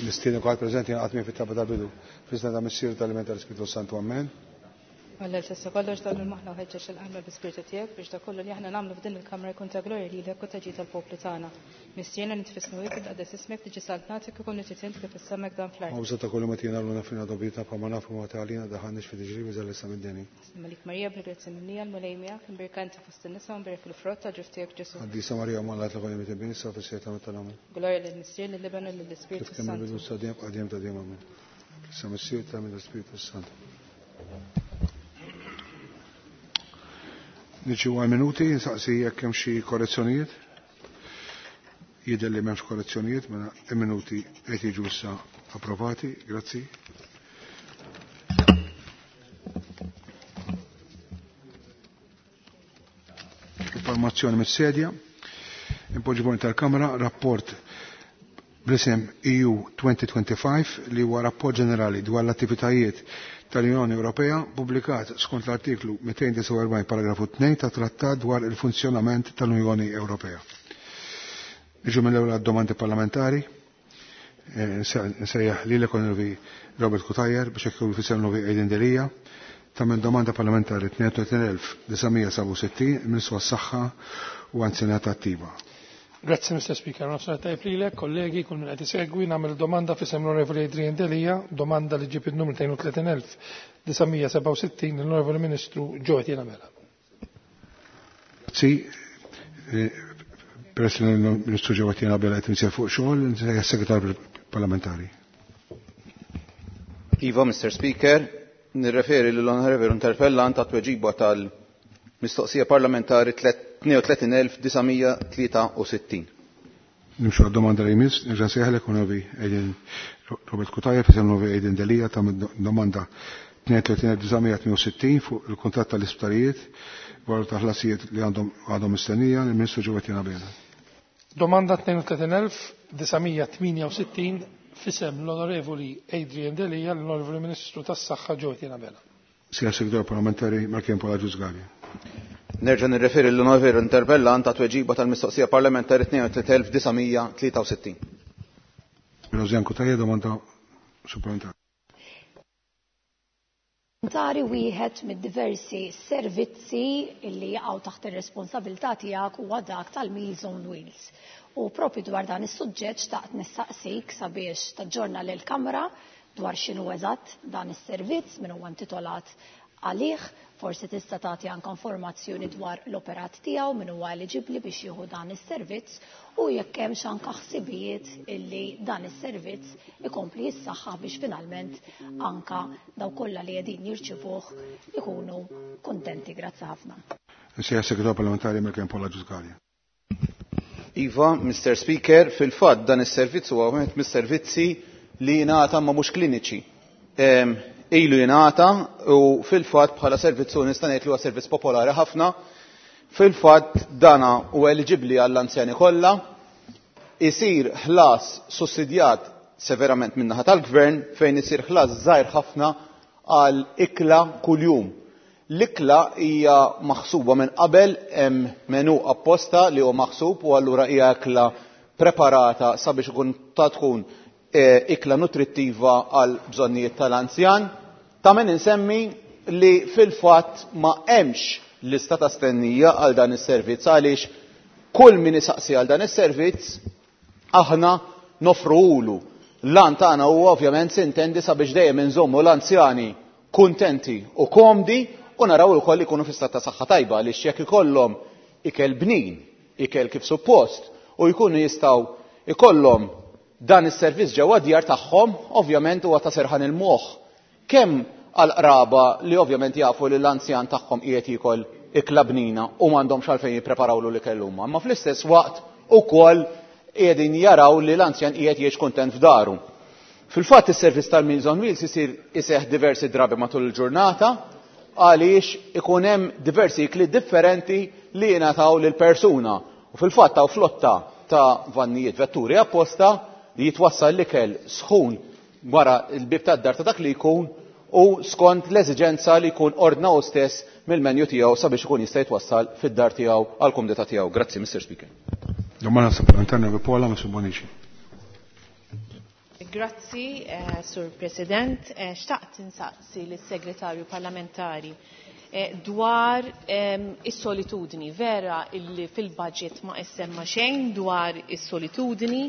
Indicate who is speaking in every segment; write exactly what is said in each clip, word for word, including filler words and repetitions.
Speaker 1: Nistieden kulħadd preżenti jingħaqad miegħi fit-talba tal-bidu. Fl-isem ta' Missier tal-Iben tal-Ispirtu Santu. Amen.
Speaker 2: Alla l-sessa kollox dan il-maħna u ħeġġeġ il-qalba bi-spiritu tiegħek biex dak kollu li aħna nagħmlu f'din il-kamra jkun ta' glorja lilek u ta' ġid tal-poplu tagħna. Missierna li tfisnu tqaddes ismek tiġi saltnatek ikun li trid kif is-sema dan fl-art.
Speaker 1: Ħobża ta' kull ma tina llum aħfrilna dnubietna bħalma naħfru ma tagħlina daħalniex fi tiġrib iżda ħlisna mid-deni.
Speaker 2: Malik Marija bil-grazzja mimlija l-Mulej miegħek imbierka inti fost in-nisa u mbierek il-frott tal-ġuf tiegħek Ġesu.
Speaker 1: Qaddisa Marija Omm Alla itlob għalina midinbin issa u fis-siegħa ta' mewtna. Amen.
Speaker 2: Glorja lill-Missier lill-Iben u lill-Ispirtu
Speaker 1: Kif kemm
Speaker 2: Santu.
Speaker 1: il-bidu sa dejjem qadiem ta' dejjem amen. Sa Missier ta' mill-Ispirtu Santu. Niġu għal minuti, nsaqsi jekk hemm xi korrezzjonijiet. Jidher li m'hemmx korrezzjonijiet, mela il-minuti qed jiġu issa approvati. Grazzi. Informazzjoni mis-sedja. Impoġġi tal-Kamra, rapport bl-isem E U twenty twenty-five li huwa rapport ġenerali dwar l-attivitajiet tal-Unjoni Ewropea pubblikat skont l-artiklu mitejn disgħa u erbgħin paragrafu tnejn ta' Trattat dwar il-funzjonament tal-Unjoni Ewropea. Niġu mill-ewwel domandi parlamentari. Eh, nsejjaħ lilek Onorevoli Robert Cutajar biex jekk fisem l-Onorevoli Adrian Delia ta' domanda parlamentari tnejn u tletin elf disa' mija sebgħa u sittin Ministru għas-Saħħa u Anzjanità Attiva.
Speaker 3: Grazzi, Mister Speaker. Nofsinhar tajjeb lilek, kollegi, kull min qed isegwi, nagħmel domanda f'isem l-Onorevoli Adrian Delia, domanda li ġib il-numru tnejn u tletin elf disa' mija sebgħa u sittin l-Onorevoli Ministru Jo Etienne Abela.
Speaker 1: Grazzi. Eh, peress li l-Ministru Jo Etienne Abela qed imsejjaħ fuq xogħol, nsejjaħ segretarju parlamentari.
Speaker 4: Iva, Mister Speaker, nirreferi l-Onorevoli interpellant għat-tweġiba tal-mistoqsija parlamentari tnejn u tletin elf disa' mija tlieta u sittin.
Speaker 1: Nimxu għad-domanda li jmiss, nerġa' nsejjaħlek Onorevoli Adrian Robert Cutajar f'isem l-Onorevoli Adrian Delia ta' domanda tnejn u tletin elf disa' mija tmien u sittin fuq il-kuntratt tal-isptarijiet dwar ta' ħlasijiet li għandhom għadhom mistennija l-Ministru Jo Etienne Abela.
Speaker 3: Domanda tnejn u tletin elf disa' mija tmien u sittin f'isem l-Onorevoli Adrian Delia l-Onorevoli Ministru tas-Saħħa Jo Etienne Abela.
Speaker 1: Sija Segretarju Parlamentari Markian Paul Agius Galea.
Speaker 4: Nerġa' nirreferi l-Onorevoli interpellant għat-tweġiba tal-mistoqsija parlamentari tnejn u tletin elf disa' mija tlieta u sittin.
Speaker 1: Rosianne Cutajar, domanda supplementari.
Speaker 5: Tari wieħed mid-diversi servizzi li jaqgħu taħt ir-responsabilità tiegħek huwa dak tal-Meals on Wheels. U propju dwar dan is-suġġett xtaqt nistaqsik sabiex taġġorna lill-Kamra dwar x'inhu eżatt dan is-servizz, min huwa intitolat għalih, forsi tista' tagħti anke informazzjoni dwar l-operat tiegħu, min huwa eliġibbli biex jieħu dan is-servizz u jekk hemmx anke ħsibijiet illi dan is-servizz ikompli jissaħħaħ biex finalment anke daw kollha li qegħdin jirċivuh ikunu kuntenti. Grazzi ħafna.
Speaker 1: Sija Segretarju Parlamentari Markian Paul Agius Galea.
Speaker 4: Iva, Mister Speaker, fil-fatt dan is-servizz huwa wieħed mis-servizzi li jingħata ma mhux kliniċi. Em, ilu jingħata u fil-fatt bħala servizz nista' ngħid li huwa servizz popolari ħafna. Fil-fatt dana huwa eliġibbli għall-anzjani kollha, isir ħlas sussidjat severament min-naħa tal-gvern fejn isir ħlas żgħir ħafna għal ikla kuljum. L-ikla hija maħsuba minn qabel, hemm menu apposta li huwa maħsub u allura hija ikla preparata sabiex ikun ta' tkun, eh, ikla nutrittiva għal bżonnijiet tal-anzjan. Ta' min insemmi li fil-fatt ma hemmx lista ta' stennija għal dan is-servizz għaliex kull min isaqsi għal dan is-servizz aħna nofruhulu. L-għan tagħna huwa ovvjament sintendi sabiex dejjem inżommu l-anzjani kuntenti u komdi u naraw ukoll ikunu fi stat ta' saħħa tajba għaliex jekk ikollhom ikel bnin, ikel kif suppost u jkunu jistgħu ikollhom dan is-servizz ġewwa djar tagħhom, ovvjament huwa ta' serħan il-moħħ. Kemm għall-qraba li ovvjament jafu li l-anzjan tagħhom qiegħed jiekol ikla bnina u m'għandhomx għalfejn jippreparawlu l-ikel huma, imma fl-istess waqt ukoll qiegħdin jaraw li l-anzjan qiegħed jgħix kuntent f'daru. Fil-fatt is-servizz tal-Meals on Wheels isir iseħħ diversi drabi matul il-ġurnata għaliex ikun hemm diversi ikli differenti li jingħataw lil persuna. U fil-fatt hawn flotta ta' vannijiet vetturi apposta li jitwassal l-ikel sħun wara l-bib tad-dar ta' dak li jkun u skont l-eżiġenza li jkun ordna hu stess mill-menju tiegħu sabiex ikun jista' jitwassal fid-dar tiegħu għall-kumdità tiegħu. Grazzi, Mister Speaker.
Speaker 1: Domanda supplementari Paola Mifsud Bonnici.
Speaker 6: Grazzi, eh, Sur President. Eh, xtaqt insaqsi lis-Segretarju Parlamentari eh, dwar eh, is-solitudni. Vera illi fil-budget ma issemma xejn dwar is-solitudni,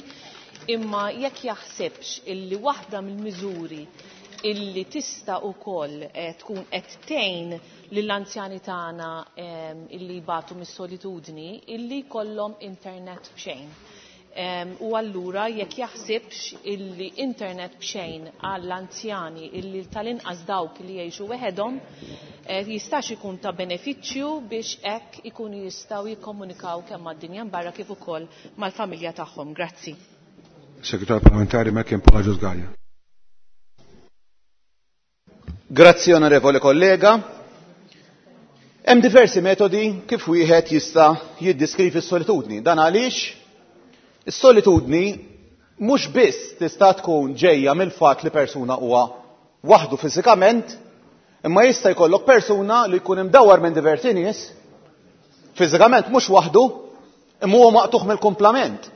Speaker 6: imma jekk jaħsibx illi waħda mill-miżuri illi tista' ukoll eh, tkun qed tgħin lill-anzjani tagħna eh, illi jbatu mis-solitudni illi jkollhom internet b'xejn. Um, u allura jekk jaħsibx illi internet b'xejn għall-anzjani illi tal-inqas dawk li jgħixu weħedhom eh, jistax ikun ta' benefiċċju biex hekk ikunu jistgħu jikkomunikaw kemm mad-dinja barra kif ukoll mal-familja tagħhom. Grazzi.
Speaker 1: Segretarju Parlamentari Melchior Agius Galea.
Speaker 4: Grazzi, onorevole kollega. Hemm diversi metodi kif wieħed jista' jiddiskrivi s-solitudni. Dan għaliex is-solitudni mhux biss tista' tkun ġejja mill-fatt li persuna huwa waħdu fiżikament, imma jista' jkollok persuna li jkun imdawwar minn diversi nies, fiżikament mhux waħdu, imma huwa maqtugħ mill-kumplament.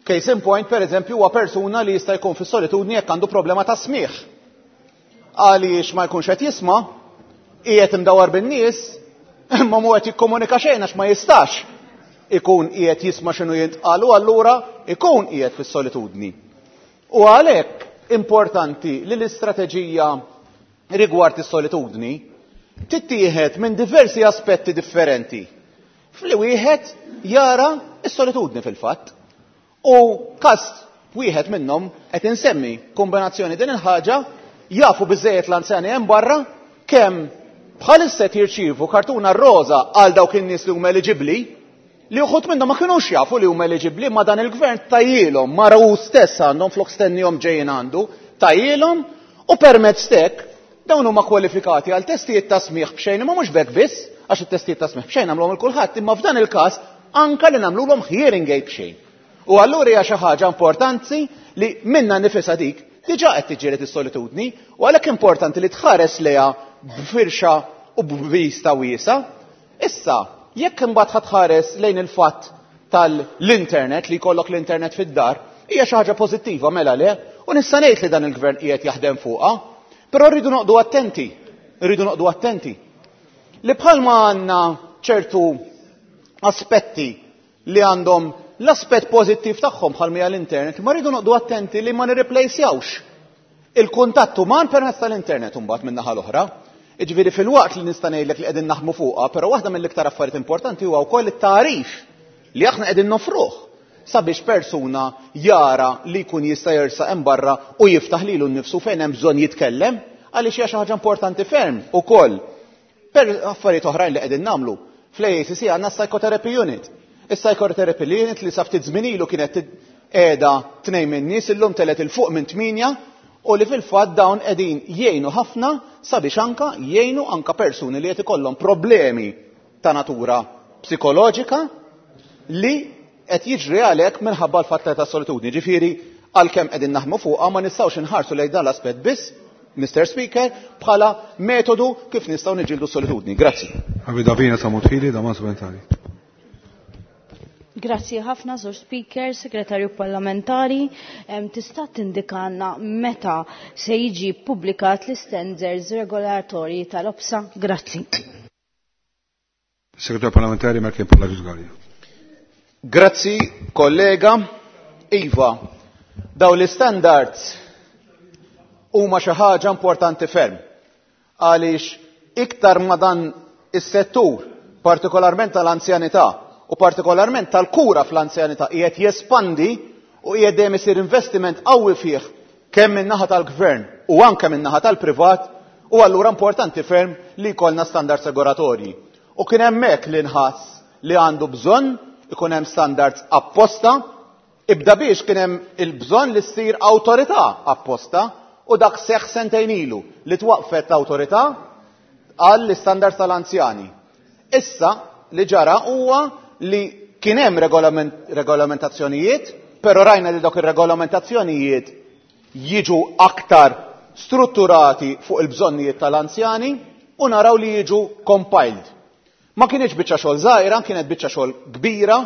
Speaker 4: Case in point, per eżempju, huwa persuna li jista' jkun fis-solitudni jekk għandu problema ta' smigħ. Għaliex ma jkunx qed jisma', qiegħed imdawwar bin-nies, imma mhu qed jikkomunika xejn għax ma jistax ikun qiegħed jisma' x'inhu jintqal u allura ikun qiegħed fis-solitudni. U għalhekk importanti li l-istrateġija rigward is-solitudni tittieħed minn diversi aspetti differenti. Fli wieħed jara s-solitudni fil-fatt. U każ wieħed minnhom qed insemmi kombinazzjoni din il-ħaġa jafu biżejjed l-anzjani hemm barra kemm bħalissa qed jirċievu kartuna roża għal dawk in-nies li huma eliġibbli, li uħud minnhom ma kinux jafu li huma eliġibbli, ma dan il-gvern tajjielhom, mara hu stess għandhom flok stennihom ġejjin għandu, tajjielhom u permezz tek dawn huma kwalifikati għal testijiet ta' smigħ b'xejn, imma mhux b'hekk biss, għax it-testijiet ta' smigħ b'xejn nagħmluhom il kulħadd, imma f'dan il-każ anka li nagħmluhom hearing aid b'xejn. U allura hija xi ħaġa importanti li minna nifisha dik diġà qed tiġġieled is-solitudni, u għalhekk importanti li tħares lejha b'firxa u b'vista wiesa. Issa, jekk imbagħad ħatħares lejn il-fatt tal-internet li jkollok l-internet fid-dar, hija xi ħaġa pożittiva mela le, u nista' ngħid li dan il-gvern qiegħed jaħdem fuqha, però rridu noqogħdu attenti, rridu noqogħdu attenti. Li bħalma għandna ċertu aspetti li għandhom l-aspett pożittiv tagħhom bħal mija l-internet, ma rridu noqogħdu attenti li ma nirreplacjawx il-kuntatt uman permezz tal-internet imbagħad min-naħa l-oħra. Jiġifieri fil-waqt li nista' ngħidlek li qegħdin naħdmu fuqha, però waħda mill-iktar affarijiet importanti huwa wkoll it-tagħrif li aħna qegħdin nofruh sabiex persuna jara li jkun jista' jersaq hemm barra u jiftaħ lilu nnifsu fejn hemm bżonn jitkellem, għaliex hija xi ħaġa importanti ferm ukoll. Per affarijiet oħrajn li qegħdin nagħmlu, fl-A C C għandna psychotherapy unit. Is-psychotherapy unit li sa ftit żmien ilu kienet qiegħda tnejn minn nies, illum telet il fuq minn tmienja, u li fil-fatt dawn qegħdin jgħinu ħafna sabiex anka jgħinu anka persuni li qed ikollhom problemi ta' natura psikoloġika li qed jiġri għalhekk minħabba l-fatt ta' solitudni. Ġifieri għalkemm qegħdin naħdmu fuqha ma nistgħux inħarsu lejn dan l-aspett biss, Mister Speaker, bħala metodu kif nistgħu niġġieldu solitudni. Grazzi.
Speaker 1: Davina Sammut Hili, domanda supplementari.
Speaker 7: Grazzi ħafna, Sur Speaker, Segretarju Parlamentari. Em, Tista' tindikanna meta se jiġi ppubblikat l-standards regolatorji tal-OPSA? Grazzi.
Speaker 1: Segretarju Parlamentari Melchior Agius Galea.
Speaker 4: Grazzi, kollega. Iva, daw l-standards huma xi ħaġa importanti ferm. Għaliex iktar ma dan is-settur, partikolarment tal-anzjanità u partikolarment tal-kura fl-anzjanità, qiegħed jespandi u qiegħed dejjem isir investiment qawwi fih kemm min-naħa tal-gvern u anke min-naħa tal-privat, u allura importanti ferm li jkollna standards regolatorji. U kien hemmhekk li nħass li għandu bżonn ikun hemm standards apposta, ibda biex kien hemm il-bżonn li ssir awtorità apposta, u dak seħħ sentejn ilu li twaqfet l-awtorità għall standards tal-anzjani. Issa li ġara huwa li kien hemm regolament, regolamentazzjonijiet, però rajna li dawk ir-regolamentazzjonijiet jiġu aktar strutturati fuq il-bżonnijiet tal-anzjani u naraw li jiġu compiled. Ma kienx biċċa xogħol żgħira, kienet biċċa xogħol kbira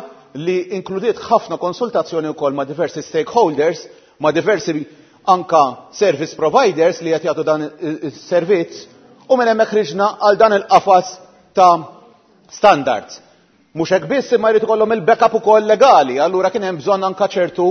Speaker 4: li inkludiet ħafna konsultazzjoni wkoll ma' diversi stakeholders, ma' diversi anka service providers li qed jagħtu dan is-servizz u minn hemmhekk ħriġna għal dan il-qafas ta' standards. Mhux hekk biss imma jrid ikollhom il-backup ukoll legali, allura kien hemm bżonn anka ċertu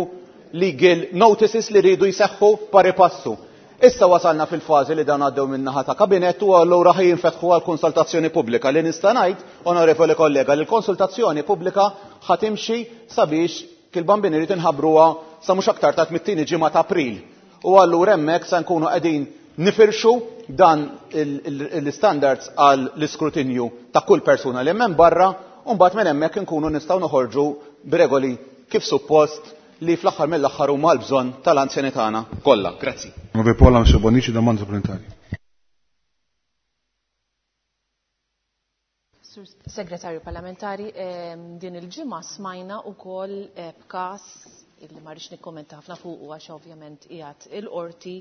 Speaker 4: legal notices li rridu jseħħu pari passu. Issa wasalna fil-fażi li dan għaddew min-naħa ta' kabinett u allura ħaj jinfetħu għal konsultazzjoni pubblika li nista' ngħid, onorevoli kollega, li l-konsultazzjoni pubblika ħa timxi sabiex kil-bambini rrid inħabbruha sa mhux aktar ta' mit-tieni ġimgħa ta' April. U allura hemmhekk se nkunu qegħdin nifirxu dan l-standards għal l-iskrutinju ta' kull persuna li hemm barra u mbagħad minn hemmhekk inkunu nistgħu noħorġu b'regoli kif suppost li fl-aħħar mill-aħħar huma l-bżonn tal-anzjani tagħna kollha. Grazzi.
Speaker 1: Onorevole Paola Bonnici, domanda supplementari.
Speaker 6: Sur Segretarju Parlamentari, din il-ġimgħa smajna wkoll b'każ illi ma rridx nikkommenta ħafna fuq għax ovvjament qiegħed il-qorti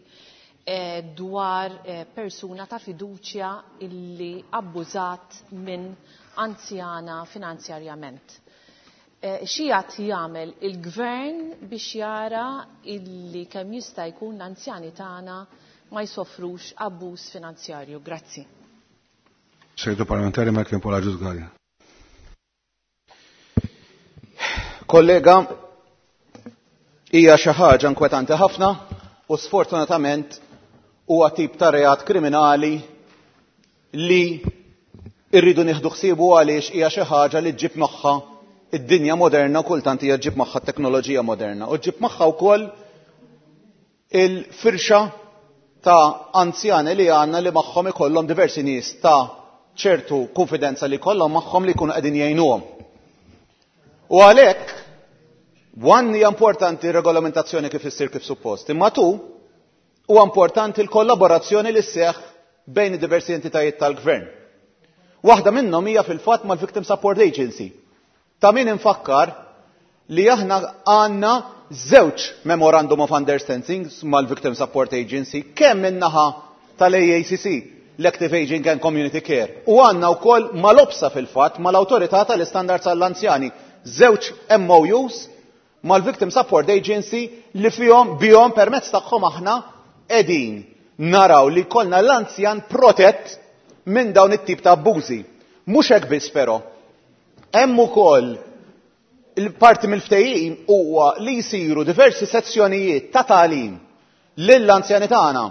Speaker 6: dwar persuna ta' fiduċja illi abbużat minn anzjana finanzjarjament. X'qiegħed jagħmel il-gvern biex jara illi kemm jista' jkun l-anzjani tagħna ma jsofrux abbuż finanzjarju? Grazzi.
Speaker 1: Segretarju Parlamentari Michael Paul Agius Galea.
Speaker 4: Kollega, hija xi ħaġa inkwetanti ħafna u sfortunatament huwa tip ta' reat kriminali li rridu nieħdu ħsiebu għaliex hija xi ħaġa li ġġib magħha id-dinja moderna, kultant hija ġġib magħha t-teknoloġija moderna u ġġib magħha wkoll il-firxa ta' anzjani li għandna li magħhom ikollhom diversi nies ta' ċertu konfidenza li kollhom magħhom li jkunu qegħdin jgħinuhom. U għalhekk one hija importanti regolamentazzjoni kif issir kif suppost, imma tu huwa importanti l-kollaborazzjoni li sseħħ bejn diversi entitajiet tal-gvern. Waħda minnhom hija fil-fatt mal-Victim Support Agency. Ta' min infakkar li aħna għandna żewġ Memorandum of Understanding mal-Victim Support Agency, kemm min-naħa tal-A A C C, l-Active Aging and Community Care, u għandna wkoll mal-OPSA fil-fatt, mal-Awtorità tal-Istandards għall-Anzjani, żewġ M O Us mal-Victim Support Agency li fihom bihom permezz tagħhom aħna qegħdin naraw li kollna l-anzjan protett minn dawn it-tip ta' abbużi. Mhux hekk biss però. Hemm ukoll il-parti mill-ftehim huwa li jsiru diversi sezzjonijiet ta' tagħlim lill-anzjani tagħna.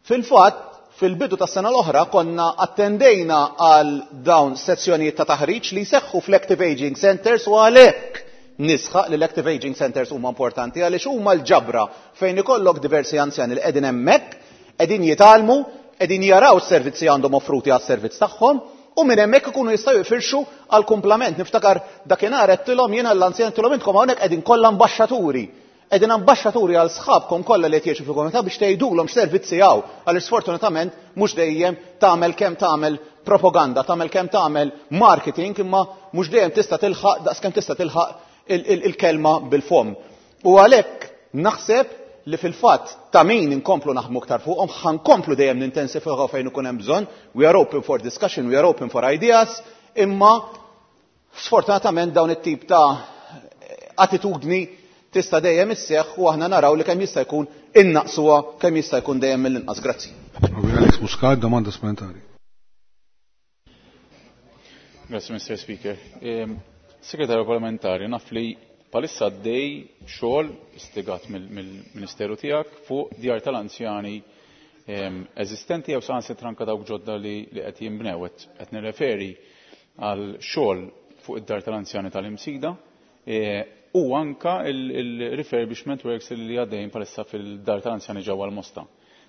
Speaker 4: Fil-fatt, fil-bidu tas-sena l-oħra konna attendejna għal dawn sezzjonijiet ta' taħriġ li jseħħu fl-Active Aging Centers u għalhekk nisħaq li l-Active Aging Centers huma importanti għaliex huma l-ġabra fejn ikollok diversi anzjani li qegħdin hemmhekk, qegħdin jitgħallmu, qegħdin jaraw s-servizzi għandhom offruti għas-servizz tagħhom u minn hemmhekk ikunu jistgħu jfirxu għal kumplament. Niftakar dakinhar għedtilhom jiena l-anzjani għedtilhom intkom hawnhekk qegħdin kollha ambaxxaturi. Qegħdin ambaxxaturi għal sħabkom kollha li qed jgħixu fil-komunità biex tgħidulhom x'servizzi hawn, għaliex sfortunatament mhux dejjem tagħmel kemm tagħmel propaganda, tagħmel kemm tagħmel marketing, imma mhux dejjem tista' tilħaq daqskemm tista' tilħaq il-kelma bil-fomm. U għalhekk naħseb li fil-fatt ta' min inkomplu naħdmu aktar fuqhom, ħankomplu dejjem nintensifikaw fejn ikun hemm bżonn. We are open for discussion, we are open for ideas, imma sfortunatament dawn it-tip ta' attitudni tista' dejjem isseħħ u aħna naraw li kemm jista' jkun innaqsuha kemm jista' jkun dejjem mill-inqas. Grazzi.
Speaker 1: Alex Muscat, domanda supplementari.
Speaker 8: Grazzi, Mister Speaker. Segretarju Parlamentari, naf li palissa għaddej xogħol istigat mill-Ministeru tiegħek fuq djar tal-anzjani eżistenti jew saħansitra anke dawk ġodda li qed jinbnew. Qed nirreferi għal xogħol fuq id-dar tal-anzjani tal-Imsida u anka il-refurbishment works li għaddejjin palissa fil-dar tal-anzjani ġewwa l-Mosta.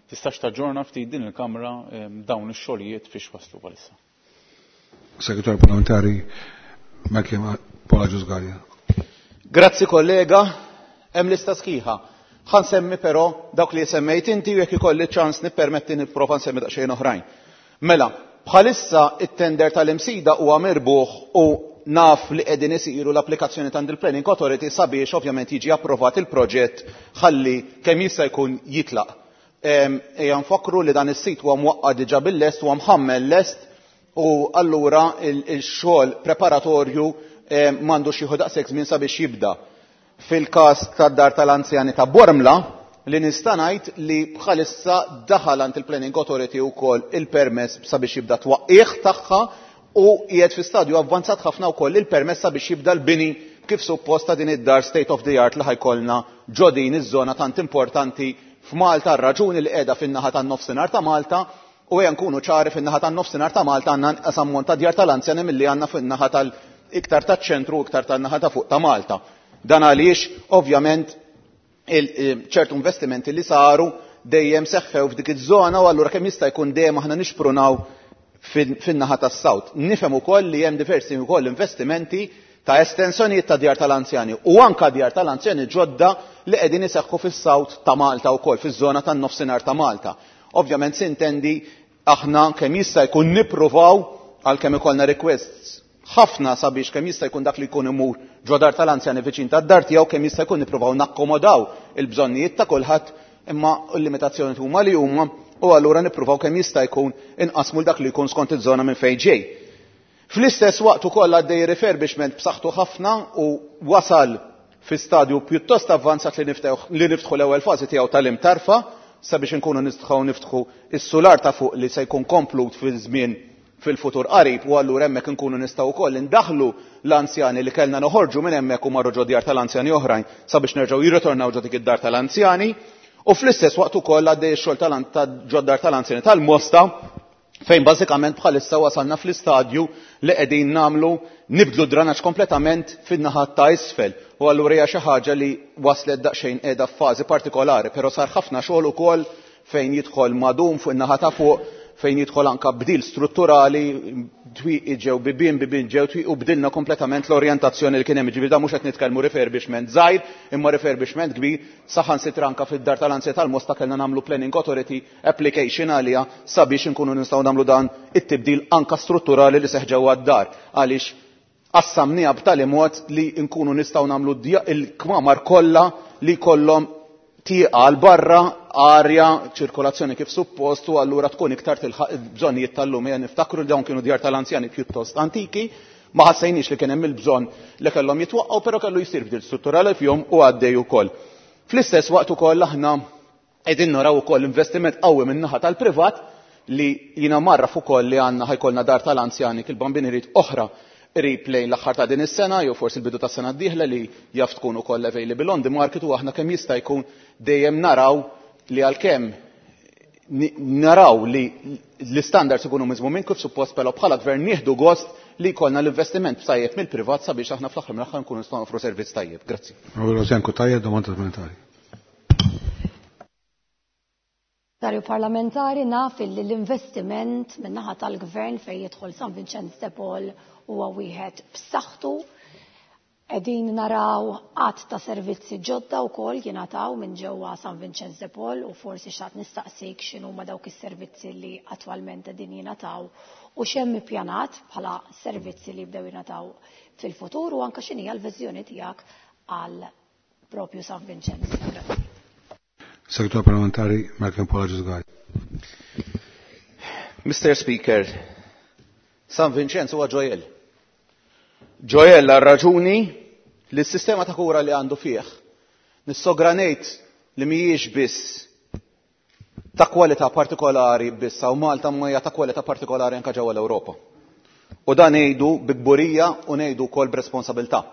Speaker 8: Tistax taġġorna ftit din il-Kamra dawn ix-xogħlijiet fiex waslu palissa?
Speaker 1: Segretarju Parlamentari Michael Paul Agius Galea.
Speaker 4: Grazzi kollega, hemm lista sħiħa. Ħa nsemmi però dawk li semmejt inti u jekk ikolli ċans nippermetti nipprova nsemmi daqsxejn oħrajn. Mela, bħalissa it-tender tal-Imsida huwa mirbuħ u naf li qegħdin isiru l-applikazzjoni ta' il-Planning Authority sabiex ovvjament jiġi approvat il-proġett ħalli kemm jista' jkun jitlaq. Ejja nfakru li dan is-sit huwa mwaqqa' diġà bil-lest huwa mħammel lest u allura il-xogħol preparatorju m'għandux jieħu daqshekk żmien sabiex jibda. Fil-każ tad-dar tal-anzjani ta' Bormla, li nista' ngħid li bħalissa daħal għand il-Planning Authority wkoll il-permess sabiex jibda twaqqih tagħha u qiegħed fi stadju avvanzat ħafna wkoll il-permess sabiex jibda l-bini kif suppost ta' din id-dar state of the art li ħa jkollna ġo din iż-żona tant importanti f'Malta, r-raġuni li qiegħda fin-naħa tan-nofsinhar ta' Malta. U ejja nkunu ċari, fin-naħa tan-nofsinhar ta' Malta għandna inqas ammont ta' djar tal-anzjani milli għandna fin-naħa tal-iktar taċ-ċentru u iktar tan-naħa ta' fuq ta' Malta. Dan għaliex ovvjament ċertu investimenti li saru dejjem seħħew f'dik iż-żona u allura kemm jista' jkun dejjem aħna nixprunaw fin-naħa tas-South. Nifhem ukoll li hemm diversi wkoll investimenti ta' estensjonijiet ta' djar tal-anzjani u anka djar tal-anzjani ġodda li qegħdin iseħħu fis-South ta' Malta wkoll, fiż-żona tan-nofsinhar ta' Malta. Ovvjament sintendi aħna kemm jista' jkun nippruvaw, għalkemm ikollna requests ħafna sabiex kemm jista' jkun dak li jkun imur ġo dar tal-anzjani viċin tad-dar tiegħu, kemm jista' jkun nippruvaw nakkomodaw il-bżonnijiet ta' kulħadd, imma l-limitazzjoni huma li huma u allura nippruvaw kemm jista' jkun inqasmu dak li jkun skont iż-żona minn fejn ġej. Fl-istess waqt ukoll għaddej refurbishment b'saħħtu ħafna u wasal fi stadju pjuttost avvanzat li niftħu l-ewwel fażi tiegħu tal-Imtarfa sabiex inkunu nistgħu niftħu is-sular ta' fuq li se jkun komplut fil-żmien fil-futur qarib, u allura hemmhekk inkunu nistgħu wkoll indaħlu l-anzjani li kellna noħorġu minn hemmhekk u marru ġo djar tal-anzjani oħrajn sabiex nerġgħu jirritornaw ġo dik id-dar tal-anzjani. U fl-istess waqt ukoll għaddej ix-xogħol ta' ġo dar tal-anzjani tal-Mosta, fejn bażikament bħalissa wasalna fl-istadju li qegħdin nagħmlu nibdlu dranaġġ kompletament fin-naħa ta' isfel. U allura hija xi ħaġa li waslet daqsxejn qiegħda f'fażi partikolari, però sar ħafna xogħol ukoll fejn jidħol madum fuq in-naħa ta' fuq, fejn jidħol anka bdil strutturali, twieqi ġew bibien, bibien ġew twieqi, u bdilna kompletament l-orjentazzjoni li kien hemm. Ġifieri mhux qed nitkellmu refurbishment żgħir, imma refurbishment kbir. Saħansitra anka fid-dar tal-anzjani tal-Mosta kellna nagħmlu Planning Authority application għaliha sabiex inkunu nistgħu nagħmlu dan it-tibdil anka strutturali li seħ ġewwa d-dar, għaliex qassamniha b'tali mod li nkunu nistgħu nagħmlu il-kmamar kollha li kollhom tieqa għal barra, arja, ċirkolazzjoni kif suppost, u allura tkun iktar tilħaq il-bżonnijiet tal-lum. Ejja niftakru li dawn kienu djar tal-anzjani pjuttost antiki, ma ħassejniex li kien hemm il-bżonn li kellhom jitwaqqgħu, però kellu jsir bdil strutturali fihom u għaddej ukoll. Fl-istess waqt ukoll aħna qegħdin naraw ukoll investiment qawwi min-naħa tal-privat li jiena marraf ukoll li għandna ħa jkollna dar tal-anzjani kil-Bambin irid oħra qrib lejn l-aħħar ta' din is-sena jew forsi l-bidu tas-sena d-dieħla li jaf tkun ukoll available on the market, u aħna kemm jista' jkun dejjem naraw li għalkemm naraw li l-istandards ikunu miżmumin kif suppost, però bħala gvern nieħdu gost li jkollna l-investiment tajjeb mill-privat sabiex aħna fl-aħħar mill-aħħar nkunu nistgħu nofru servizz tajjeb. Grazzi.
Speaker 1: Onorevole domanda parlamentari.
Speaker 5: Segretarju Parlamentari, naf li l-investiment min-naħa tal-gvern fejn jidħol San Vincenz de Paul huwa wieħed b'saħħtu. Qegħdin naraw għadd ta' servizzi ġodda wkoll jingħataw minn ġewwa San Vincenz de Paul, u forsi xtaqt nistaqsik x'inhuma dawk is-servizzi li attwalment qegħdin jingħataw u x'hemm ippjanat bħala servizzi li jibdew jingħataw fil-futur, u anke x'inhi l-viżjoni tiegħek għal propju San Vincenz. Grazzi.
Speaker 1: Segretarju Parlamentari Malcolm Paul Agius Galea.
Speaker 4: Mister Speaker, San Vincenz huwa ġojell. Ġojell għal raġuni li s-sistema ta' kura li għandu fih nissogra ngħid li mhijiex biss ta' kwalità partikolari biss hawn Malta, ma hija ta' kwalità partikolari anke ġewwa l-Ewropa. U dan ngħidu bi kburija u ngħidu wkoll b'responsabilità.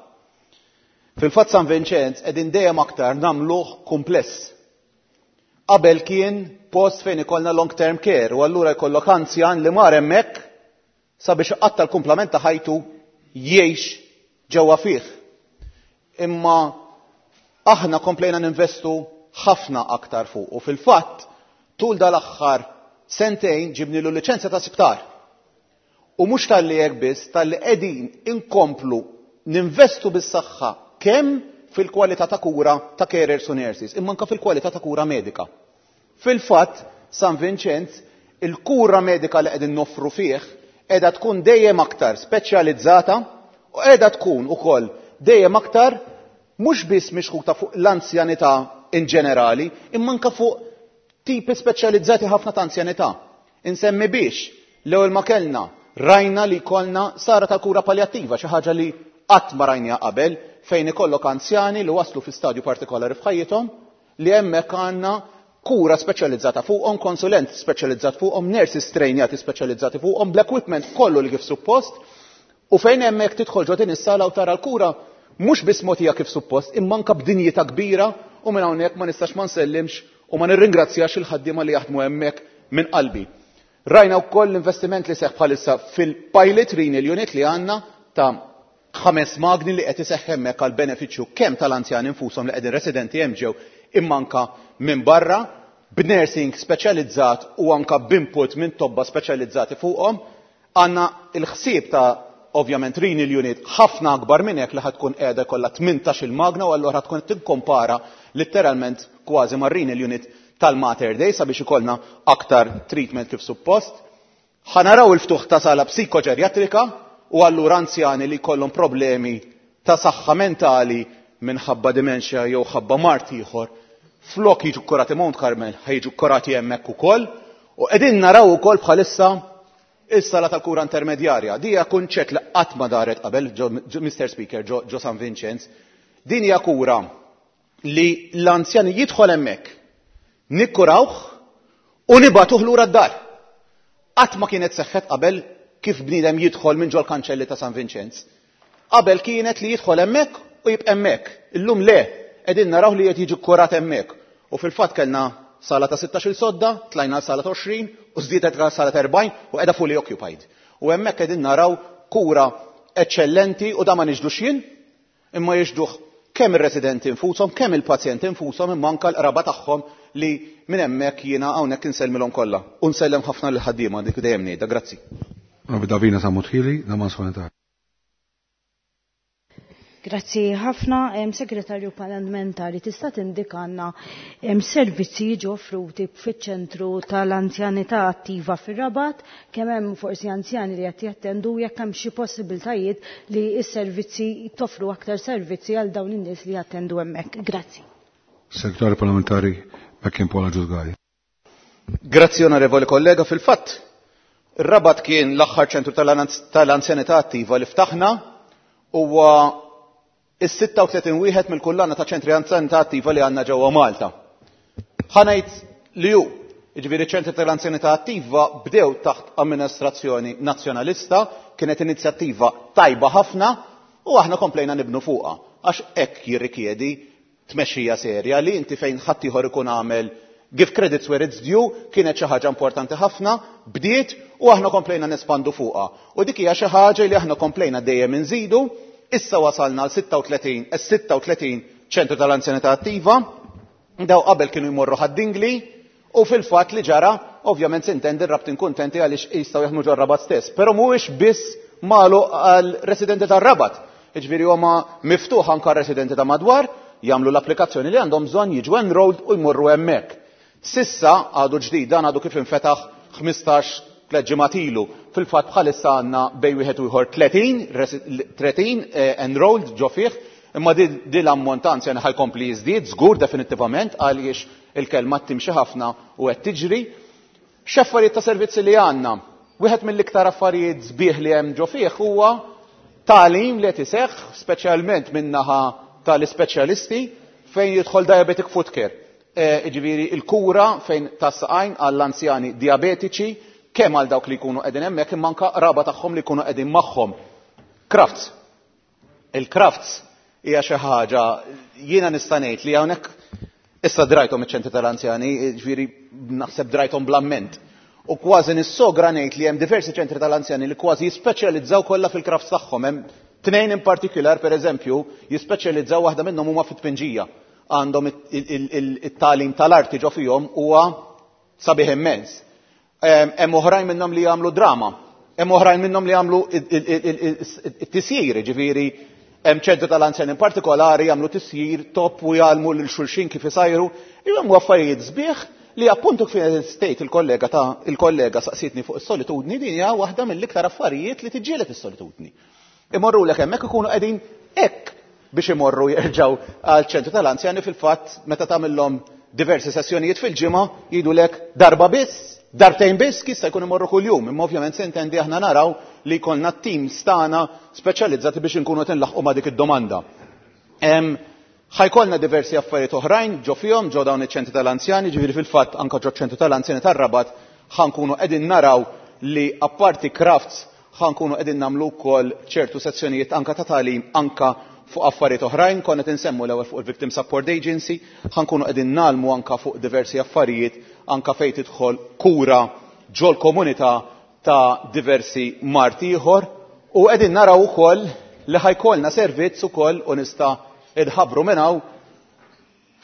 Speaker 4: Fil-fatt San Vincenz qegħdin dejjem aktar nagħmluh kumpless. Qabel kien post fejn ikollna long term care u allura jkollok anzjan li mar hemmhekk sabiex iqatta' l-kumplament ta' ħajtu jgħix ġewwa fih. Imma aħna komplejna ninvestu ħafna aktar fuq u fil-fatt tul dal-aħħar sentejn ġibnilu liċenzja ta' sptar. U mhux talli hekk biss, talli qegħdin inkomplu ninvestu bis-saħħa kemm fil-kwalità ta' kura ta' carers u nurses, imma anke fil-kwalità ta' kura medika. Fil-fatt, San Vincenz, il-kura medika li qegħdin noffru fih qiegħda tkun dejjem aktar speċjalizzata u qiegħda tkun ukoll dejjem aktar mhux biss mixħuta fuq l-anzjanità in ġenerali, imma anke fuq tipi speċjalizzati ħafna ta' anzjanità. Insemmi biex l-ewwel ma kellna rajna li kollna sara ta' kura palliattiva, xi ħaġa li qatt ma rajniha qabel, fejn ikollok anzjani li waslu fi stadju partikolari f'ħajjithom li hemmhekk għandna kura speċjalizzata fuqhom, konsulent speċjalizzat fuqhom, nurses trejnjati speċjalizzati fuqhom, bl-equipment kollu li kif suppost, u fejn hemmhekk tidħol ġo din is-sala u tara l-kura mhux biss mogħtija kif suppost, imma anke b'dinjità kbira, u minn hawnhekk ma nistax ma nsellimx u ma nirringrazzjax il-ħaddiema li jaħdmu hemmhekk minn qalbi. Rajna wkoll l-investiment li seħħ bħalissa fil-pilot renal unit li għandna ta' ħames magni li qed iseħħ hemmhekk għal benefiċċju kemm tal-anzjani infushom li qegħdin residenti hemm ġew, imma anke minn barra, b'nursing speċjalizzat u anke b'input minn tobba speċjalizzati fuqhom. Għandna l-ħsieb ta' ovvjament renal unit ħafna akbar minn hekk li ħad tkun qiegħda jkollha tmintax-il magna, u allura tkun qed tikkompara letteralment kważi mar-renal unit tal-Mater Dei sabiex ikollna aktar treatment kif suppost. Ħa naraw il-ftuħ ta' sala psikoġerjatrika, u allura anzjani li jkollhom problemi ta' saħħa mentali minħabba dementia jew ħabba mard ieħor, flok jiġu kkurati Mount Carmel, ħajġu kkurati hemmhekk ukoll. U qegħdin naraw ukoll bħalissa is-sala tal-kura intermedjarja. Di hija kunċett li qatt ma daret qabel, Mister Speaker, ġo San Vincenz. Din hija kura li l-anzjani jidħol hemmhekk, nikkurawh u nibatuh lura d-dar. Qatt ma kienet seħħet qabel kif bniedem jidħol minn ġol-kanċelli ta' San Vincenz. Qabel kienet li jidħol hemmhekk u jibqa' hemmhekk. Illum le, qegħdin naraw li qed jiġi kkurat hemmhekk. U fil-fatt kellna sala ta' sittax-il sodda, tlajna sala ta' għoxrin u żdiedet sala ta' erbgħin u qiegħda fully occupied. U hemmhekk qegħdin naraw kura eċċellenti, u da ma niġdux jien, imma jiġduh kemm ir-residenti infushom, kemm il-pazjenti infushom, imma anke l-qraba tagħhom li minn hemmhekk jiena hawnhekk insellmilhom kollha. U nsellem ħafna lil ħaddiema dik dejjem ngħidha, grazzi.
Speaker 1: Onorevoli Davina Sammut Hili, domanda supplementare.
Speaker 7: Grazzi ħafna. Segretarju Parlamentari, tista' tindikanna servizzi jiġu offruti fiċ-ċentru tal-anzjanità attiva fir-Rabat, kemm hemm forsi anzjani li qed jattendu, jekk hemm xi possibiltajiet li s-servizzi toffru aktar servizzi għal dawn in-nies li jattendu hemmhekk. Grazzi.
Speaker 1: Segretarju Parlamentari McCain Paul Agius Galea.
Speaker 4: Grazzi, onorevoli kollega. Fil-fatt, ir-Rabat kien l-aħħar ċentru tal-anzjanità attiva li ftaħna, huwa is-sitta u tletin wieħed mill-kullana ta' ċentri anzjanità attiva li għandna ġewwa Malta. Ħa ngħid li hu, jiġifieri ċentri tal-anzjanità attiva bdew taħt amministrazzjoni nazzjonalista, kienet inizjattiva tajba ħafna u aħna komplejna nibnu fuqha, għax hekk jirrikjedi tmexxija serja li inti fejn ħadd ieħor ikun għamel give credits where it's due, kienet xi ħaġa importanti ħafna, bdiet u aħna komplejna nespandu fuqha. U dik hija xi ħaġa li aħna komplejna dejjem inżidu. Issa wasalna għal sitta u tletin, eh, sitta u tletin ċentru tal-anzjanità attiva, daw qabel kienu jmorru Ħad-Dingli, u fil-fatt li ġara, ovvjament sintendi r-Rabtin kuntenti għaliex jistgħu jaħdmu ġor-Rabat stess, però mhuwiex biss magħluq għal residenti tar-Rabat. Jiġifieri huma miftuħ anke residenti ta' madwar, jagħmlu l-applikazzjoni li għandhom bżonn, jiġu enrolled u jmorru hemmhekk. Sissa għadu ġdid, dan għadu kif infetaħ ħmistax tliet ġimgħat ilu. Fil-fatt bħalissa għandna bejn wieħed u ieħor tletin resi-, tletin, eh, enrolled ġo fih, imma di, di l-ammont anzjani ħajkompli jiżdied żgur definittivament għaliex il-kelma timxi ħafna u qed tiġri. X'affarijiet ta' servizzi li għandna? Wieħed mill-iktar affarijiet sbieħ li hemm ġo fih huwa tagħlim li qed iseħħ speċjalment min-naħa tal-ispeċjalisti fejn jidħol diabetic foot care. Eh, jiġifieri il-kura fejn tas-saqajn għall-anzjani diabetiċi, kemm għal dawk li jkunu qegħdin hemmhekk imma anke qraba tagħhom li jkunu qegħdin magħhom. Crafts. Il-crafts hija xi ħaġa jiena nista' ngħid li hawnhekk issa drajthom iċ-ċentri tal-anzjani, jiġifieri naħseb drajthom bl-amment. U kważi nissogra ngħid li hemm diversi ċentri tal-anzjani li kważi jispeċjalizzaw kollha fil-crafts tagħhom. Hemm tnejn in partikular, pereżempju, jispeċjalizzaw, waħda minnhom huma fit-tpinġija. Għandhom it-tagħlim tal-arti ġo fihom huwa sabiħ immens. Hemm oħrajn minnhom li jagħmlu drama, hemm oħrajn minnhom li jagħmlu it-tisjir, ġifieri hemm ċentru tal-anzjani in partikolari jagħmlu tisjir top u jgħallmu lil xulxin kif isajru. Hemm affarijiet sbieħ li appuntu kif state il-kollega ta' il-kollega saqsitni fuq is-solitudni, din hija waħda mill-iktar affarijiet li tiġġieled is-solitudni. Imorru lek hemmhekk ikunu qegħdin hekk biex imorru jerġgħu għal ċentru tal-anzjani, fil-fatt meta tagħmilhom diversi sessjonijiet fil-ġimgħa jgħidulek darba biss, darbtejn biss, kissa jkun imorru kuljum. Imma ovvjament se intendi aħna naraw li jkollna teams tagħna speċjalizzati biex inkunu qed inlaħqu ma' dik id-domanda. Hemm Ħa jkollna diversi affarijiet oħrajn ġo fihom ġo dawn iċ-ċentri tal-anzjani, ġifieri fil-fatt anke ġo ċentru tal-anzjani tar-Rabat ħa nkunu qegħdin naraw li apparti crafts ħa nkunu qegħdin nagħmlu wkoll ċertu sezzjonijiet anke ta' tagħlim anke fuq affarijiet oħrajn. Konna qed insemmu l-ewwel fuq il-Victim Support Agency, ħa nkunu qegħdin nagħlmu anke fuq diversi affarijiet anke fejn tidħol kura ġol komunità ta' diversi mard ieħor, u qegħdin naraw ukoll li ħa jkollna servizz ukoll u nista' idħabbru minn hawn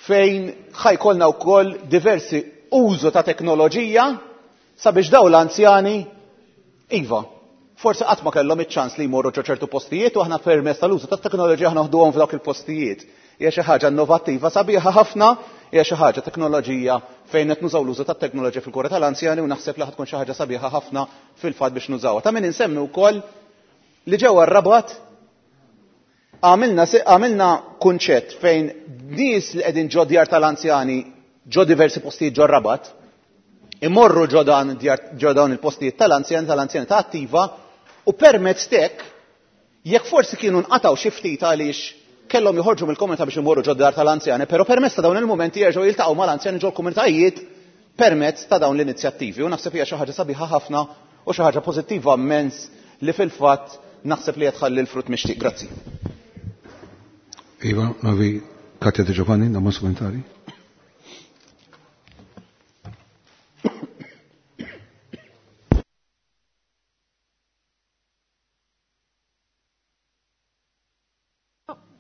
Speaker 4: fejn ħa jkollna wkoll diversi użu ta' teknoloġija sabiex dawn l-anzjani, iva, forsi qatt ma kellhom iċ-ċans li jmorru ġo ċertu postijiet u aħna permezz tal-użu tat-teknoloġija aħna noħduhom f'dawk il-postijiet. Hija xi ħaġa innovattiva sabiħa ħafna, hija xi ħaġa teknoloġija fejn qed nużaw l-użu tat-teknoloġija fil-kura tal-anzjani u naħseb li ħa tkun xi ħaġa sabiħa ħafna fil-fatt biex nużawha. Ta' min insemmi wkoll li ġewwa r-Rabat għamilna se-, għamilna kunċett fejn nies li qegħdin ġo djar tal-anzjani ġo diversi postijiet ġo r-Rabat, imorru ġo dan djar, ġo dawn il-postijiet tal-anzjani, tal-anzjani ta' attiva, u permezz tek, jekk forsi kienu nqataw xi ftit għaliex kellhom joħorġu mill-komunità biex imorru ġo dar tal-anzjani, però permezz ta' dawn il-mumenti jerġgħu jiltaqgħu mal-anzjani ġo l-komunitajiet permezz ta' dawn l-inizjattivi. U naħseb hija xi ħaġa sabiħa ħafna u xi ħaġa pożittiva immens li fil-fatt naħseb li qed tħalli l-frott mixtieq. Grazzi.
Speaker 1: Iva, Novi Katja De Giovanni, domanda supplementari.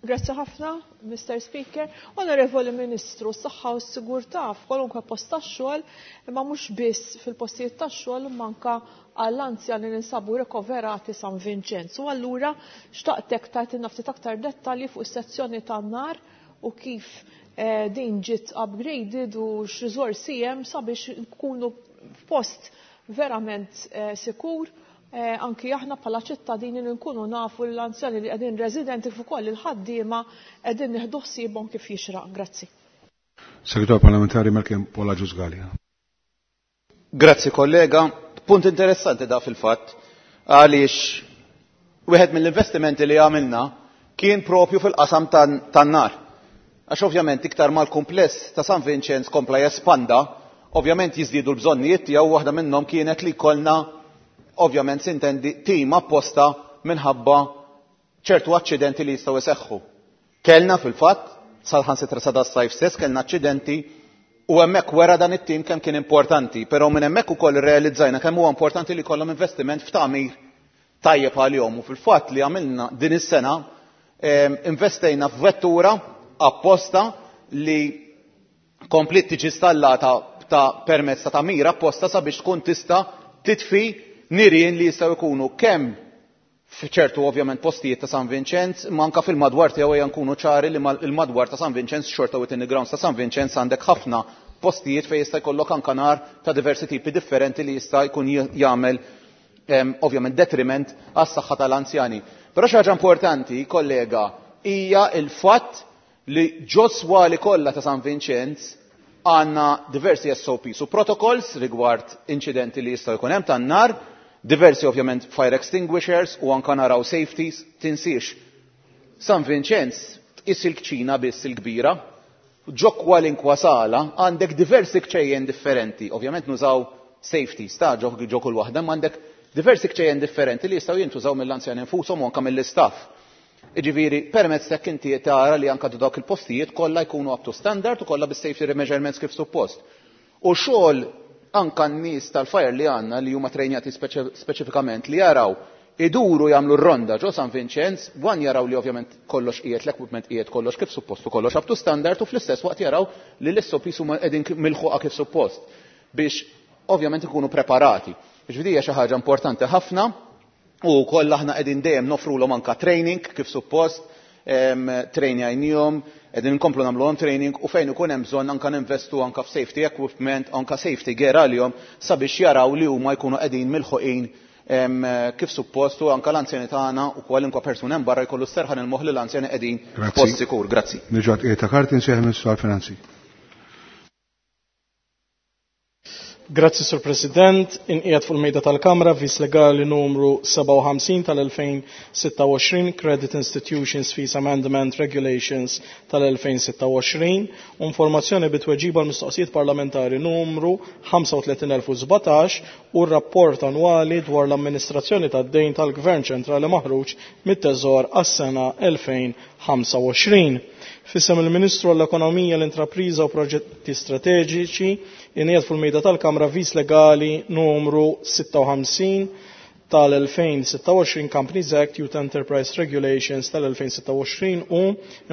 Speaker 9: Grazzi ħafna, Mister Speaker. Onorevoli Ministru, s-saħħa u s-sigurtà f'kwalunkwe post tax-xogħol, imma mhux biss fil-postijiet tax-xogħol, imma anke għall-anzjani li ninsabu rikoverati San Vinċenz. U allura xtaqtek tagħtina ftit aktar dettalji fuq is-sezzjoni tan-nar u kif, eh, din ġiet upgraded u x'riżorsi hemm sabiex nkunu f'post verament, eh, sikur. Eh, anki aħna bħala ċittadini li nkunu nafu l-anzjani li qegħdin residenti fuq ukoll il-ħaddiema qegħdin nieħdu ħsiebhom kif jixraq. Grazzi.
Speaker 1: Segretarju Parlamentari Malcolm Paul Agius Galea.
Speaker 4: Grazzi kollega. Punt interessanti da fil-fatt għaliex wieħed mill-investimenti li għamilna kien propju fil-qasam tan-, tan-nar. Għax ovvjament iktar mal-kumpless ta' San Vinċenz kompla jespanda, ovvjament jiżdiedu l-bżonnijiet tiegħu, waħda minnhom kienet li jkollna ovvjament sintendi tim apposta minħabba ċertu aċċidenti li jistgħu jseħħu. Kellna fil-fatt, sal-ħansitra sa das-sajf stess, kellna aċċidenti u hemmhekk wera dan it-tim kemm kien importanti, però minn hemmhekk ukoll irrealizzajna kemm huwa importanti li jkollhom investiment f'tagħmir tajjeb għalihom. U fil-fatt li għamilna din is-sena, em, investejna f'vettura apposta li komplet tiġi installata ta' permezz ta' tagħmir apposta sabiex tkun tista' titfi nirien li jistgħu jkunu kemm f'ċertu ovvjament postijiet ta' San Vinċenz, ma anka fil-madwar tiegħu ejja nkunu ċari li mal-, il-madwar ta' San Vinċenz xorta within the grounds ta' San Vinċenz għandek ħafna postijiet fejn jista' jkollok anka nar ta' diversi tipi differenti li jista' jkun j-, jagħmel, em, ovvjament detriment għas-saħħa tal-anzjani. Però xi ħaġa importanti, kollega, hija l-fatt li ġo swali kollha ta' San Vinċenz għandna diversi S O Ps u protocols rigward inċidenti li jistgħu jkun hemm tan-nar, diversi ovvjament fire extinguishers u anka naraw safeties, tinsiex. San Vinċenz tqis il-kċina biss il-kbira, ġo kwalinkwa sala għandek diversi kċejjen differenti. Ovvjament nużaw safeties ta' ġo, ġo kull waħda, ma għandek diversi kċejjen differenti li jistgħu jintużaw mill-anzjani infushom u anka mill-istaff. Jiġifieri, permezz ta' inti tara li anka dawk il-postijiet kollha jkunu up to standard u kollha bis-safety measurements kif suppost. U xogħol anka n-nies tal-fire li għandna li huma trejnjati speċi-, speċifikament li jaraw iduru jagħmlu r-ronda ġo San Vinċenz, wan jaraw li ovvjament kollox qiegħed, l-equipment qiegħed kollox kif suppost u kollox up to standard, u fl-istess waqt jaraw li l-S O Ps huma qegħdin k-, milħuqa kif suppost biex ovvjament ikunu preparati. Ġifieri hija xi ħaġa importanti ħafna u kollha aħna qegħdin dejjem nofrulhom anka training kif suppost, em, training qegħdin nkomplu nagħmluhom training u fejn ikun hemm bżonn anka ninvestu anka f'safety equipment, anka safety gear għalihom sabiex jaraw li huma jkunu qegħdin milħuqin, em, kif suppost u anka l-anzjani tagħna u kwalunkwe persuna hemm barra jkollu serħan il-moħħ li l-anzjani qegħdin
Speaker 1: Grazzi.
Speaker 4: f'post sikur. Grazzi.
Speaker 1: Niġu għad qiegħed ta' karti nsejħ Ministru għall-Finanzi.
Speaker 10: Grazzi, Sur President. Inqiegħed fuq il-mejda tal-Kamra vis legali numru sebgħa u ħamsin tal-elfejn sitta u għoxrin Credit Institutions Fees Amendment Regulations tal-elfejn sitta u għoxrin u informazzjoni bitweġiba l-mistoqsijiet parlamentari numru ħamsa u tletin elf u sbatax u r-rapport annwali dwar l-amministrazzjoni tad-dejn tal-Gvern Ċentrali maħruġ mit-Teżor għas-sena elfejn ħamsa u għoxrin. Fissem il-Ministru għall-Ekonomija, l-Intrapriża u Proġetti Strateġiċi inqiegħed fuq il-mejda tal-Kamra vis legali numru sitta u ħamsin tal-elfejn sitta u għoxrin Companies Act Youth Enterprise Regulations tal-elfejn sitta u għoxrin u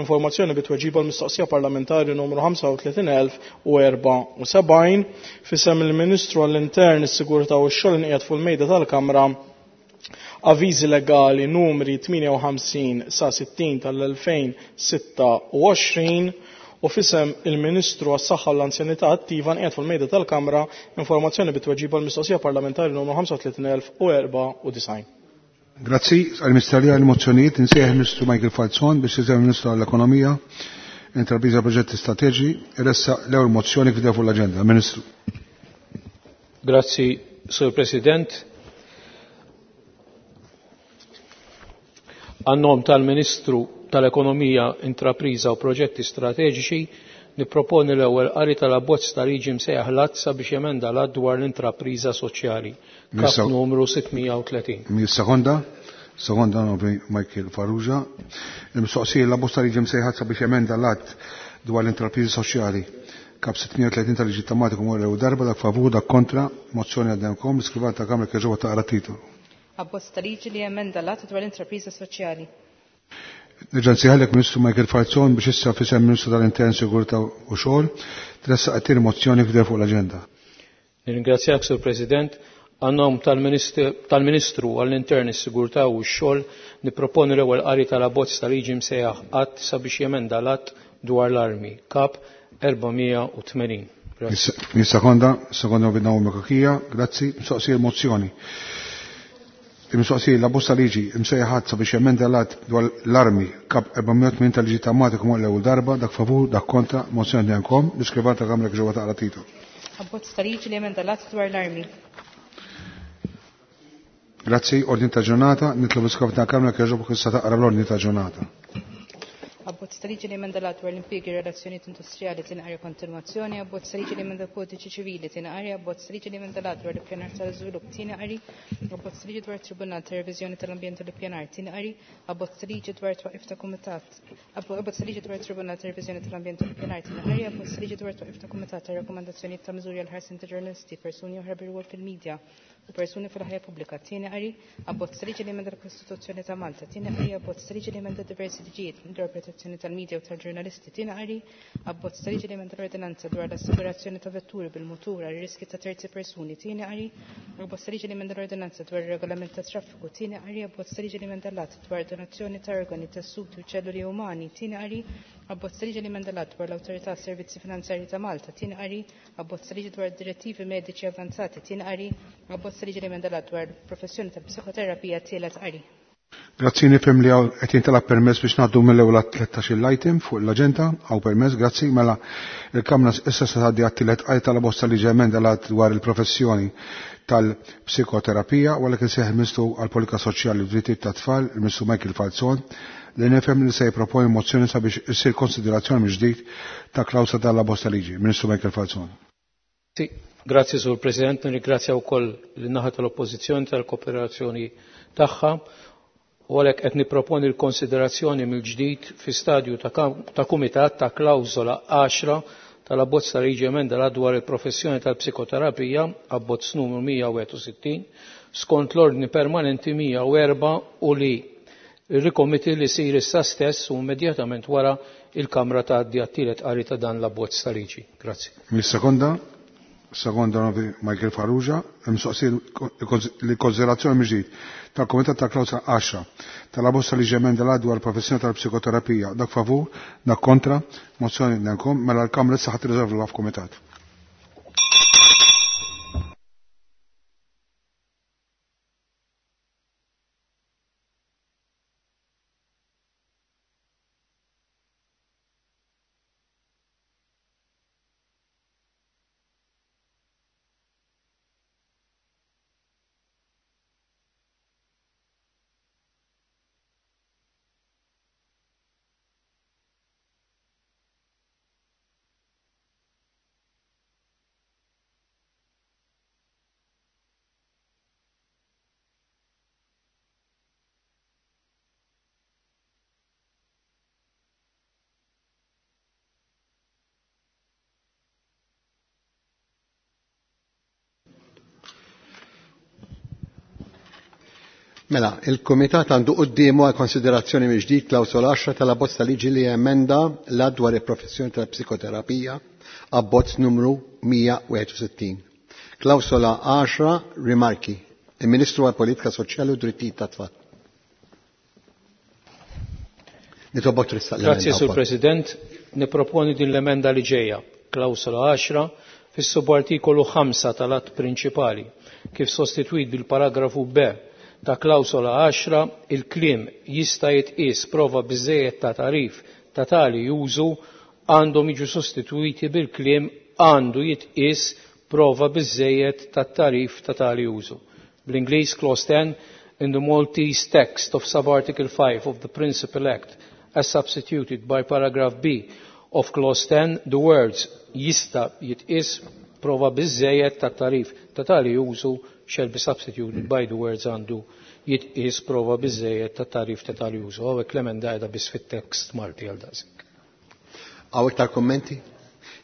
Speaker 10: informazzjoni bitweġiba l-mistoqsija parlamentari numru ħamsa u tletin elf u erbgħa u sebgħin. Fissem il-Ministru għall-Intern, is-Sigurtà u x-Xogħol inqiegħed fuq il-mejda tal-Kamra avviżi legali numri tmienja u ħamsin sa sittin tal-elfejn sitta u għoxrin u fisem il-Ministru għas-Saħħa u l-Anzjanità Attiva nqiegħed fuq il-mejda tal-Kamra informazzjoni bitweġiba l-mistoqsija parlamentari numru ħamsa u tletin elf u erbgħa u disgħin.
Speaker 1: Grazzi għall-Misterija għall-mozzjonijiet. Insejjaħ il-Ministru Michael Falzon biex jiżel il-Ministru għall-Ekonomija, Intrapriża Proġetti Strateġiċi, iressaq l-ewwel mozzjoni kif fuq l-aġenda. Ministru.
Speaker 11: Grazzi, Sur President. Għan-nom tal-Ministru tal-Ekonomija, Intrapriża u Proġetti Strateġiċi nipproponi l-ewwel qari tal-abbozz ta' liġi msejjaħ l-Azza biex jemenda l-att dwar l-intrapriża soċjali. Kap numru sitt mija u tletin.
Speaker 1: Sekonda, sekonda nobri Michael Farrugia. Il-mistoqsija l-abbozz ta' liġi msejjaħ Azza biex jemenda l-att dwar l-intrapriża soċjali. Kap sitt mija u tletin tal-liġi tematiku mwar l-ewwel darba, dak favur, dak kontra, mozzjoni għaddemkom, l-iskrivan ta' Kamra kieġoba taqra titolu.
Speaker 2: Abbozz ta' liġi li jemenda l-att dwar l-intrapriża soċjali.
Speaker 1: Nerġa' nsejħalek Ministru Michael Falzon biex issa fisem Ministru tal-Intern, Sigurtà u Xogħol tressaq it-tieni mozzjoni f'dew fuq l-aġenda.
Speaker 11: Nirringrazzjak, Sur President. Għan-nom tal-Ministru għall-Intern, is-Sigurtà u x-Xogħol nipproponi l-ewwel qari tal-abbozz ta' liġi msejjaħ att sabiex jemenda l-att dwar l-armi, kap erba' mija u tmenin. Grazzi.
Speaker 1: Sekonda, sekonda bidna Kakija, grazzi, mistoqsija l-mozzjoni. Il-mistoqsija l-abbozz ta' liġi msejjaħ att sabiex jemenda l-att dwar l-armi kap erba' mija u tmenin tal-liġi tematiku mwar l-ewwel darba, dak favur, dak kontra, mozzjoni għandkom, l-iskrivan ta' Kamra ġewwa taqra titolu.
Speaker 2: Abbozz ta' liġi li jemenda l-att dwar l-armi.
Speaker 1: Grazzi, ordni ta' ġurnata, nitlob l-iskrivan ta' Kamra kieġob issa taqra l-ordni ta' ġurnata.
Speaker 2: Abbozz ta' liġi li jemenda l-att dwar l-impjiegi u relazzjonijiet industrijali tinqari kontinwazzjoni, abbozz ta' liġi li jemenda l-kodiċi ċivili tinqari, abbozz ta' liġi li jemenda l-att dwar l-ippjanar tal-iżvilupp tinqari, abbozz ta' liġi dwar it-Tribunal ta' Reviżjoni tal-Ambjent u l-Ippjanar tinqari, abbozz ta' liġi dwar twaqif ta' kumitat, abbozz ta' liġi dwar it-Tribunal ta' Reviżjoni tal-Ambjent u l-Ippjanar tinqari, abbozz ta' liġi dwar twaqif ta' kumitat ta' rakkomandazzjonijiet ta' miżuri għal ħarsien ta' ġurnalisti, persuni oħra bir-rwol fil-medja u persuni fil-ħajja pubblika tieni qari, abbozz ta' liġi li jemenda l-Kostituzzjoni ta' Malta tieni qari, abbozz ta' liġi li jemenda diversi liġijiet dwar protezzjoni tal-medja u tal-ġurnalisti tieni qari, abbozz ta' liġi li jemenda l-ordinanza dwar l-assigurazzjoni ta' vetturi bil-mutur għal riski ta' terzi persuni tieni qari, abbozz ta' liġi li jemenda l-ordinanza dwar ir-regolament ta' traffiku tieni qari, abbozz ta' liġi li jemenda l-att dwar donazzjoni ta' organi, tessuti u ċelluli umani tieni qari, abbozz ta' liġi li jemenda l-att dwar l-Awtorità Servizzi Finanzjarji ta' Malta tieni qari, abbozz ta' liġi dwar direttivi mediċi avanzati tieni qari, abbozz ta' liġi li jemenda l-att dwar professjoni tal-psikoterapija tielet qari.
Speaker 1: Grazzi, nifhem li hawn qed jintalab permess biex ngħaddu mill-ewwel tlettax-il item fuq l-aġenda, hawn permess, grazzi, mela il-Kamra issa se tgħaddi għat-tielet qari tal-abbozz ta' liġi emenda l-att dwar il-professjoni tal-psikoterapija, u għalhekk insejjaħ il-Ministru għall-Politika Soċjali u Drittijiet tat-Tfal, il-Ministru Michael Falzon, li nifhem li se jipproponi mozzjoni sabiex issir konsiderazzjoni mill-ġdid ta' klawsa tal-abbozz ta' liġi. Ministru Michael Falzon.
Speaker 11: Grazzi, Sur President, nirringrazzja wkoll lin-naħa tal-Oppożizzjoni tal-kooperazzjoni tagħha. U għalhekk qed nipproponi l-konsiderazzjoni mill-ġdid fi stadju ta' kam-, ta' kumitat ta' klawżola għaxra tal-abbozz ta' liġi emenda l-att dwar il-professjoni tal-psikoterapija, abbozz numru mija u wieħed u sittin, skont l-ordni permanenti mija u erbgħa u li il-rikomiti li sir issa stess u immedjatament wara il-Kamra tgħaddi għat-tielet qari ta' dan l-abbozz ta' liġi. Grazzi.
Speaker 1: Mis-sekonda, sekonda novi Michael Farrugia, mistoqsija l-konsiderazzjoni mill-ġdid tal-Kumitat ta' Klawsa għaxra tal-abbozz ta' liġi emenda l-att dwar professjoni tal-psikoterapija, dak favur, dak kontra, mozzjoni nankom, mela l-Kamra issa ħadd irriżolvu f'kumitat.
Speaker 12: Mela, il-Kumitat għandu quddiemu għal konsiderazzjoni mill-ġdid klawsola għaxra tal-abbozz ta' liġi li emenda l-att dwar il-professjoni tal-psikoterapija, abbozz numru mija wieħed u sittin. Klawsola għaxra, rimarki. Il-Ministru għal-Politika Soċjali u Drittijiet tat-Tfal. Nitolbok tressaq l-emenda
Speaker 11: Grazie, Sur
Speaker 12: wkoll.
Speaker 11: President. Niproponi din l-emenda li ġejja. Klawsola għaxra fis-subartikolu ħamsa tal-att prinċipali, kif sostitwit bil-paragrafu B ta' klawsola għaxra, il-kliem jista' jitqies prova biżejjed ta' tarif ta' tali użu għandhom jiġu sostitwiti bil-kliem għandu jitqies prova biżejjed ta' tarif ta' tali użu. Bl-Ingliż clause ten, in the Maltese text of subarticle five of the Principal Act as substituted by paragraph B of clause ten, the words jista' jitqies prova biżejjed ta' tarif ta' tali użu shall be substituted by the words għandu jitqies prova biżejjed ta' tarif ta' tali użu. Hawnhekk l-emenda qiegħda biss fit-tekst Malti għal daqshekk.
Speaker 12: Hawn iktar kummenti?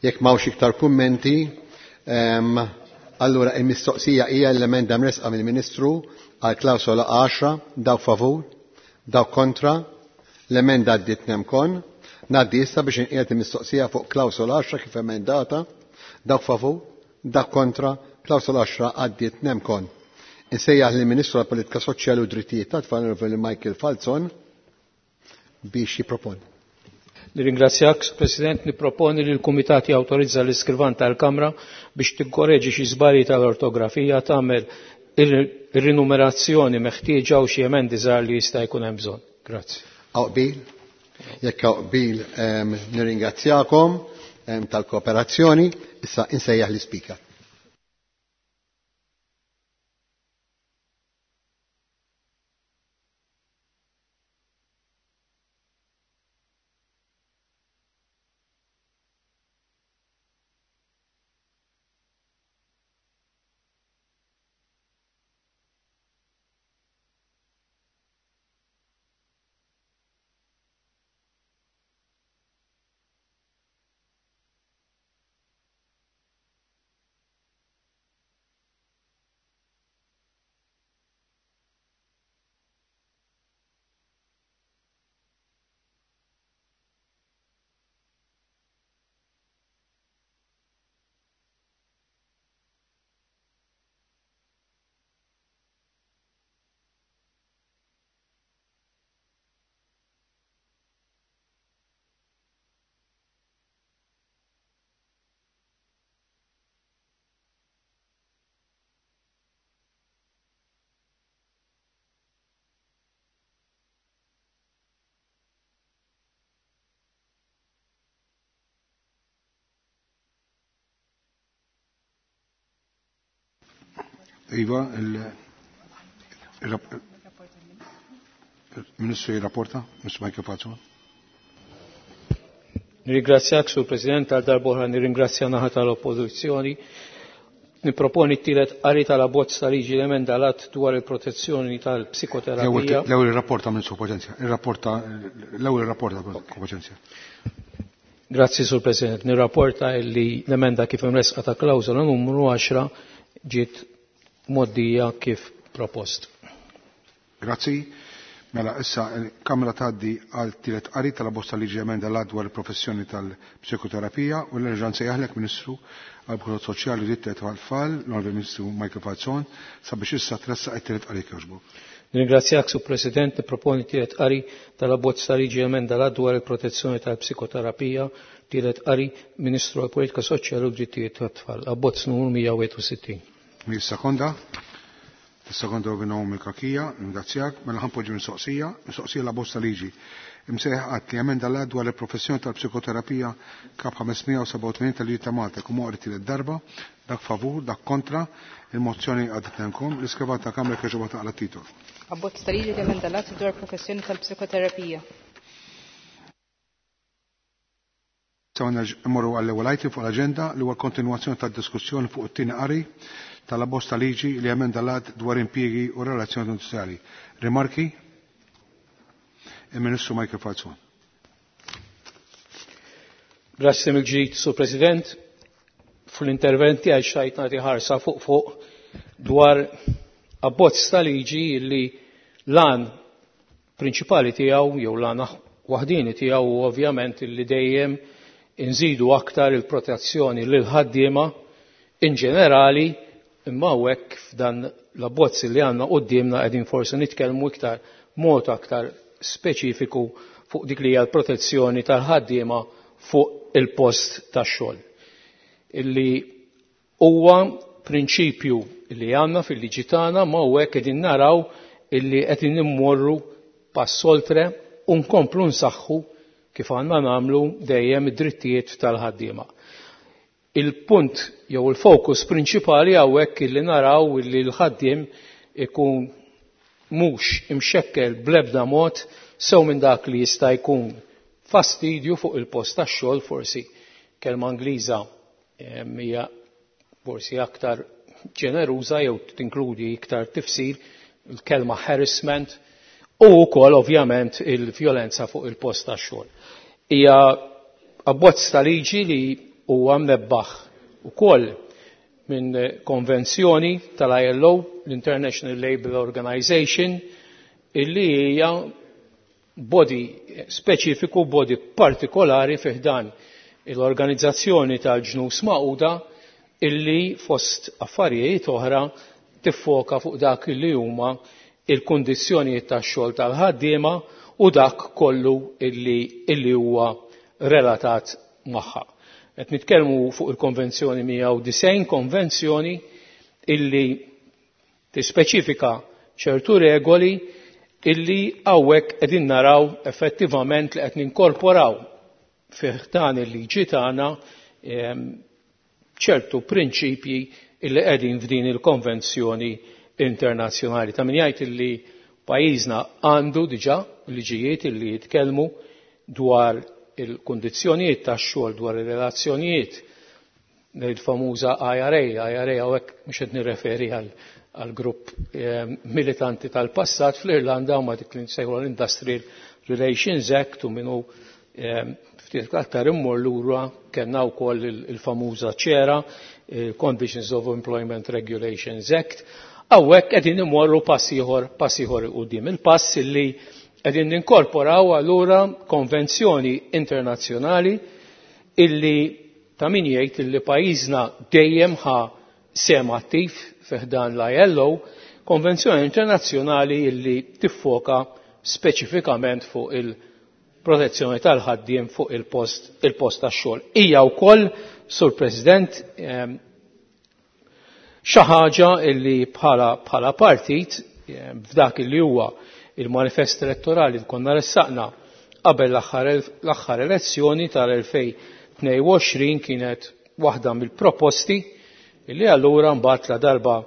Speaker 12: Jekk m'hawnx iktar kummenti, ehm, allura il-mistoqsija hija l-emenda mresqa mill-Ministru għal klawsola għaxra, dawk favur, dawk kontra, l-emenda għaddiet nemkon. Ngħaddi issa biex inqiegħed il-mistoqsija fuq klawsola għaxra kif emendata, dawk favur, dawk kontra, klawsola għaxra għaddiet nemkon. Insejjaħ lill-Ministru għall-Politika Soċjali u Drittijiet tat-Tfal, Onorevoli Michael Falzon, biex jipproponi.
Speaker 11: Nirringrazzjak, President, niproponi li l-Kumitat jawtorizza l-iskrivan tal-Kamra biex tikkoreġi xi żbalji tal-ortografija, tagħmel ir-rinumerazzjoni meħtieġa u xi emendi żgħar li jista' jkun hemm bżonn. Grazzi.
Speaker 12: Hawn qbil? Jekk hawn qbil, ehm, nirringrazzjakom, ehm, tal-kooperazzjoni. Issa insejjaħ l-ispeaker.
Speaker 1: Iva, il-Ministru jirrapporta, Mister Michael Falzon.
Speaker 11: Nirringrazzjak, Sur President, għal darb'oħra nirringrazzja naħa tal-Oppożizzjoni. Niproponi t-tielet qari tal-abbozz ta' liġi l-emenda l-att dwar il-protezzjoni tal-psikoterapija.
Speaker 1: L-ewwel ir-rapport ta' Ministru Paċenzja. Ir-rapporta, l-ewwel ir-rapport ta' Ministru Paċenzja.
Speaker 11: Grazzi, Sur President. Nirrapporta li l-emenda kif imresqa ta' klawżola numru għaxra ġiet moddija kif propost.
Speaker 1: Grazzi. Mela, issa il-Kamra tgħaddi għal tielet qari tal-abbozz ta' liġi emenda l-att dwar il-professjoni tal-psikoterapija u l-erġa' nsejjaħlek Ministru għall-Politika Soċjali u Drittijiet tat-Tfal, l-Onorevoli Ministru Michael Falzon, sabiex issa tressaq it-tielet qari jogħġbok.
Speaker 11: Nirringrazzjak, Sur President, nipproponi tielet qari tal-abbozz ta' liġi emenda l-att dwar il-protezzjoni tal-psikoterapija, tielet qari Ministru għall-Politika Soċjali u Drittijiet tat-Tfal, abbozz numru mija wieħed u sittin.
Speaker 1: Sekonda. Sekonda u Naomi Kakija, ringrazzjak, mela ħanpoġġi mistoqsija, mistoqsija la bosta liġi. Imsejħ qatt li emenda l-att dwar il-professjoni tal-psikoterapija kap ħames mija u sebgħa u tmenin tal-liġi ta' Malta, kum oqri tielet darba, dak favur, dak kontra, il-mozzjoni għadet nenkom, l-iskrivan ta' Kamra kieġoba taqla titol.
Speaker 2: Abbozz ta' liġi li emenda l-att dwar professjoni tal-psikoterapija.
Speaker 1: Issa mmorru għall-ewwel item fuq l-aġenda li huwa kontinwazzjoni tad-diskussjoni fuq it-tieni qari tal-abbozz ta' liġi li emenda l-att dwar impjiegi u relazzjoni industrijali. Rimarki? Il-Ministru Michael Falzon.
Speaker 11: Grazzi mill-ġdid, Sur President. Fl-interventi għal xajt nagħti ħarsa fuq fuq dwar abbozz ta' liġi li L-għan prinċipali tiegħu jew l-għan waħdini tiegħu ovvjament li dejjem inżidu aktar il-protezzjoni lil ħaddiema in ġenerali, imma hawnhekk f'dan l-abbozz li għandna quddiemna qegħdin forsi nitkellmu iktar mod aktar speċifiku fuq dik li hija l-protezzjoni tal-ħaddiema fuq il-post tax-xogħol. Illi huwa prinċipju li għandna fil-liġi tagħna, ma hawnhekk qegħdin naraw illi qegħdin immorru pass oltre u nkomplu nsaħħu kif għandna nagħmlu dejjem id-drittijiet tal-ħaddiema. Il-punt jew il-fokus prinċipali hawnhekk illi naraw illi l-ħaddiem ikun mhux imxekkel bl-ebda mod sew minn dak li jista' jkun fastidju fuq il-post tax-xogħol, forsi kelma Ingliża hija forsi aktar ġeneruża jew tinkludi iktar tifsir, il-kelma harassment, u wkoll ovvjament il-vjolenza fuq il-post tax-xogħol. Hija abbozz ta' liġi li huwa mnebbaħ ukoll minn konvenzjoni tal-I L O, l-International Labour Organization, illi hija body speċifiku, body partikolari fi ħdan l-organizzazzjoni tal-ġnus Magħquda, illi fost affarijiet oħra tiffoka fuq dak li huma il-kundizzjonijiet tax-xogħol tal-ħaddiema u dak kollu illi, illi huwa relatat magħha. Qed nitkellmu fuq il-Konvenzjoni mija u disgħin, konvenzjoni illi tispeċifika ċertu regoli illi hawnhekk qegħdin naraw effettivament li qed ninkorporaw fih dan il-liġi tagħna, ehm, ċertu prinċipji illi qegħdin f'din il-konvenzjoni internazzjonali. Ta' min jgħid illi pajjiżna għandu diġà liġijiet illi jitkellmu dwar il-kundizzjonijiet tax-xogħol, dwar ir-relazzjonijiet, il-famuża I R A. I R A hawnhekk mhux qed nirreferi għal, għal grupp, eh, militanti tal-passat fl-Irlanda, huma dik li nsejħu l-Industrial Relations Act, u minnu, eh, ftit aktar immur lura kellna wkoll il-, il-famuża ċera, il-Conditions of Employment Regulations Act. Hawnhekk qegħdin imorru pass ieħor, pass ieħor quddiem. Il-pass illi qegħdin ninkorporaw allura konvenzjoni internazzjonali illi ta' min jgħid illi pajjiżna dejjem ħa sehem attiv fi ħdan l-I L O, konvenzjoni internazzjonali illi tiffoka speċifikament fuq il-protezzjoni tal-ħaddiem fuq il-post, il-post tax-xogħol. Hija wkoll, Sur President, ehm, xi ħaġa illi bħala, bħala partit, ehm, f'dak illi huwa il-manifest elettorali li konna ressaqna qabel l-aħħar el-, l-aħħar elezzjoni tal-elfejn tnejn u għoxrin kienet waħda mill-proposti illi allura mbagħad la darba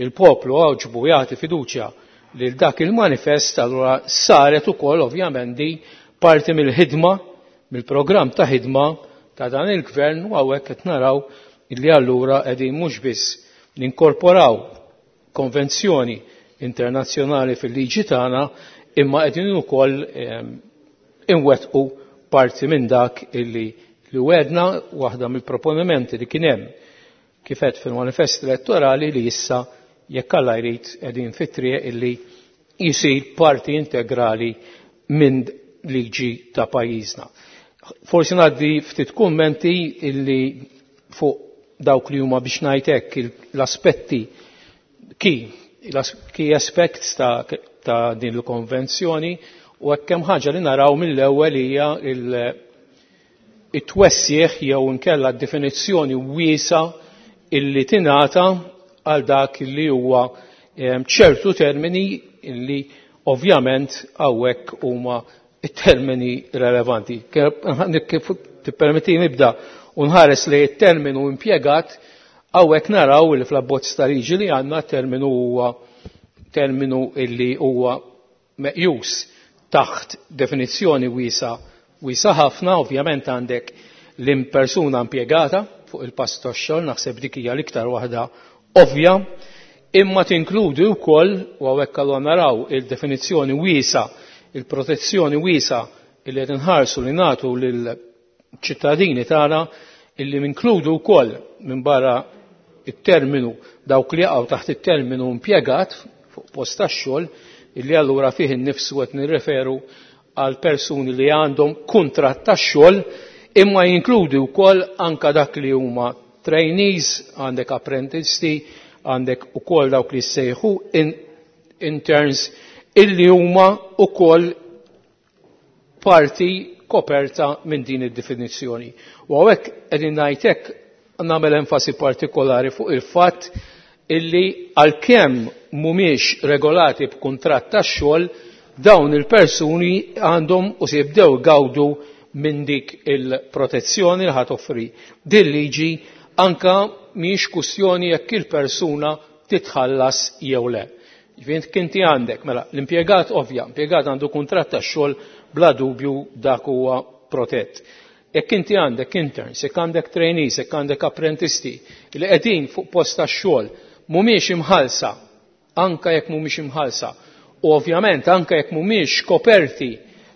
Speaker 11: il-poplu għoġbu jagħti fiduċja lil dak il-manifest, allura saret ukoll ovvjament di parti mill-ħidma, mill-programm ta' ħidma ta' dan il-gvern, u hawnhekk qed naraw illi allura qegħdin mhux biss ninkorporaw konvenzjoni internazzjonali fil-liġi tagħna, imma qegħdin ukoll, ehm, inwettqu parti minn dak illi li wedna, waħda mill-proponimenti li kien hemm kif qed fil-manifest elettorali li issa jekk Alla jrid qegħdin fit-triq illi jsir parti integrali minn liġi ta' pajjiżna. Forsi ngħaddi ftit kummenti illi fuq dawk li huma biex ngħid hekk il-, l-aspetti key, key aspects ta', ta' din il-konvenzjoni, u hekk hemm ħaġa li naraw mill-ewwel hija il-, it-twessieħ jew inkella d-definizzjoni wiesa illi tingħata għal dak li huwa, ehm, ċertu termini illi ovvjament hawnhekk huma it-termini relevanti. Kif tippermetti nibda u nħares li t-terminu impjegat, hawnhekk naraw li fl-abbozz ta' liġi li għandna terminu huwa terminu illi huwa meqjus taħt definizzjoni wiesa, wiesa ħafna. Ovvjament għandek l-impersuna impjegata fuq il-pass tax-xogħol, naħseb dik hija l-iktar waħda ovvja, imma tinkludi wkoll, u hawnhekk allura naraw il-definizzjoni wiesa, il-protezzjoni wiesa illi qed inħarsu li nagħtu lill-ċittadini tagħna, illi minkludu wkoll minn barra it-terminu dawk li jaqgħu taħt it-terminu impjegat fuq post tax-xogħol, illi allura fih innifsu qed nirreferu għal persuni li għandhom kuntratt tax-xogħol, imma jinkludi wkoll anka dak li huma trainees, għandek apprentisti, għandek ukoll dawk li ssejħu in interns, illi huma ukoll parti koperta minn din id-definizzjoni. U hawnhekk qegħdin ngħid hekk nagħmel enfasi partikolari fuq il-fatt illi għalkemm mhumiex regolati b'kuntratt tax-xogħol, dawn il-persuni għandhom u se jibdew gawdu minn dik il-protezzjoni li ħa toffri. Din liġi anka mhijiex kwistjoni jekk il-persuna titħallas jew le. Ġifieri inti għandek, mela, l-impjegat ovvja, impjegat għandu kuntratt tax-xogħol, bla dubju dak huwa protett. Jekk inti għandek interns, jekk għandek trainees, jekk għandek apprentisti li qegħdin fuq post tax-xogħol mhumiex imħallsa, anka jekk mhumiex imħallsa, u ovvjament anka jekk mhumiex koperti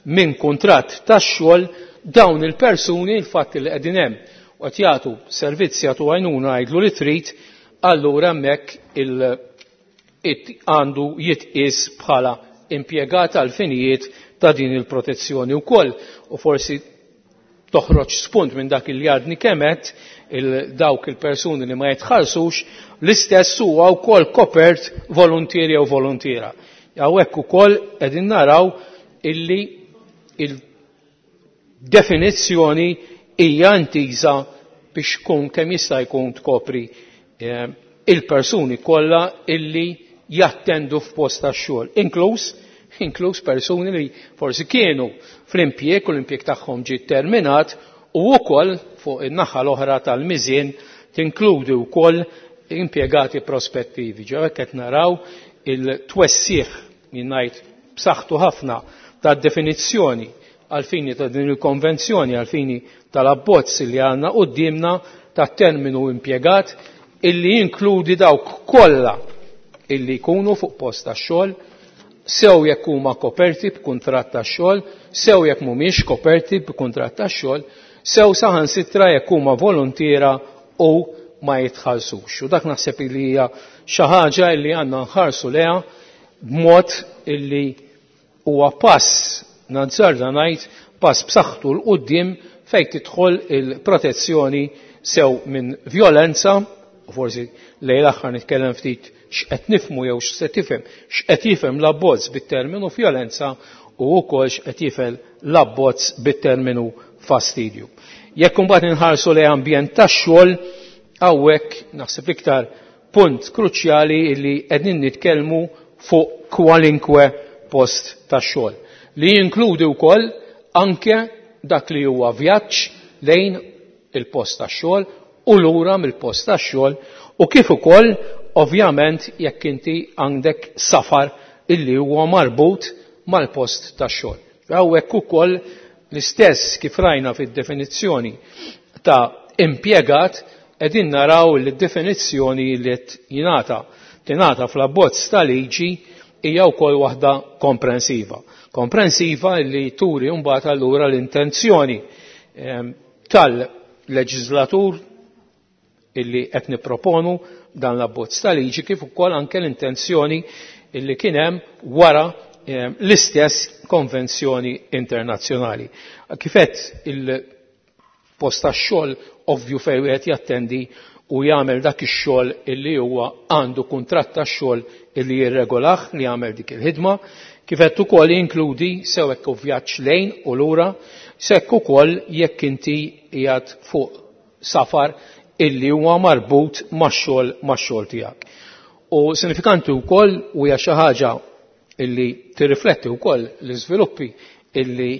Speaker 11: minn kuntratt tax-xogħol, dawn il-persuni il-fatt li qegħdin hemm u qed jagħtu servizzi, jagħtu għajnuna, għidlu li trid, allura hemmhekk il għandu jitqies bħala impjegat għal finijiet ta' din il-protezzjoni wkoll. U forsi toħroġ spunt minn dak li għadni kemet il dawk il-persuni li ma jitħallsux, l-istess huwa wkoll kopert volontieri jew volontiera. Hawnhekk ukoll qegħdin naraw illi il-definizzjoni hija intiża biex tkun kemm jista' jkun tkopri eh, il-persuni kollha illi jattendu f'post tax-xogħol, inkluż inkluż persuni li forsi kienu fl-impjieg u l-impjieg tagħhom ġie terminat, u wkoll fuq in-naħa l-oħra tal-miżien tinkludi wkoll impjegati prospettivi. Ġew qed naraw il-twessieħ jien ngħid b'saħħtu ħafna tad-definizzjoni għal-fini ta' din il-konvenzjoni, għal-fini tal-abbozz li għandna quddiemna ta' terminu impjegat illi jinkludi dawk kollha illi jkunu fuq post tax-xogħol, sew jekk huma koperti b'kuntratt tax-xogħol, sew jekk mhumiex koperti b'kuntratt tax-xogħol, sew saħansitra jekk huma volontiera u ma jitħallsux. U dak naħseb li hija xi ħaġa li għandna nħarsu leha b'mod illi huwa pass, nazzarda ngħid, pass b'saħħtu 'l quddiem fejn tidħol il-protezzjoni sew minn vjolenza, u forsi lejn l-aħħar nitkellem ftit x'qed nifhmu jew x'se tifhem, x'qed jifhem l-abbozz bit-terminu vjolenza u wkoll x'qed jifhem l-abbozz bit-terminu fastidju. Jekk imbagħad inħarsu lejn ambjent tax-xogħol, hawnhekk naħseb iktar punt kruċjali li qegħdin nitkellmu fuq kwalinkwe post tax-xogħol, li jinkludi wkoll anke dak li huwa vjaġġ lejn il-post tax-xogħol u lura mill-post tax-xogħol, u kif ukoll ovvjament jekk inti għandek safar illi huwa marbut mal-post tax-xogħol. Hawnhekk ukoll l-istess kif rajna fid-definizzjoni ta' impjegat, qegħdin naraw li d-definizzjoni li qed jingħata tingħata fl-abbozz ta' liġi hija wkoll waħda komprensiva. Komprensiva li turi mbagħad allura l-intenzjoni, ehm, tal-leġislatur illi qed nipproponu dan l-abbozz ta' liġi, kif ukoll anke l-intenzjoni illi kien hemm wara, ehm, l-istess konvenzjoni internazzjonali. Kif qed, il-post tax-xogħol ovvju fejn wieħed jattendi u jagħmel dak ix-xogħol illi huwa għandu kuntratt tax-xogħol illi jirregolah li jagħmel dik il-ħidma, kif qed ukoll jinkludi sew hekk vjaġġ lejn u lura, sekk ukoll jekk inti qiegħed fuq safar illi huwa marbut max-xogħol max-xogħol tiegħek. U sinifikanti wkoll u hija xi ħaġa illi tirrifletti wkoll l-iżviluppi illi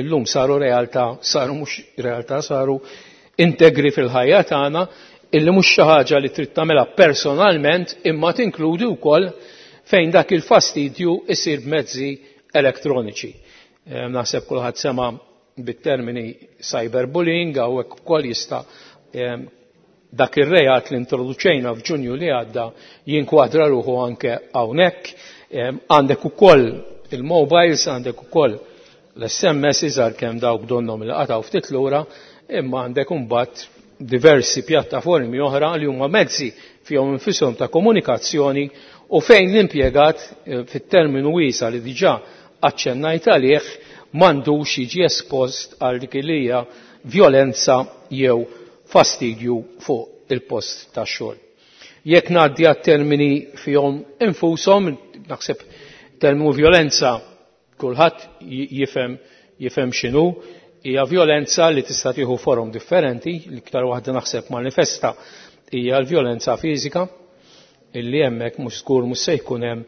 Speaker 11: illum saru realtà, saru mhux realtà, saru integri fil-ħajja tagħna, illi mhux xi ħaġa li trid tagħmilha personalment imma tinkludi wkoll fejn dak il-fastidju isir b'mezzi elettroniċi. Eh, naħseb kulħadd sema bit-termini cyberbullying, hawnhekk ukoll jista' eh, dak ir-reat li introduċejna f'Ġunju li għadda jinkwadra ruħu anke hawnhekk. Eh, għandek ukoll il-mobiles, għandek ukoll l-S M S iżgħar kemm dawk donhom li qatgħu ftit lura, imma għandek imbagħad diversi pjattaformi oħra li huma mezzi fihom infishom ta' komunikazzjoni u fejn l-impjegat eh, fit-terminu wiesa li diġà aċċennajt għalih m'għandux jiġi espost għal dik li hija vjolenza jew fastidju fuq il-post tax-xogħol. Jekk ngħaddi għat-termini fihom infushom, naħseb terminu vjolenza kulħadd jifhem jifhem x'inhu, hija vjolenza li tista' tieħu forom differenti, l-iktar waħda naħseb manifesta hija l-vjolenza fiżika, illi hemmhekk mhux żgur mhux se jkun hemm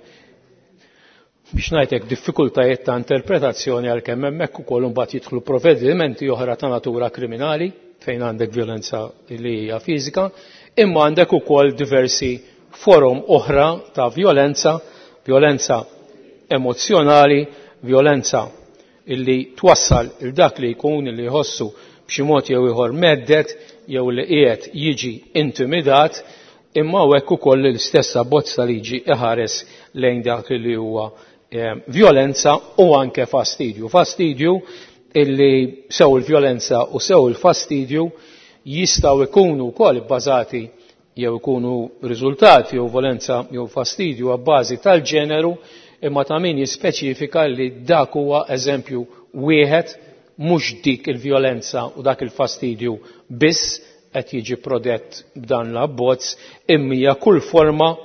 Speaker 11: biex ngħidlek diffikultajiet ta' interpretazzjoni, għalkemm hemmhekk ukoll imbagħad jidħlu provvedimenti oħra ta' natura kriminali fejn għandek vjolenza li hija fiżika, imma għandek ukoll diversi forom oħra ta' vjolenza, vjolenza emozzjonali, vjolenza illi twassal il dak li jkun illi jħossu b'xi mod jew ieħor meddet jew li qiegħed jiġi intimidat, imma hekk ukoll l-istess abbozz ta' liġi iħares lejn dak li huwa eh, vjolenza u anke fastidju. Fastidju illi sew il-vjolenza u sew il-fastidju jistgħu jkunu wkoll bbażati jew ikunu riżultati jew violenza jew fastidju għabbażi tal-ġeneru, imma ta' min jispeċifika li dak huwa eżempju wieħed, mhux dik il-vjolenza u dak il-fastidju biss qed jiġi prodett b'dan l-abbozz, imma hija kull forma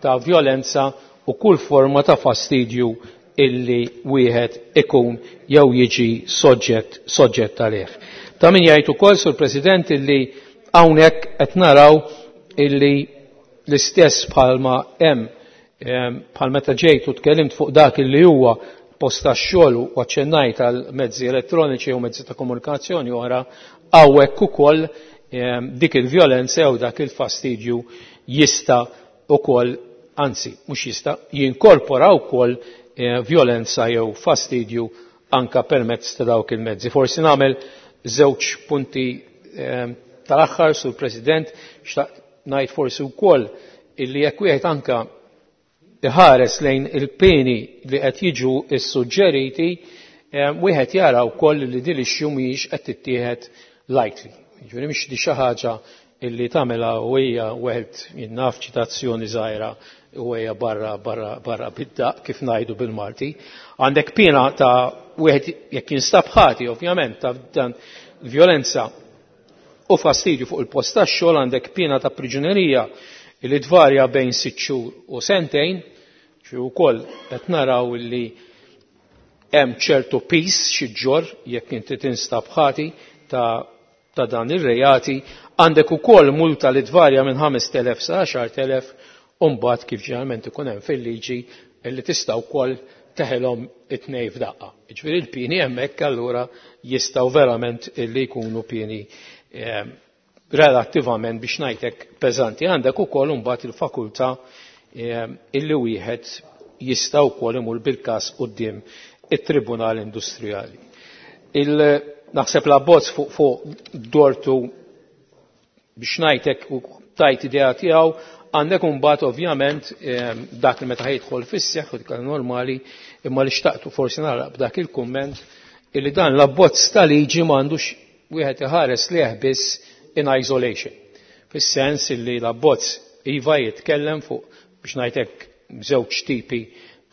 Speaker 11: ta' vjolenza u kull forma ta' fastidju illi wieħed ikun jew jiġi soġġett soġġett għalih. Ta' min jgħid ukoll, Sur President, illi hawnhekk qed naraw illi l-istess bħalma hemm bħal meta ġejt u tkellimt fuq dak illi huwa post tax-xogħol u aċċennajt għal mezzi elettroniċi u mezzi ta' komunikazzjoni oħra, hawnhekk ukoll dik il-vjolenza jew dak il-fastidju jista' ukoll, anzi mhux jista', jinkorpora wkoll vjolenza jew fastidju anka permezz ta' dawk il-mezzi. Forsi nagħmel żewġ punti tal-aħħar, Sur President, xtaqt ngħid forsi wkoll illi jekk wieħed anka iħares lejn il-peni li qed jiġu ssuġġeriti, wieħed jara wkoll li din l-issue mhijiex qed tittieħed lightly. Jiġifieri mhix di xi ħaġa illi tagħmilha u hija wieħed jinnaf ċitazzjoni żgħira u hija barra barra barra bid-daq kif ngħidu bil-Malti. Għandek piena ta' wieħed jekk jinstab ħati ovvjament ta' dan vjolenza u fastidju fuq il-post tax-xogħol, għandek piena ta' priġunerija li tvarja bejn sitt xhur u sentejn, xi wkoll qed naraw li hemm ċertu pis xi ġor jekk inti tinstab ħati ta', ta' dan ir-reati. Għandek ukoll multa li tvarja minn ħamest elef sa għaxart elef, u mbagħad kif ġeneralment ikun hemm fil-liġi li tista' wkoll teħelhom it-tnejn f'daqqa. Jiġifieri l-pieni hemmhekk allura jistgħu verament li jkunu pieni eh, relattivament biex ngħidlek peżanti. Għandek ukoll imbagħad il-fakultà eh, illi wieħed jista' wkoll imur bil-każ quddiem it-Tribunal Industrijali. Il naħseb l-abbozz fuq fuq dortu biex ngħidlek u tajt idea tiegħu. Għandek imbagħad ovvjament eh, dak li meta jidħol fis-seħħ u dik normali, imma li xtaqtu forsi nagħlaq b'dak il-kumment illi dan l-abbozz ta' liġi m'għandux wieħed iħares leh biss in isolation. Fis-sens illi l-abbozz iva jitkellem fuq biex ngħidlek żewġ tipi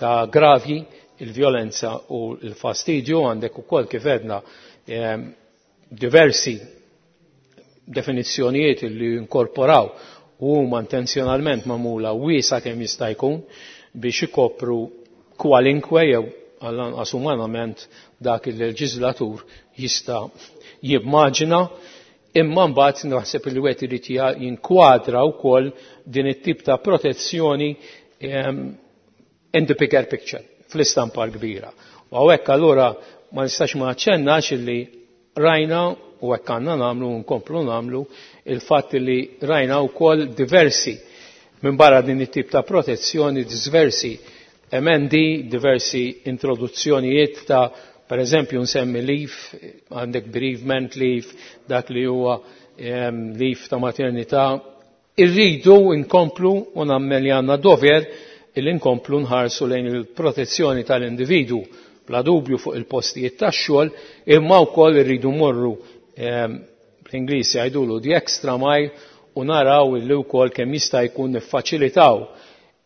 Speaker 11: ta' gravji, il-vjolenza u l-fastidju. Għandek ukoll kif għedna eh, diversi definizzjonijiet li inkorporaw u huma intenzjonalment magħmula wiesa kemm jista' jkun biex ikopru kwalinkwe jew għall-anqas umanament dak il-leġislatur jista' jimmaġina, imma mbagħad naħseb li wieħed irid jinkwadra wkoll din it-tip ta' protezzjoni ehm, in the bigger picture, fl-istampa l-kbira. U hawnhekk allura ma nistax ma naċċennax illi rajna u hekk għandna nagħmlu u nkomplu nagħmlu il-fatt li rajna wkoll diversi minn barra din it-tip ta' protezzjoni, diversi emendi, diversi introduzzjonijiet ta' per eżempju nsemmi leave, għandek bereavement leave, dak li huwa ehm, leave ta' maternità. Irridu nkomplu u nagħmel li għandna dover illi nkomplu nħarsu lejn il-protezzjoni tal-individu bla dubju fuq il-postijiet tax-xogħol, imma wkoll irridu morru ehm, Bl-Ingliż jgħidulu the extra mile, u naraw illi wkoll kemm jista' jkun niffaċilitaw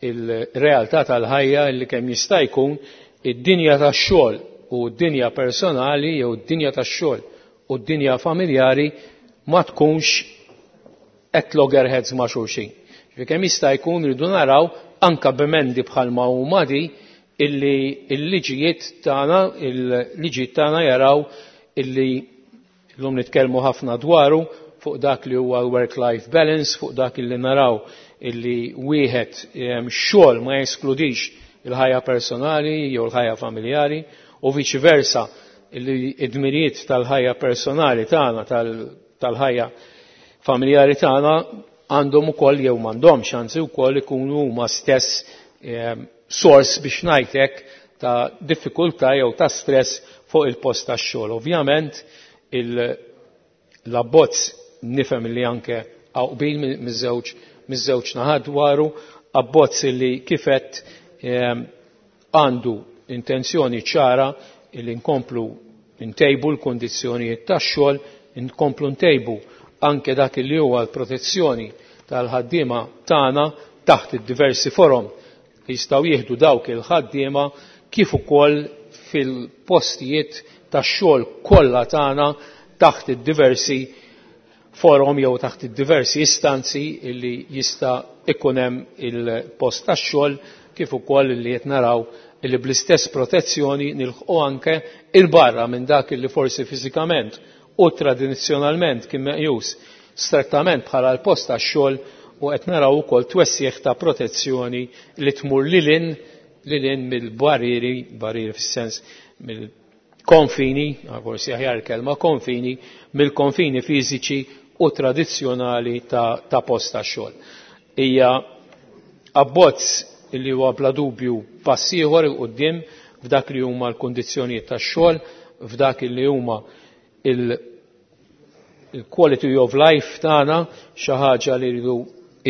Speaker 11: il-realtà tal-ħajja illi kemm jista' jkun id-dinja tax-xogħol u d-dinja personali jew id-dinja tax-xogħol u d-dinja familjari ma tkunx at loggerheads ma' xulxin. Kemm jista' jkun rridu naraw anka b'emendi bħalma huma di illi l-liġijiet tagħna il-liġijiet tagħna jaraw illi llum nitkellmu ħafna dwaru fuq dak li huwa l-work-life balance, fuq dak illi naraw illi wieħed xogħol ma jeskludix il-ħajja personali jew l-ħajja familjari u viċi versa illi id-dmirijiet tal-ħajja personali tagħna tal-ħajja familjari tagħna għandhom ukoll jew m'għandhomx anzi wkoll ikunu huma stess sors biex ngħidlek ta' diffikultà jew ta' stress fuq il-post tax-xogħol. Ovvjament l-abbozz nifhem li anke hawn qbil miż-żewġ miż-żewġ naħat dwaru, abbozz li kifet għandu intenzjoni ċara li nkomplu ntejbu l-kondizzjonijiet tax-xogħol, nkomplu ntejbu anke dak li huwa l-protezzjoni tal-ħaddiema tagħna taħt id-diversi forom li jistgħu jieħdu dawk il-ħaddiema kif ukoll fil-postijiet tax-xogħol kollha tagħna taħt id-diversi forum jew taħt id-diversi istanzi li jista' ikun hemm il-post tax-xogħol kif ukoll li qed naraw li bl-istess protezzjoni nilħqu anke il-barra minn dak li forsi fiżikament u tradizzjonalment kien meqjus strettament bħala l-post tax-xogħol u qed naraw ukoll twessieħ ta' protezzjoni li tmur lilin lilin mill-barrieri, barrieri fis-sens mill-konfini, forsi aħjar kelma konfini, mill-konfini fiżiċi u tradizzjonali ta', ta' post tax-xogħol. Hija abbozz li huwa bla dubju pass ieħor 'il quddiem f'dak li huma l-kundizzjonijiet tax-xogħol, f'dak li huma il-quality of life tagħna, xi ħaġa li rridu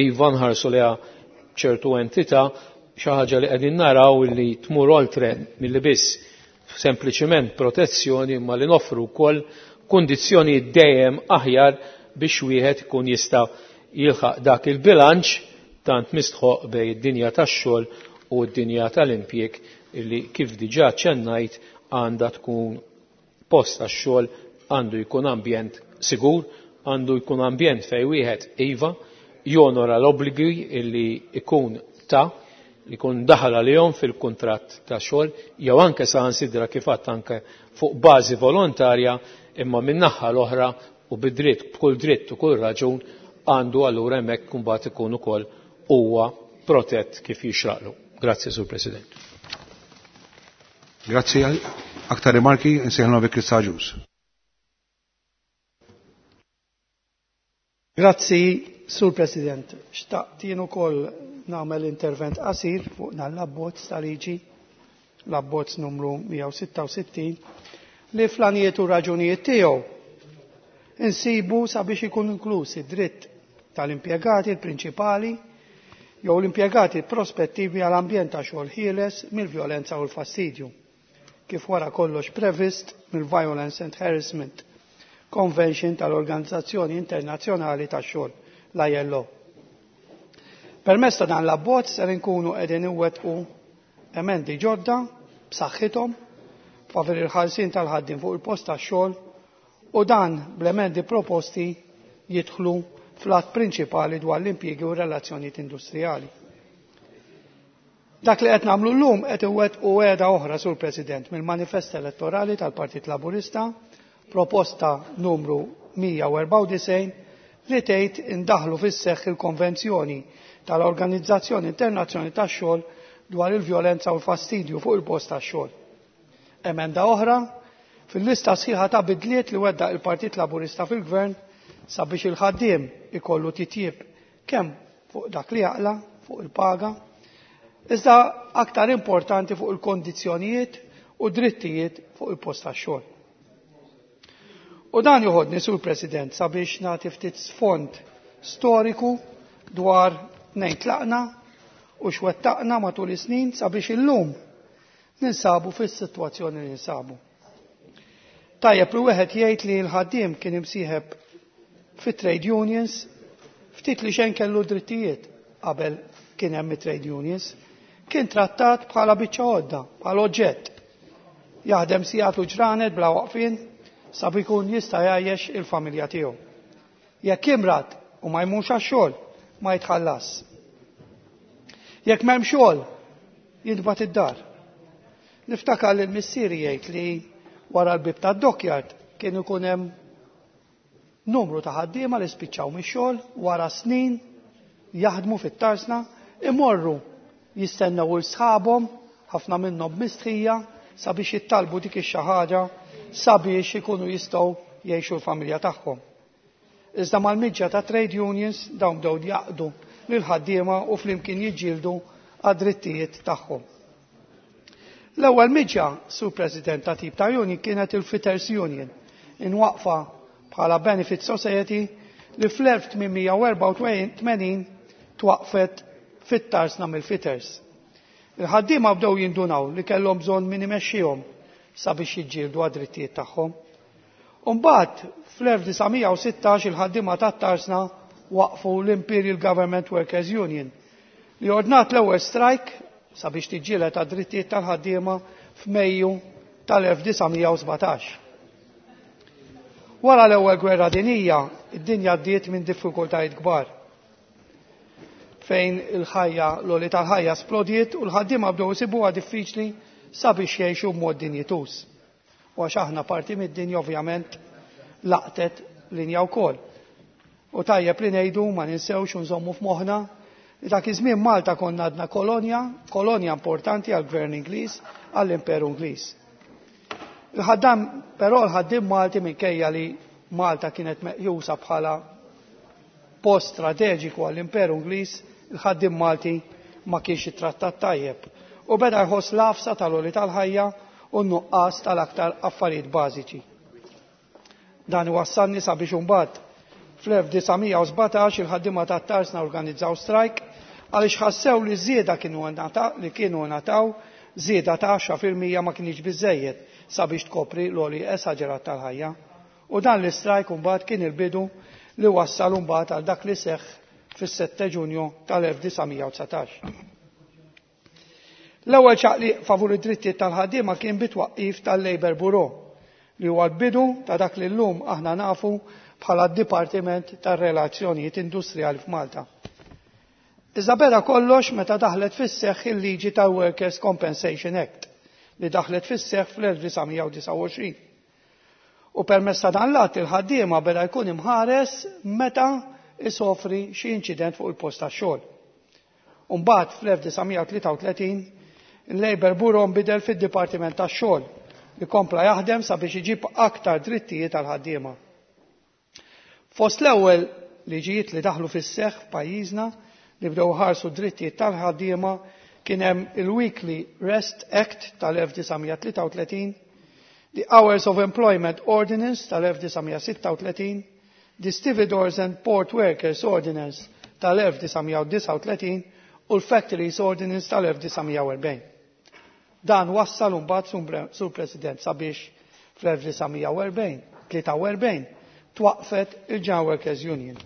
Speaker 11: iva nħarsu liha ċertu entità, xi ħaġa li qegħdin naraw li tmur oltre milli biss sempliċiment protezzjoni imma li noffru wkoll kundizzjoni dejjem aħjar biex wieħed ikun jista' jilħaq dak il-bilanċ tant mistħoq bejn id-dinja tax-xogħol u d-dinja tal-impjieg illi kif diġà ċennajt għandha tkun post tax-xogħol, għandu jkun ambjent sigur, għandu jkun ambjent fejn wieħed iva jonora l-obbligi illi ikun ta' li jkun daħal għalihom fil-kuntratt ta' xogħol jew anke saħansitra kif għadt anke fuq bażi volontarja, imma min-naħa l-oħra u bid-dritt, b'kull dritt u kull raġun għandu allura hemmhekk imbagħad ikun ukoll huwa protett kif jixraqlu. Grazzi, Sur President.
Speaker 1: Grazzi. Aktar rimarki, nsejħilna bi Chris Agius.
Speaker 13: Grazzi, Sur President. Xtaqt jien ukoll nagħmel intervent qasir fuq dan l-abbozz ta' liġi, l-abbozz numru mija u sitta u sittin, li fl-għanijiet u raġunijiet tiegħu insibu sabiex ikun inkluż id-dritt tal-impjegati l-prinċipali jew l-impjegati prospettivi għal ambjent ta' xogħol ħieles mill-vjolenza u l-fastidju, kif wara kollox previst mill-Violence and Harassment Convention tal-Organizzazzjoni Internazzjonali tax-Xogħol, l-I L O. Permezz ta' dan l-abbozz ser inkunu qegħdin iwettqu emendi ġodda b'saħħithom favur il-ħarsien tal-ħaddiem fuq il-post tax-xogħol u dan bl-emendi proposti jidħlu fl-att prinċipali dwar l-impjiegi u relazzjonijiet industrijali. Dak li qed nagħmlu llum qed iwettqu wegħda oħra, Sur President, mill-manifest elettorali tal-Partit Laburista, proposta numru mija u erbgħa u disgħin li tgħid indaħlu fis-seħħ il-Konvenzjoni tal-Organizzazzjoni Internazzjonali tax-Xogħol dwar il-vjolenza u l-fastidju fuq il-post tax-xogħol. Emenda oħra fil-lista sħiħa ta' bidliet li wettaq il-Partit Laburista fil-Gvern sabiex il-ħaddiem ikollu titjib kemm fuq dak li jaqla, fuq il-paga, iżda aktar importanti fuq il-kondizzjonijiet u drittijiet fuq il-post tax-xogħol. U dan joħodni, Sur President, sabiex nagħti ftit sfond storiku dwar nejn tlaqna u x'wettaqna matul is-snin sabiex illum ninsabu fis-sitwazzjoni li ninsabu. Tajjeb li wieħed jgħid li l-ħaddiem kien imsieħeb Fit trade unions ftit li xejn kellu drittijiet qabel kien hemm trade unions, kien trattat bħala biċċa għodda, bħala oġġett. Jaħdem sigħat u ġranet bla waqfien sabi jkun jista' jgħajjex il-familja tiegħu. Jekk imrad u ma jmurx għax-xogħol, ma jitħallas. Jekk m'hemm xogħol, jintbagħat id-dar. Niftakar li l-missieri jgħid li wara l-bib tad-dockyard kien ikun hemm numru ta' ħaddiema li spiċċaw mix-xogħol wara snin jaħdmu fit-tarsna, imorru jistennew il sħabhom, ħafna minnhom mistħija, sabiex jittalbu dik ix-xi ħaġa sabiex ikunu jistgħu jgħixu l-familja tagħhom. Iżda mal-miġja ta' trade unions dawn bdew jaqdu lil ħaddiema u flimkien jiġġieldu għad-drittijiet tagħhom. L-ewwel miġja, Sur President, ta' tip ta' union kienet il-Fitters Union, inwaqfa bħala Benefit Society li fl-elf tmien mija u erbgħa u tmenin twaqfet fit-tarsna mill-Fitters. Il-ħaddiema bdew jindunaw li kellhom bżonn min imexxihom sabiex jiġġieldu għad-drittijiet tagħhom. Umbagħad fl-elf disa' mija u sittax il-ħaddiema tat-tarsna waqfu l-Imperial Government Workers Union li ordnat l-ewwel strike sabiex tiġġieled għad-drittijiet tal-ħaddiema f'Mejju tal-elf disa' mija u sbatax. Wara l-ewwel gwerra dinija, id-dinja għaddiet minn diffikultajiet kbar fejn il-ħajja, l-għoli tal-ħajja splodiet u l-ħaddiema bdew isibuha diffiċli sabiex jgħixu b'mod dinjituż. U għax aħna parti mid-dinja, ovvjament laqtet linja wkoll. U tajjeb li ngħidu, ma ninsewx u nżommu f'moħħna li dak iż-żmien Malta konna għadna kolonja, kolonja importanti għall-Gvern Ingliż, għall-Imperu Ingliż. Il-ħaddam, però l-ħaddiem Malti, minkejja li Malta kienet meqjusa bħala post strateġiku għall-Imperu Ingliż, il-ħaddiem Malti ma kienx ittrattat tajjeb. U beda jħoss l-għafsa tal-għoli tal-ħajja u n-nuqqas tal-aktar affarijiet bażiċi. Dan wassalni sabiex imbagħad fl-elf disa' mija u sbatax il-ħaddiema tat-tarsna organizzaw strike għaliex ħassew li żieda kienu li kienu ngħataw, żieda ta' għaxra fil-mija, ma kienx biżejjed sabiex tkopri l-għoli esaġerat tal-ħajja. U dan l-istrajk imbagħad kien il-bidu li wassal imbagħad għal dak li seħħ fis-sitta Ġunju tal-elf disa' mija u dsatax. L-ewwel ċaqliq favur id-drittijiet tal-ħaddiema kien bit-twaqqif tal-Labour Bureau, li huwa l-bidu ta' dak li llum aħna nafu bħala d-Dipartiment tar-Relazzjonijiet Industrijali f'Malta. Iżda beda kollox meta daħlet fis-seħħ il-liġi ta' Workers' Compensation Act li daħlet fis-seħħ fl-elf disa' mija u disgħa u għoxrin. U permezz ta' dan l-att il-ħaddiema beda jkun imħares meta isofri xi inċident fuq il-post tax-xogħol. Umbagħad fl-elf disa' mija u tlieta u tletin il-Labour Bureau nbidel fid-Dipartiment tax-Xogħol li kompla jaħdem sabiex iġib aktar drittijiet tal-ħaddiema. Fost l-ewwel liġijiet li daħlu fis-seħħ f'pajjiżna li bdew ħarsu drittijiet tal-ħaddiema kien hemm il-Weekly Rest Act tal-elf disa' mija u tlieta u tletin, the Hours of Employment Ordinance tal-elf disa' mija u sitta u tletin, the Stevedores and Port Workers Ordinance tal-elf disa' mija u disgħa u tletin u l-Factories Ordinance tal-elf disa' mija u erbgħin. Dan wassal mbagħad, Sur President, sabiex fl-elf disa' mija u erbgħin, tlieta u erbgħin, twaqfet il-General Workers Union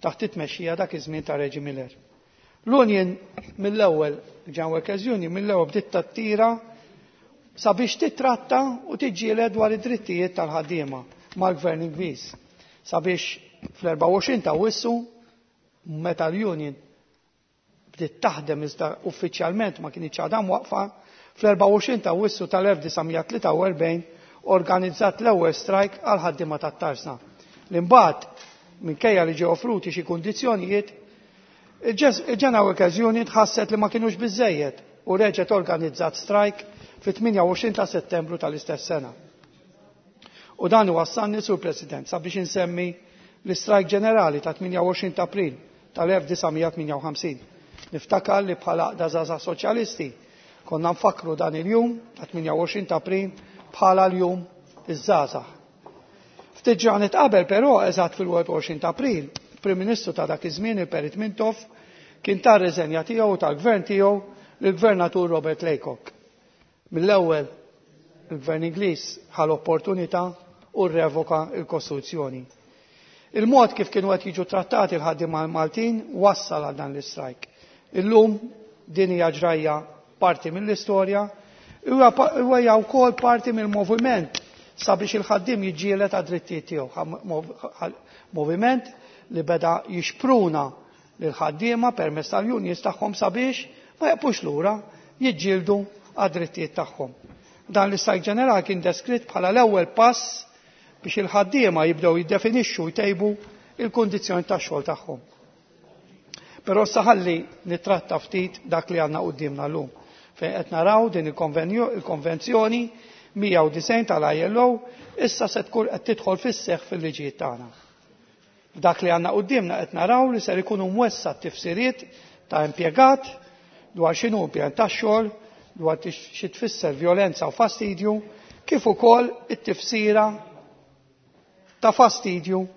Speaker 13: taħt it-tmexxija dak iż-żmien ta' Reggie Miller. L-Union mill-ewwel, il-General Workers Union mill-ewwel bdiet tattira sabiex titratta u tiġġieled dwar id-drittijiet tal-ħaddiema mal-Gvern Ingliż. Sabiex fl-erbgħa u għoxrin ta' Awwissu, meta l-Union bdiet taħdem iżda uffiċjalment ma kienx għadha waqfa, fl-erbgħa u għoxrin ta' Awwissu tal-elf disa' mija u tlieta u erbgħin organizzat l-ewwel strike għal ħaddiema tat-tarsna. L-imbagħad, minkejja li ġew offruti xi kundizzjonijiet, il-General Workers Union ħasset li ma kienux biżejjed u reġgħet organizzat strike fit-tmienja u għoxrin ta' Settembru tal-istess sena. U dan wassalni, Sur President, sabiex insemmi l-istrajk ġenerali ta' tmienja u għoxrin ta' April tal-elf disa' mija u tmienja u ħamsin. Niftakar li bħala Għaqda Żgħażagħ Soċjalisti konna nfakru dan il-jum ta' tmienja u għoxrin ta' April bħala l-jum iż-żgħażagħ. Ftit ġranet qabel però, eżatt fil-wieħed u għoxrin ta' April, Prim Ministru ta' dak iż-żmien, il-Perit Mintoff, kien ta r-riżenja tiegħu u tal-gvern tiegħu lill-Gvernatur Robert Laycock. Mill-ewwel il-Gvern Ingliż ħa l-opportunità u rrevoka il-Kostituzzjoni. Il-mod kif kienu qed jiġu trattati l-ħaddiema Maltin wassal għal dan l-istrajk. Illum din hija ġrajja parti mill-istorja, huwa hija wkoll parti mill-moviment sabiex il-ħaddiem jiġġieled għad-drittijiet tiegħu. Moviment li beda jixpruna lil ħaddiema permezz tal-unions tagħhom sabiex ma jaqpux lura jiġġieldu għad-drittijiet tagħhom. Dan l-istrajk ġenerali kien deskritt bħala l-ewwel pass biex il-ħaddiema jibdew jiddefinixxu jtejbu il-kundizzjoni tax-xogħol tagħhom. Però saħalli nittratta ftit dak li għandna quddiemna llum, fejn qed naraw din il-konvenzjoni mija u disgħin tal-I L O issa se tkun qed tidħol fis-seħħ fil-liġijiet tagħna. Dak li għandna quddiemna qed naraw li ser ikunu mwessa tifsiriet ta' impjegat dwar x'inhu impjant tax-xogħol, dwar xi tfisser vjolenza u fastidju, kif ukoll it-tifsira ta' fastidju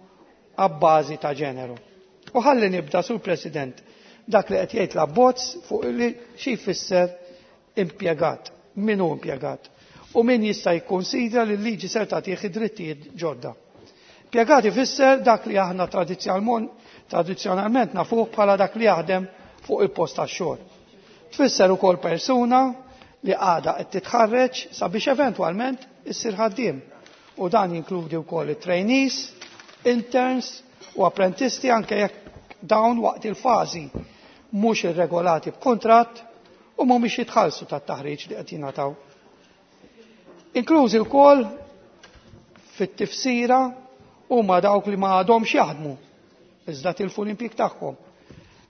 Speaker 13: għabbażi ta' ġeneru. U ħalli nibda, Sur President, dak li qed jgħid l-abbozz fuq li xi jfisser impjegat, min hu impjegat u min jista' jikkonsidra li l-liġi ser tagħtih id-drittijiet ġodda. Impjegat ifisser dak li aħna tradizzjonalment nafuh bħala dak li jaħdem fuq il-post tax-xogħol. Tfisser ukoll persuna li għadha qed titħarreġ sabiex eventwalment issir ħaddiem. U dan jinkludi wkoll it-trainees, interns u apprentisti, anke jekk dawn waqt il-fażi mhux irregolati b'kuntratt u mhumiex jitħallsu tat-taħriġ li qed jingħataw. Inklużi wkoll fit-tifsira huma dawk li ma għadhomx jaħdmu iżda tilfu l-impjieg tagħhom.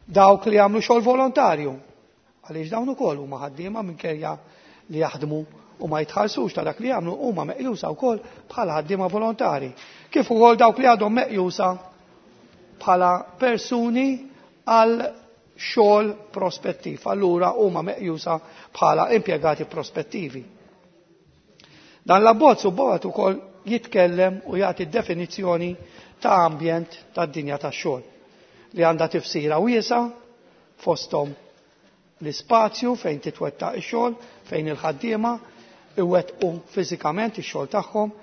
Speaker 13: Dawk li jagħmlu xogħol volontarju, għaliex dawn ukoll huma ħaddiema minkejja li jaħdmu u ma jitħallsux ta' dak li jagħmlu, huma meqjusa wkoll bħala ħaddiema volontari. Kif ukoll dawk li għadhom meqjusa bħala persuni għal xogħol prospettiv, allura huma meqjusa bħala impjegati prospettivi. Dan l-abbozz ukoll ukoll jitkellem u jagħti definizzjoni ta' ambjent tad-dinja tax-xogħol li għandha tifsira wiesa, fosthom l-ispazju fejn titwettaq ix-xogħol, fejn il-ħaddiema iwettqu fiżikament ix-xogħol tagħhom,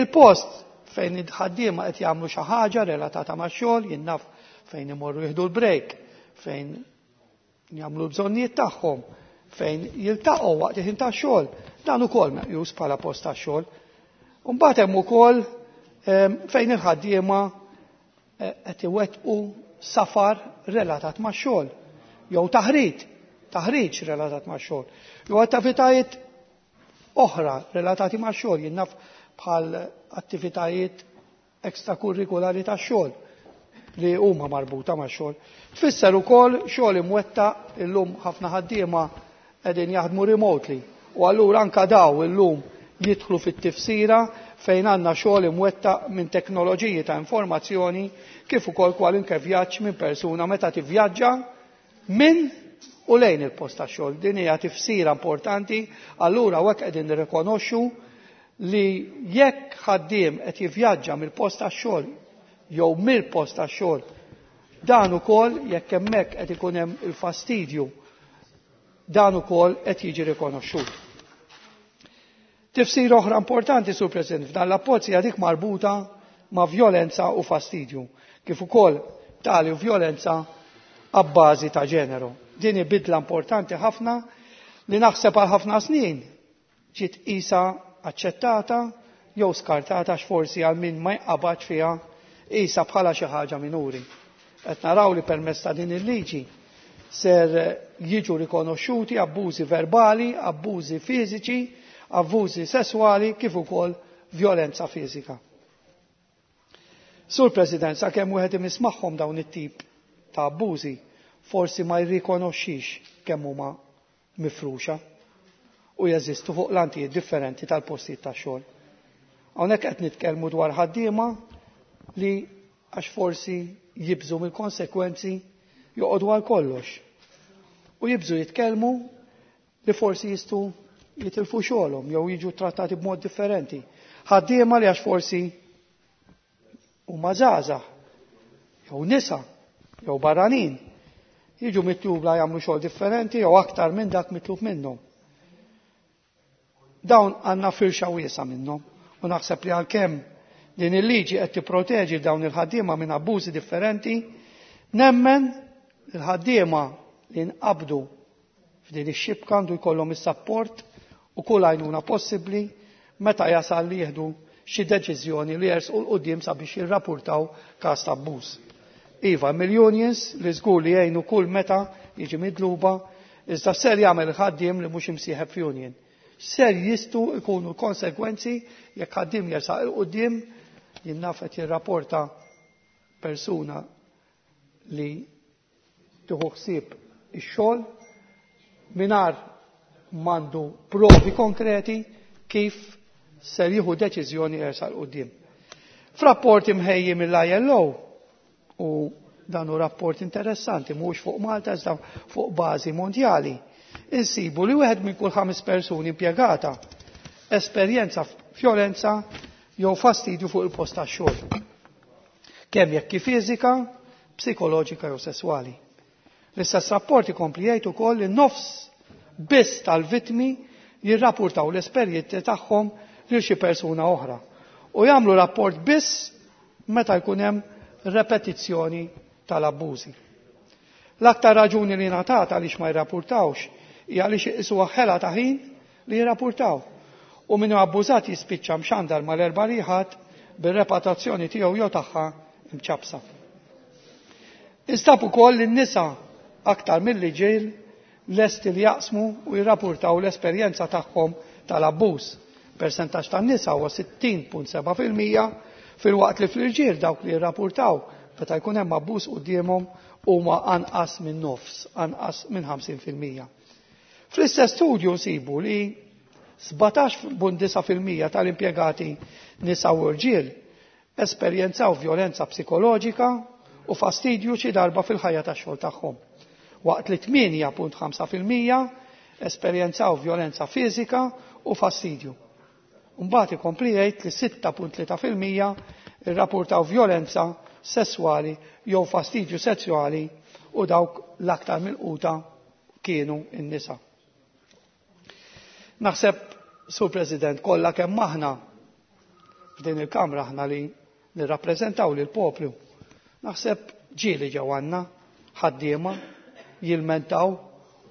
Speaker 13: il-post fejn il-ħaddiema qed jagħmlu xi ħaġa relatata max-xogħol, jien naf fejn imorru jieħdu l-break, fejn jagħmlu l-bżonnijiet tagħhom, fejn jiltaqgħu waqt il-ħin tax-xogħol, dan ukoll meqjus bħala post tax-xogħol. Imbagħad hemm ukoll fejn il-ħaddiema qed iwettqu safar relatat max-xogħol, jew taħriġ, taħriġ relatat max-xogħol, jew attivitajiet oħra relatati max-xogħol, jien naf bħal attivitajiet ekstrakurrikulari tax-xogħol li huma marbuta max-xogħol. Tfisser ukoll xogħol imwettaq. Illum ħafna ħaddiema qegħdin jaħdmu remotely u allura anka daw illum jidħlu fit-tifsira fejn għandna xogħol imwettaq minn teknoloġiji ta' informazzjoni, kif ukoll kwalunkwe vjaġġ minn persuna meta tivvjaġġa minn u lejn il-post tax-xogħol. Din hija tifsira importanti, allura hekk qegħdin nirrikonoxxu li jekk ħaddiem qed jivvjaġġa mill-post tax-xogħol jew mill-post tax-xogħol, dan ukoll jekk hemmhekk qed ikun hemm il-fastidju, dan ukoll qed jiġi rikonoxxut. Tifsira oħra importanti, Sur President, f'dan l-abbozz hija dik marbuta ma' vjolenza u fastidju, kif ukoll tali vjolenza abbażi ta' ġeneru. Din hi bidla importanti ħafna li naħseb għal ħafna snin ġiet isa aċċettata jew skartata, forsi għal min ma jqabadx fiha isa bħala xi ħaġa minuri. Qed naraw li permezz ta' din il-liġi ser jiġu rikonoxxuti abbużi verbali, abbużi fiżiċi, abbużi sesswali kif ukoll vjolenza fiżika. Sur President, sakemm wieħed imiss magħhom dawn it-tip ta' abbużi, forsi ma jirrikonoxxix kemm huma mifruxa u jeżistu fuq lantijiet differenti tal-postijiet tax-xogħol. Hawnhekk qed nitkellmu dwar ħaddiema li għax forsi jibżu mill-konsekwenzi joqogħdu għal kollox. U jibżu jitkellmu li forsi jistgħu jitilfu xogħolhom jew jiġu trattati b'mod differenti. Ħaddiema li għax forsi huma żgħażagħ jew nisa jew barranin jiġu mitluba jagħmlu xogħol differenti jew aktar minn dak mitlub minnhom. Dawn għandna firxa wiesa minnhom u naħseb li għalkemm Din il-liġi qed tipproteġi dawn il-ħaddiema minn abbużi differenti. Nemmen il-ħaddiema li nqabdu f'din ix-xibka għandu jkollhom is-sapport u kull għajnuna possibbli meta jasal li jieħdu xi deċiżjoni li jersqu 'l quddiem sabiex jirrapportaw każ ta' abbuż. Iva, mill-unions li żgur li jgħinu kull meta jiġi midluba, iżda ser jagħmel ħaddiem li mhux imsieħeb f'union. Ser jistgħu jkunu konsegwenzi jekk ħaddiem jersaq 'il quddiem jien naf qed jirrapporta persuna li tieħu ħsieb ix-xogħol mingħajr m'għandu provi konkreti kif ser jieħu deċiżjoni jersaq 'il quddiem. F'rapport imħejji mill-I L O, u dan hu rapport interessanti mhux fuq Malta iżda fuq bażi mondjali, insibu li wieħed minn kull ħames persuni impjegata esperjenza vjolenza jew fastidju fuq il-post tax-xogħol. Kemm jekk fiżika, psikoloġika jew sesswali. L-istess rapport ikompli jgħid ukoll li nofs biss tal-vittmi jirrapportaw l-esperjenzi tagħhom lil xi persuna oħra u jagħmlu rapport biss meta jkun hemm repetizzjoni tal-abbużi. L-aktar raġuni li ngħatat għaliex ma jirrapportawx hija għaliex iqisuha ħela ta' ħin li jirrapportaw. U min abbużat jispiċċa mxandar mal-erba' liħat bir-reputazzjoni tiegħu jew tagħha mċapsa. Instab ukoll li n-nisa aktar mill-irġiel lesti li jaqsmu u jirrapportaw l-esperjenza tagħhom tal-abbuż. Persentaġġ tan-nisa huwa sittin punt seba' fil-mija filwaqt li fl-irġiel dawk li jirrapportaw meta jkun hemm abbuż quddiemhom huma anqas minn nofs, anqas minn ħamsin fil-mija. Fl-istess studju nsibu li sbatax punt disa' fil-mija tal-impjegati nisa u rġiel esperjenzaw vjolenza psikoloġika u fastidju xi darba fil-ħajja tax-xogħol tagħhom. Waqt li tmienja punt ħamsa fil-mija esperjenzaw vjolenza fiżika u fastidju. Mbagħad ikompli jgħid li sitta punt tlieta fil-mija irrapportaw vjolenza sesswali jew fastidju sesswali u dawk l-aktar milquta kienu n-nisa. Naħseb, Sur President, kollha kemm aħna f'din il-Kamra, aħna li nirrappreżentaw lil poplu. Naħseb ġieli ġew għandna ħaddiema jilmentaw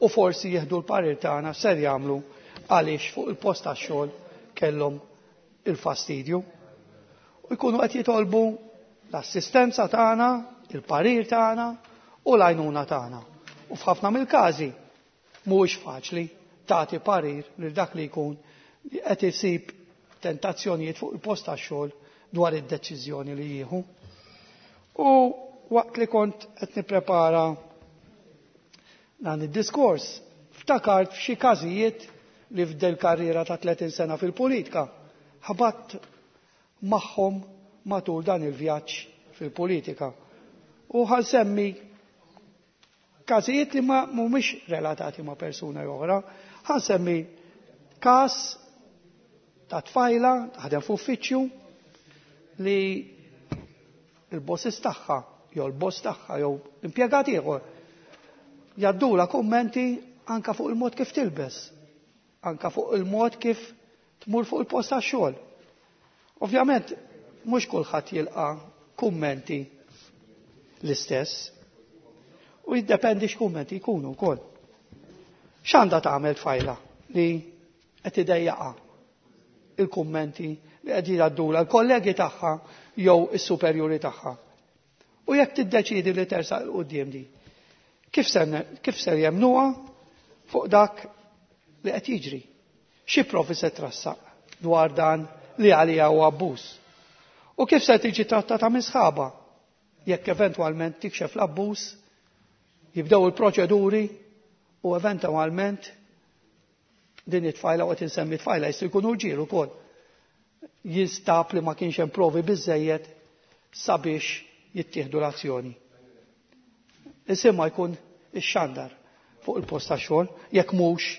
Speaker 13: u forsi jieħdu l-parir tagħna ser jagħmlu għaliex fuq il-post tax-xogħol kellhom il-fastidju. U jkunu qed jitolbu l-assistenza tagħna, il-parir tagħna u l-għajnuna tagħna. U f'ħafna mill-każi mhuwiex faċli tagħti parir lil dak li jkun li qed isib tentazzjonijiet fuq il-post tax-xogħol dwar id-deċiżjoni li jieħu. U waqt li kont qed nipprepara dan id-diskors, ftakart f'xi każijiet li f'del karriera ta' tletin sena fil-politika ħabatt magħhom matul dan il-vjaġġ fil-politika. U ħa nsemmi każijiet li ma mhumiex relatati ma' persuna oħra, ħa nsemmi każ ta' tfajla taħdem f'uffiċċju li il-bosses tagħha jew il-boss tagħha jew impjegat ieħor jgħaddula kummenti anka fuq il-mod kif tilbes, anka fuq il-mod kif tmur fuq il-post tax-xogħol. Ovvjament, mhux kulħadd jilqa' kummenti l-istess u jiddependi x'kummenti jkunu wkoll. X'għandha tagħmel tfajla li qed idejjaqha il-kummenti li qed jgħaddula l-kollegi tagħha jew is-superjuri tagħha? U jekk tiddeċidi li tersaq 'il quddiem di, kif ser kif ser jemnuha fuq dak li qed jiġri? Xi provi se trassaq dwar dan li għalija huwa abbuż? U kif se tiġi trattata minn sħaba jekk eventwalment tikxef l-abbuż, jibdew il-proċeduri u eventwalment din it-tfajla, u qed insemmi tfajla, jistgħu jkunu rġiel ukoll, jinstab li ma kienx hemm provi biżejjed sabiex jittieħdu l-azzjoni? Isimha jkun ixxandar fuq il-post ta' xogħol, jekk mhux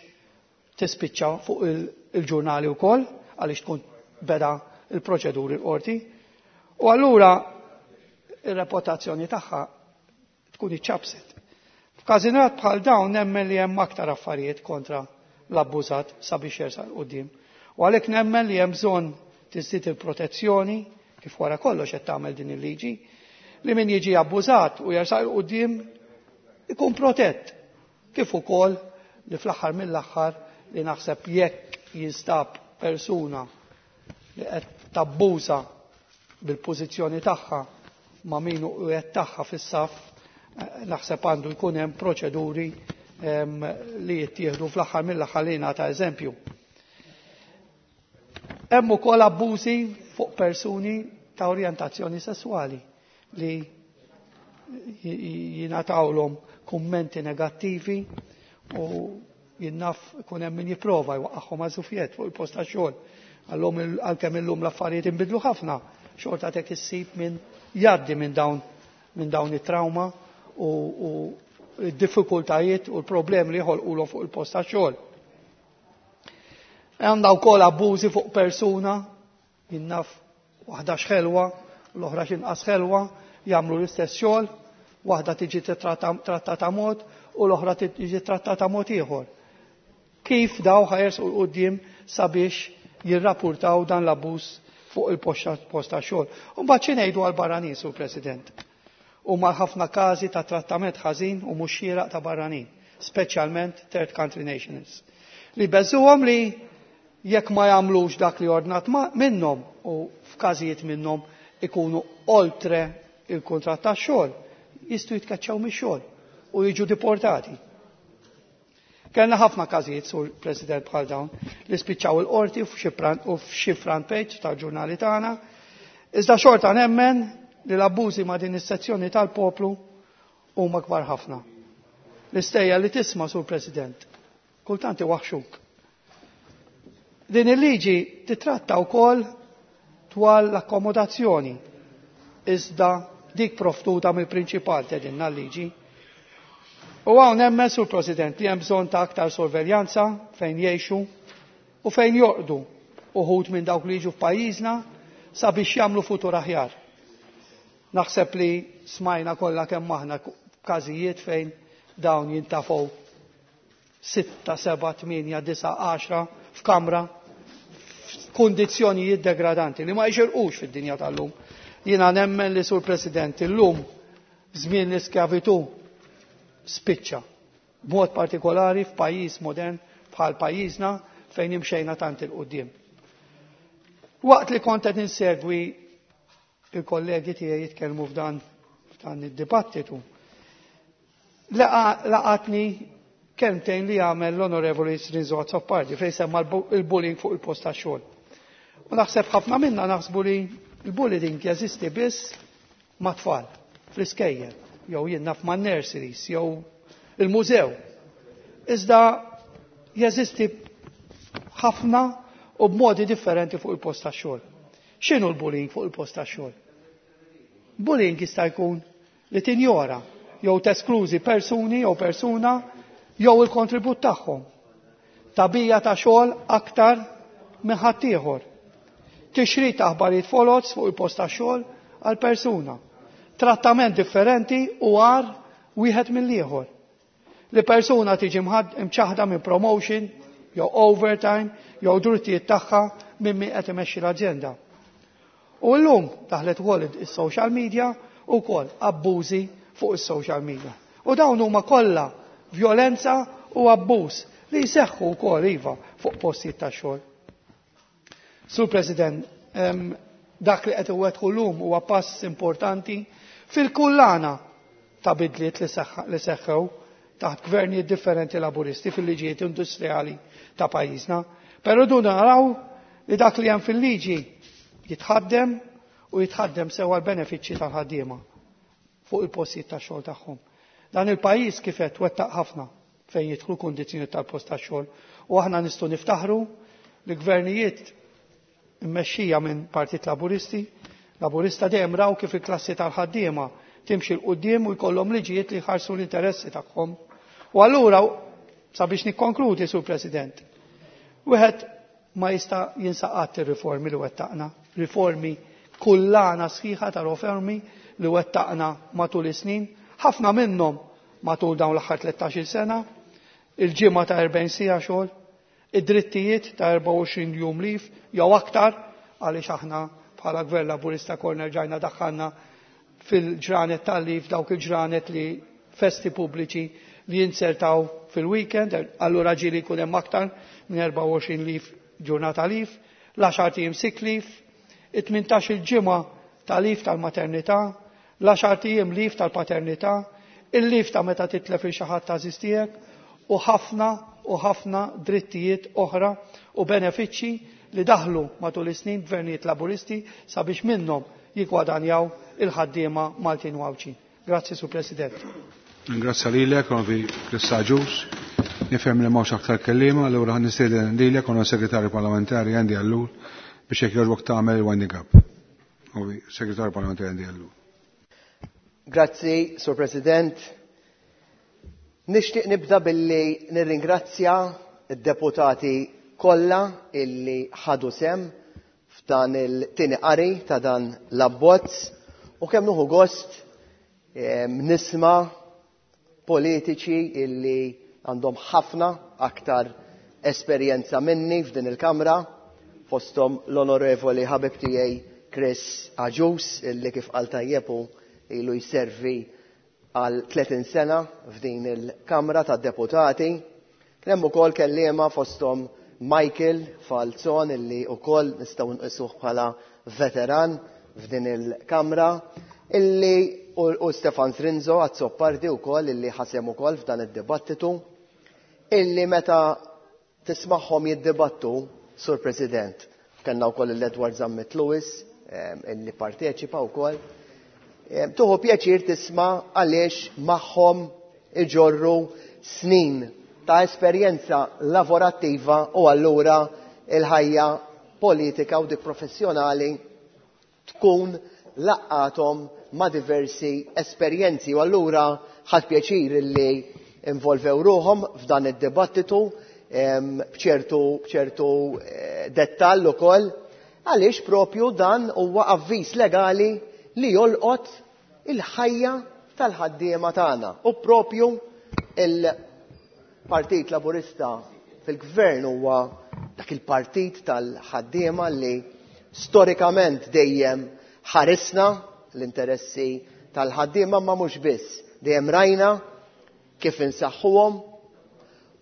Speaker 13: tispiċċa fuq il-ġurnali wkoll għaliex tkun beda il-proċeduri l-qorti. U allura ir-reputazzjoni tagħha tkun iċċabset. F'każijiet bħal dawn nemmen li hemm aktar affarijiet kontra l-abbużat sabiex jersaq quddiem. U għalhekk nemmen li hemm bżonn tiżdied il-protezzjoni Kif wara kollox qed tagħmel din il-liġi, li min jiġi abbużat u jersaq 'il quddiem ikun protett. Kif ukoll li fl-aħħar mill-aħħar li naħseb jekk jinstab persuna li qed tabbuża bil-pożizzjoni tagħha ma' min hu qed tagħha fis-saf, naħseb għandu jkun hemm proċeduri li jittieħdu fl-aħħar mill-aħħar li jingħata eżempju. Hemm ukoll abbużi fuq persuni ta' orjentazzjoni sesswali li jingħatawlhom kummenti negattivi u jinnaf ikun hemm min jipprova jwaqqagħhom għażufjet fuq il-post ta' xogħol. Għallhom għalkemm illum l-affarijiet inbidlu ħafna, xorta tek issib min jgħaddi minn dawn minn dawn it-trauma u, u d-diffikultajiet u l-problemi li jħolqulhom fuq il-post ta' xogħol. Għandha wkoll abbużi fuq persuna, jinnaf waħda x'ħelwa, l-oħra x'inqas ħelwa, jagħmlu l-istess xogħol, waħda tiġi trattata mod u l-oħra tiġi trattata mod ieħor. Kif daw ħajersqu 'l quddiem sabiex jirrapportaw dan l-abbuż fuq il-post ta' xogħol. U mbagħad xi ngħidu għall-barranin, Sur President? Huma ħafna każi ta' trattament ħażin u mhux xieraq ta' barranin, speċjalment third country nationals. Li beżuhom li jekk ma jagħmlux dak li ordnat minnhom u f'każijiet minnhom ikunu oltre il-kuntratt tax-xogħol, jistgħu jitkaċċaw mix-xogħol u jiġu deportati. Kellna ħafna każijiet, Sur President, bħal dawn li spiċċaw il-qorti u f'xi front page tal-ġurnali tagħna. Iżda xorta nemmen li l-abbużi ma' din is-sezzjoni tal-poplu huma kbar ħafna. L-istejja li tisma', Sur President, kultant iwaħxuk. Din il-liġi titratta wkoll dwar l-akkomodazzjoni, iżda dik proftuta mill-prinċipal tedinna l-liġi. U hawn nemmen, Sur President, li hemm bżonn ta' aktar sorveljanza fejn jgħixu u fejn jorqdu uħud minn dawk li jiġu f'pajjiżna sabiex jagħmlu futur aħjar. Naħseb li smajna kollha kemm aħna każijiet fejn dawn jintafgħu sitta, seba', tmienja, disa', għaxra f'kamra f'kundizzjonijiet degradanti li ma jxirqux fid-dinja tal-lum. Jiena nemmen li, Sur President, illum żmien l-iskjavitu spiċċa. B'mod partikolari f'pajjiż modern bħal pajjiżna fejn imxejna tant il-qudiem. Waqt li kont qed insegwi il-kollegi tiegħi jitkellmu f'dan f'dan id-dibattitu, laqatni kelmtejn li għamel l-Onorevoli Rinzo Azzopardi fejn semma il-bullying fuq il-post ta' xogħol. U naħseb ħafna minna naħsbu li il-bullying jeżisti biss ma' tfal fl-iskejjel, jew jien naf ma' nurseries, jew il-mużew. Iżda jeżisti ħafna u b'modi differenti fuq il-post ta' xogħol. X'inhu l-bullying fuq il-post ta' xogħol? Bullying jista' jkun li tinjora jew tesklużi persuni jew persuna jew il-kontribut tagħhom. Tabija ta' xogħol aktar minn ħaddieħor. Tixrid aħbarijiet foloz fuq il-post ta' xogħol għal persuna. Trattament differenti u għar wieħed mill-ieħor. Li persuna tiġi mċaħda minn promotion, jew overtime, jew drittijiet tagħha minn min qed imexxi l-aġenda. U llum daħlet ukoll is-social media u wkoll abbużi fuq is-social media. U dawn huma kollha violenza u abbuż li jseħħu wkoll iva fuq postijiet ta' xogħol. Sur President, dak li qed iwettqu llum huwa pass importanti fil-kullana ta' bidliet li seħħew taħt gvernijiet differenti laburisti fil-liġijiet industrijali ta' pajjiżna. Però du naraw li dak li hemm fil-liġi jitħaddem u jitħaddem sewa l-benefiċċji tal-ħaddiema fuq il-postijiet ta' xogħol tagħhom. Dan il-pajjiż kif qed wettaq ħafna fejn jidħlu kundizzjoni tal-post ta' xogħol u aħna nistgħu niftaħru li gvernijiet immexxija minn Partit Laburisti, Laburista dejjem raw kif il-klassi tal-ħaddiema timxi 'l quddiem u jkollhom liġijiet li jħarsu l-interessi tagħhom. U allura sabiex nikkonkludi, Sur President, wieħed ma jista' jinsaqat ir-riformi li wettaqna, riformi kullana sħiħa ta' riformi li wettaqna matul is-snin, ħafna minnhom matul dawn l-aħħar tlettax-il sena, il-ġimgħa ta' erbgħin siegħa xogħol, id-drittijiet ta' erbgħa u għoxrin jum lif jew aktar għaliex aħna bħala Gvern Laburista konna rġajna daħħalna fil-ġranet tal-leave dawk il-ġranet li festi pubbliċi li jinsertaw fil-weekend, allura ġieli jkun hemm aktar minn erbgħa u għoxrin leave, ġurnata leave, l-għaxart ijiem sick leave, it-tmintax il-ġimgħa ta' leave tal-maternità, l-għaxart ijiem leave tal-paternità, il-leave ta' meta titlef il xi ħadd għażiż tiegħek u ħafna u ħafna drittijiet oħra u benefiċċji li daħlu matul is-snin gvernijiet Laburisti sabiex minnhom jiggwadanjaw il-ħaddiema Maltin u Għawdxin. Grazzi, Sur President.
Speaker 1: Grazzi lilek, Onorevoli Chris Agius. Nifhem li m'hawnx aktar kelliema, allura nistieden lilek, Onorevoli Segretarju Parlamentari Andy Ellul, biex jekk jogħġbok tagħmel il-winding up. Onorevoli Segretarju Parlamentari Andy Ellul.
Speaker 14: Grazzi, Sur President. Nixtieq nibda billi nirringrazzja id-deputati kollha illi ħadu sehem f'dan il-tieni qari ta' dan l-abbozz u kemm nieħu gost nisma' politiċi illi għandhom ħafna aktar esperjenza minni f'din il-Kamra, fosthom l-Onorevoli ħabib tiegħi Chris Agius, illi kif qal tajjeb hu ilu jservi għal tletin sena f'din il-Kamra tad-Deputati. Kien hemm ukoll kelliema fosthom Michael Falzon, illi wkoll nistgħu nqisuh bħala veteran f'din il-Kamra, illi u, u Stefan Zrinzo Azzopardi wkoll, illi ħasem ukoll f'dan id-dibattitu, illi meta tismagħhom jiddibattu, Sur President, kellna wkoll l-Edward Zammit Lewis, illi parteċipa wkoll, tuħu pjaċir tisma' għaliex magħhom iġorru snin ta' esperjenza lavorattiva u allura il-ħajja politika u dik professjonali tkun laqqathom ma' diversi esperjenzi u allura ħadt pjaċir illi involvew ruħhom f'dan id-dibattitu b'ċertu, b'ċertu dettall ukoll, għaliex propju dan huwa avviż legali li jolqot il-ħajja tal-ħaddiema tagħna u propju il-Partit Laburista fil-Gvern huwa dak il-partit tal-ħaddiema li storikament dejjem ħarisna l-interessi tal-ħaddiema, ma mhux biss, dejjem rajna kif insaħħuhom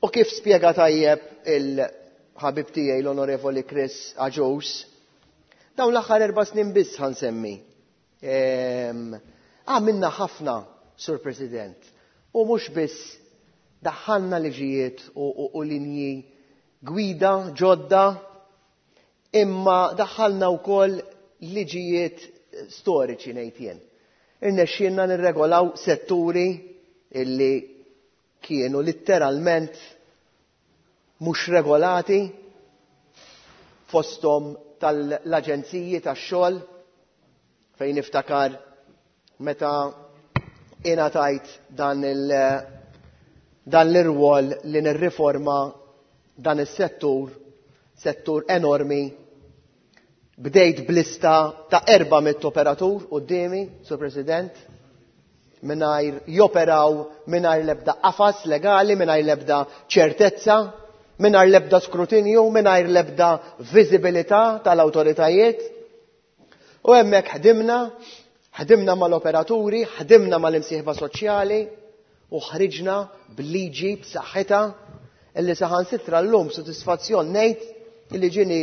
Speaker 14: u kif spjega tajjeb il-ħabib tiegħi l-Onorevoli Chris Agius, dawn l-aħħar erba' snin biss ħansemmi. Għamilna ħafna, Sur President, u mhux biss daħħalna liġijiet u, u, u linji gwida ġodda, imma daħħalna wkoll liġijiet storiċi ngħid jien. Irnexxielna nirregolaw setturi illi kienu litteralment mhux regolati, fosthom tal-aġenziji tax-xogħol, fejn niftakar meta ingħatajt dan il- dan l-irwol li nirriforma dan is-settur, settur enormi. Bdejt blista ta' erba' mitt operatur quddiemi, Sur President, mingħajr joperaw, mingħajr l-ebda qafas legali, mingħajr l-ebda ċertezza, mingħajr l-ebda skrutinju, mingħajr l-ebda viżibilità tal-awtoritajiet. U hemmhekk ħdimna, ħdimna mal-operaturi, ħdimna mal-imsieħba soċjali u ħriġna b'liġi b'saħħitha illi saħansitra llum sodisfazzjon ngħid illi ġieli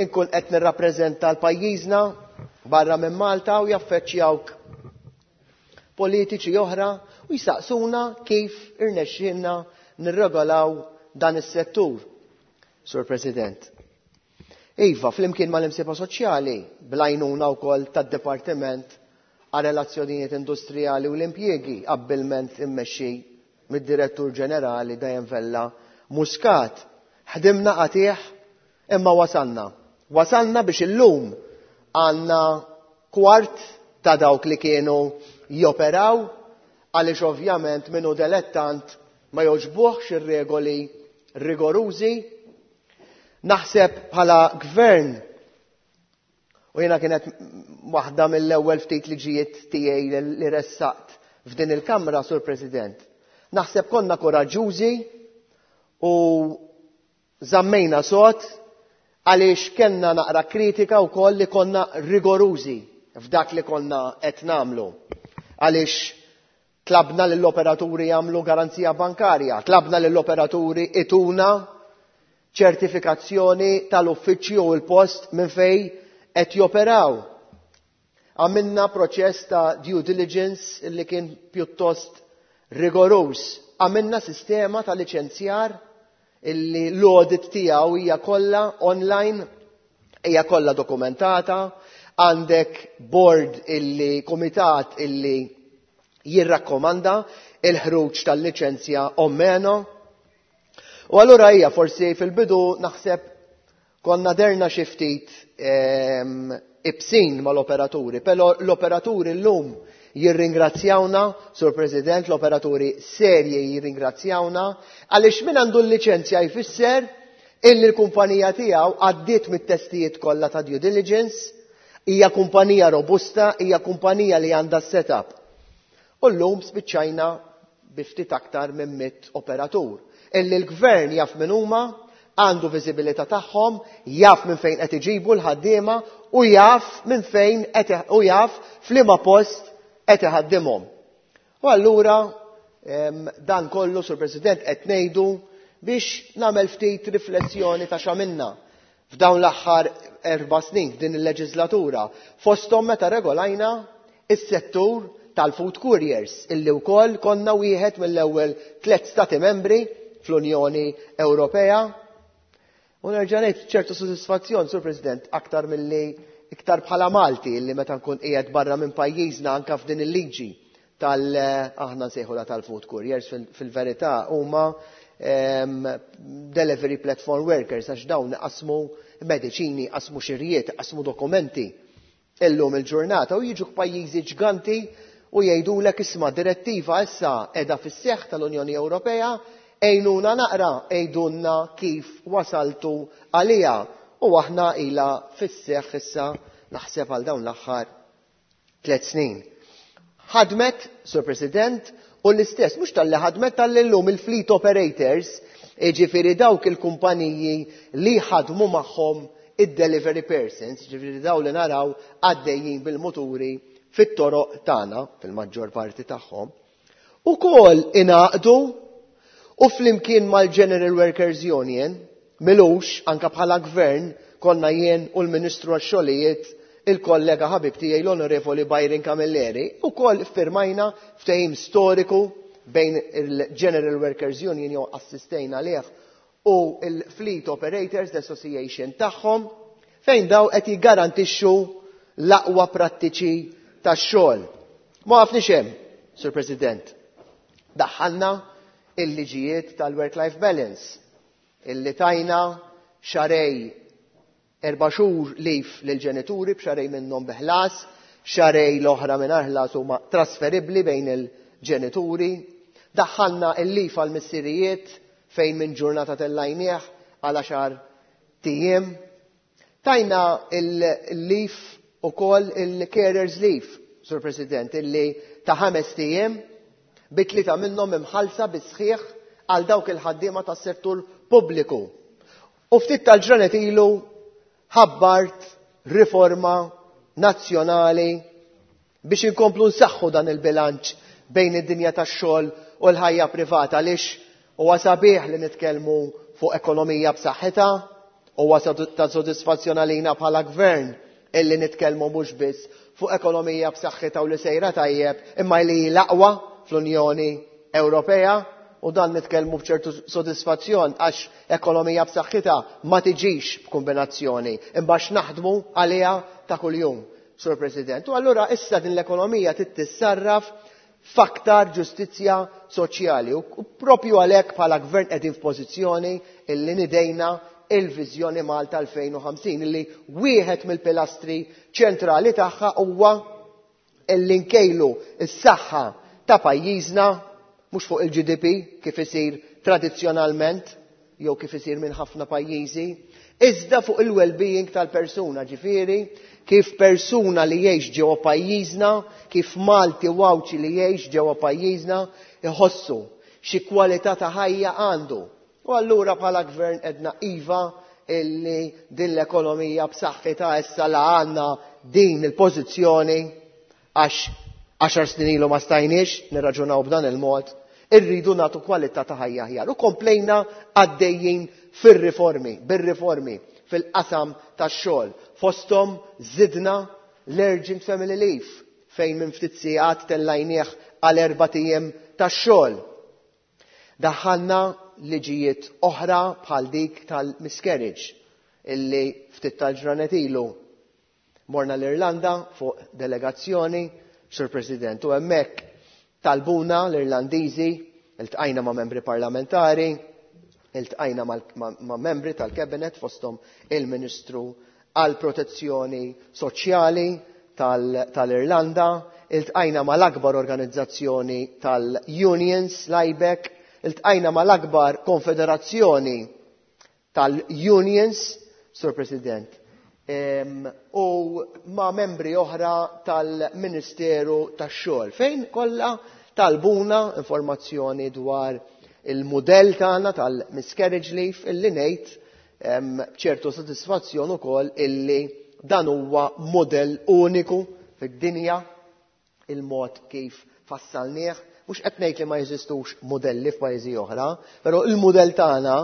Speaker 14: inkun qed nirrappreżenta l-pajjiżna barra minn Malta u jaffeċċjawk politiċi oħra u jisaqsuna kif irnexxielna nirregolaw dan is-settur. Sur President. Iva, flimkien mal-imsieħba soċjali, bl-għajnuna wkoll tad-Dipartiment għal Relazzjonijiet Industrijali u l-Impjiegi, abbilment immexxi mid-Direttur Ġenerali Diane Vella Muscat. Ħdimna qatih imma wasalna. Wasalna biex illum għandna kwart ta' dawk li kienu joperaw, għaliex ovvjament minnu dilettant ma jogħġbuhx ir-regoli rigorużi. Naħseb bħala gvern, u jiena kienet waħda mill-ewwel ftit liġijiet tiegħi li ressaqt f'din il-Kamra, Sur President. Naħseb konna koraġġużi u żammejna sod Għaliex kellna naqra kritika wkoll li konna rigorużi f'dak li konna qed nagħmlu. Għaliex tlabna lill-operaturi jagħmlu garanzija bankarja, tlabna lill-operaturi ituna ċertifikazzjoni tal-uffiċċju u l-post minn fejn qed joperaw. Għamilna proċess ta' due diligence li kien pjuttost rigoruż. Għamilna sistema ta' liċenzjar illi l-audit tiegħu hija kollha online, hija kollha dokumentata, għandek board illi kumitat illi jirrakkomanda il-ħruġ tal-liċenzja o meno. U allura hija forsi fil-bidu naħseb konna derna xi ftit ehm, ibsin mal-operaturi, però l-operaturi llum jirringrazzjawna, Sur President, l-operaturi serji jirringrazzjawna, għaliex min għandu l-liċenzja jfisser illi l-kumpanija tiegħu għaddiet mit-testijiet kollha ta' due diligence, hija kumpanija robusta, hija kumpanija li għandha setup. U llum spiċċajna bi ftit aktar minn mitt operatur. Illi l-gvern jaf min huma, għandu viżibilità tagħhom, jaf minn fejn qed iġibu l-ħaddiema u jaf minn fejn qed u jaf f'liema post qed iħaddimhom. U allura dan kollu, Sur President, qed ngħidu biex nagħmel ftit riflessjoni ta' x'għamilna f'dawn l-aħħar erba' snin f'din il-leġislatura, fosthom meta regolajna is-settur tal-food couriers, illi wkoll konna wieħed mill-ewwel tliet stati membri fl-Unjoni Ewropea. U nerġa' ngħid ċertu sodisfazzjon, Sur President, aktar milli iktar bħala Malti illi meta nkun qiegħed barra minn pajjiżna anke f'din il-liġi tal aħna nsejħula tal-food couriers, fil-verità huma delivery platform workers, għax dawn qasmu mediċini, qasmu xirjiet, qasmu dokumenti illum il-ġurnata u jiġu pajjiżi ġganti u jgħidulek isma' direttiva issa qiegħda fis-seħħ tal-Unjoni Ewropea, għejnuna naqra, għejdulna kif wasaltu għalija. U aħna ilha fis-seħħ issa naħseb għal dawn l-aħħar tliet snin. Ħadmet, Sur President, u l-istess, mhux talli ħadmet, talli llum il-fleet operators, jiġifieri dawk il-kumpaniji li ħadmu magħhom id-delivery persons, jiġifieri daw li naraw għaddejjin bil-muturi fit-toroq tagħna, fil-maġġor parti tagħhom, ukoll ingħaqdu u flimkien mal-General Workers Union, milux anka bħala gvern konna jien u l-Ministru għax-xogħlijiet il-kollega ħabib tiegħi l-Onorevoli Byron Camilleri, ukoll firmajna ftehim storiku bejn il-General Workers Union jew assistejna lih u il-Fleet Operators Association tagħhom, fejn daw qed jiggarantixxu l-aqwa prattiċi tax-xogħol. Ma waqafniex hemm, Sur President. Daħħalna il-liġijiet tal-work-life balance, illi tajna xahrejn erba' xhur leave lill-ġenituri b'xahrejn minnhom bi ħlas, xahrejn l-oħra mingħajr ħlas huma trasferibbli bejn il-ġenituri. Daħħalna il-leave għal-missirijiet fejn minn ġurnata tellajnieh għal għaxar tijiem. Tajna il-leave ukoll il-carers leave, Sur President, illi ta' ħames tijiem bi tlieta minnhom imħallsa bis-sħiħ għal dawk il-ħaddiema tas-settur pubbliku. U ftit tal-ġranet ilu ħabbart riforma nazzjonali biex inkomplu nsaħħu dan il-bilanċ bejn id-dinja tax-xogħol u l-ħajja privata, għaliex huwa sabiħ li nitkellmu fuq ekonomija b'saħħitha, huwa ta' sodisfazzjon għalina bħala gvern illi nitkellmu mhux biss fuq ekonomija b'saħħitha u li sejra tajjeb, imma li l-aqwa fl-Unjoni Ewropea, u dan nitkellmu b'ċertu sodisfazzjon għax ekonomija b'saħħitha ma tiġix b'kombinazzjoni, imma għax naħdmu għaliha ta' kuljum, Sur President. U allura issa din l-ekonomija trid tissarraf f'aktar ġustizzja soċjali. U propju għalhekk bħala gvern qegħdin f'pożizzjoni illi nidejna il-viżjoni Malta elfejn u ħamsin, illi wieħed mill-pilastri ċentrali tagħha huwa illi nkejlu s-saħħa ta' pajjiżna mhux fuq il-G D P kif isir tradizzjonalment jew kif isir minn ħafna pajjiżi, iżda fuq il-well-being tal-persuna, ġifieri kif persuna li jgħix ġewwa pajjiżna, kif Malti u Għawdxi li jgħix ġewwa pajjiżna iħossu xi kwalità ta' ħajja għandu. U allura bħala gvern edna iva illi din l-ekonomija b'saħħitha issa la għandna din il-pożizzjoni għax għaxar snin ilu ma stajniex nirraġunaw b'dan il-mod, irridu nagħtu kwalità ta' ħajja aħjar. U komplejna għaddejjin fir-riformi, bir-riformi fil-qasam tax-xogħol. Fosthom żidna l-Urgent Family Leave fejn minn ftit sigħat tellajnieh għal erbat ijiem tax-xogħol. Daħħalna liġijiet oħra bħal dik tal-miscarriage illi ftit tal-ġranet ilu morna l-Irlanda fuq delegazzjoni, Sur President, u hemmhekk talbuna l-Irlandiżi, iltqajna ma' membri parlamentari, iltqajna ma' membri tal-Cabinet fosthom il-Ministru għal Protezzjoni Soċjali tal-Irlanda, iltqajna mal-akbar organizzazzjoni tal-Unions, l-I B E C, iltqajna mal-akbar konfederazzjoni tal-Unions, Sur President, u ma' membri oħra tal-Ministeru tax-Xogħol, fejn kollha talbuna informazzjoni dwar il-mudell tagħna tal-miscarriage leave, illi ngħid b'ċertu sodisfazzjon ukoll illi dan huwa modell uniku fid-dinja, il-mod kif fassalnieh. Mhux qed ngħid li ma jeżistux modelli f'pajjiżi oħra, però il-mudell tagħna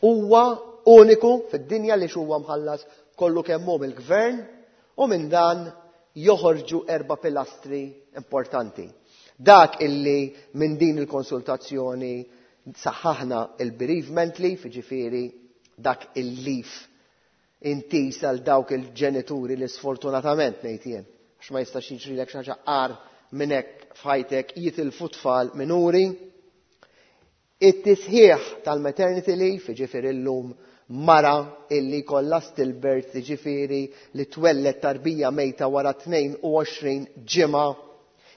Speaker 14: huwa uniku fid-dinja li huwa mħallas kollu kemm hu mill-gvern, u minn dan joħorġu erba' pilastri importanti. Dak illi minn din il-konsultazzjoni saħħaħna il-bereavement leave, ġifieri dak il-leave intiż għal dawk il-ġenituri li sfortunatament, ngħid jien, għax ma jistax jiġrilek xi ħaġa agħar minn hekk f'ħajtek, jitilfu tfal minuri. It-tisħiħ tal-maternity leave, ġifieri llum mara illi kollha stillbirth, ġifieri li twellet tarbija mejta wara tnejn u għoxrin ġimgħa,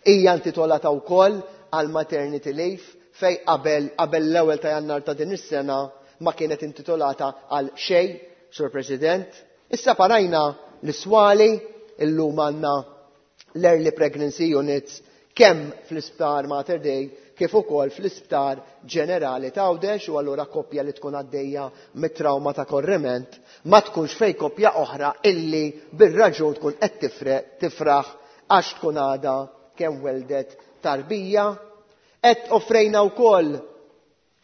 Speaker 14: hija intitolata wkoll għal maternity leave, fej qabel qabel l-ewwel ta' Jannar ta' din is-sena ma kienet intitolata għal xejn, Sur President. Issa parajna l-iswali, illum għandna l-early pregnancy units kemm fl-isptar Mater Dei kif ukoll fl-isptar ġenerali ta' Għawdex, u allura koppja li tkun għaddejja mit-trauma ta' korriment ma tkunx fej koppja oħra illi bir-raġun tkun qed tifraħ għax tkun għadha kemm weldet tarbija. Qed offrejna wkoll,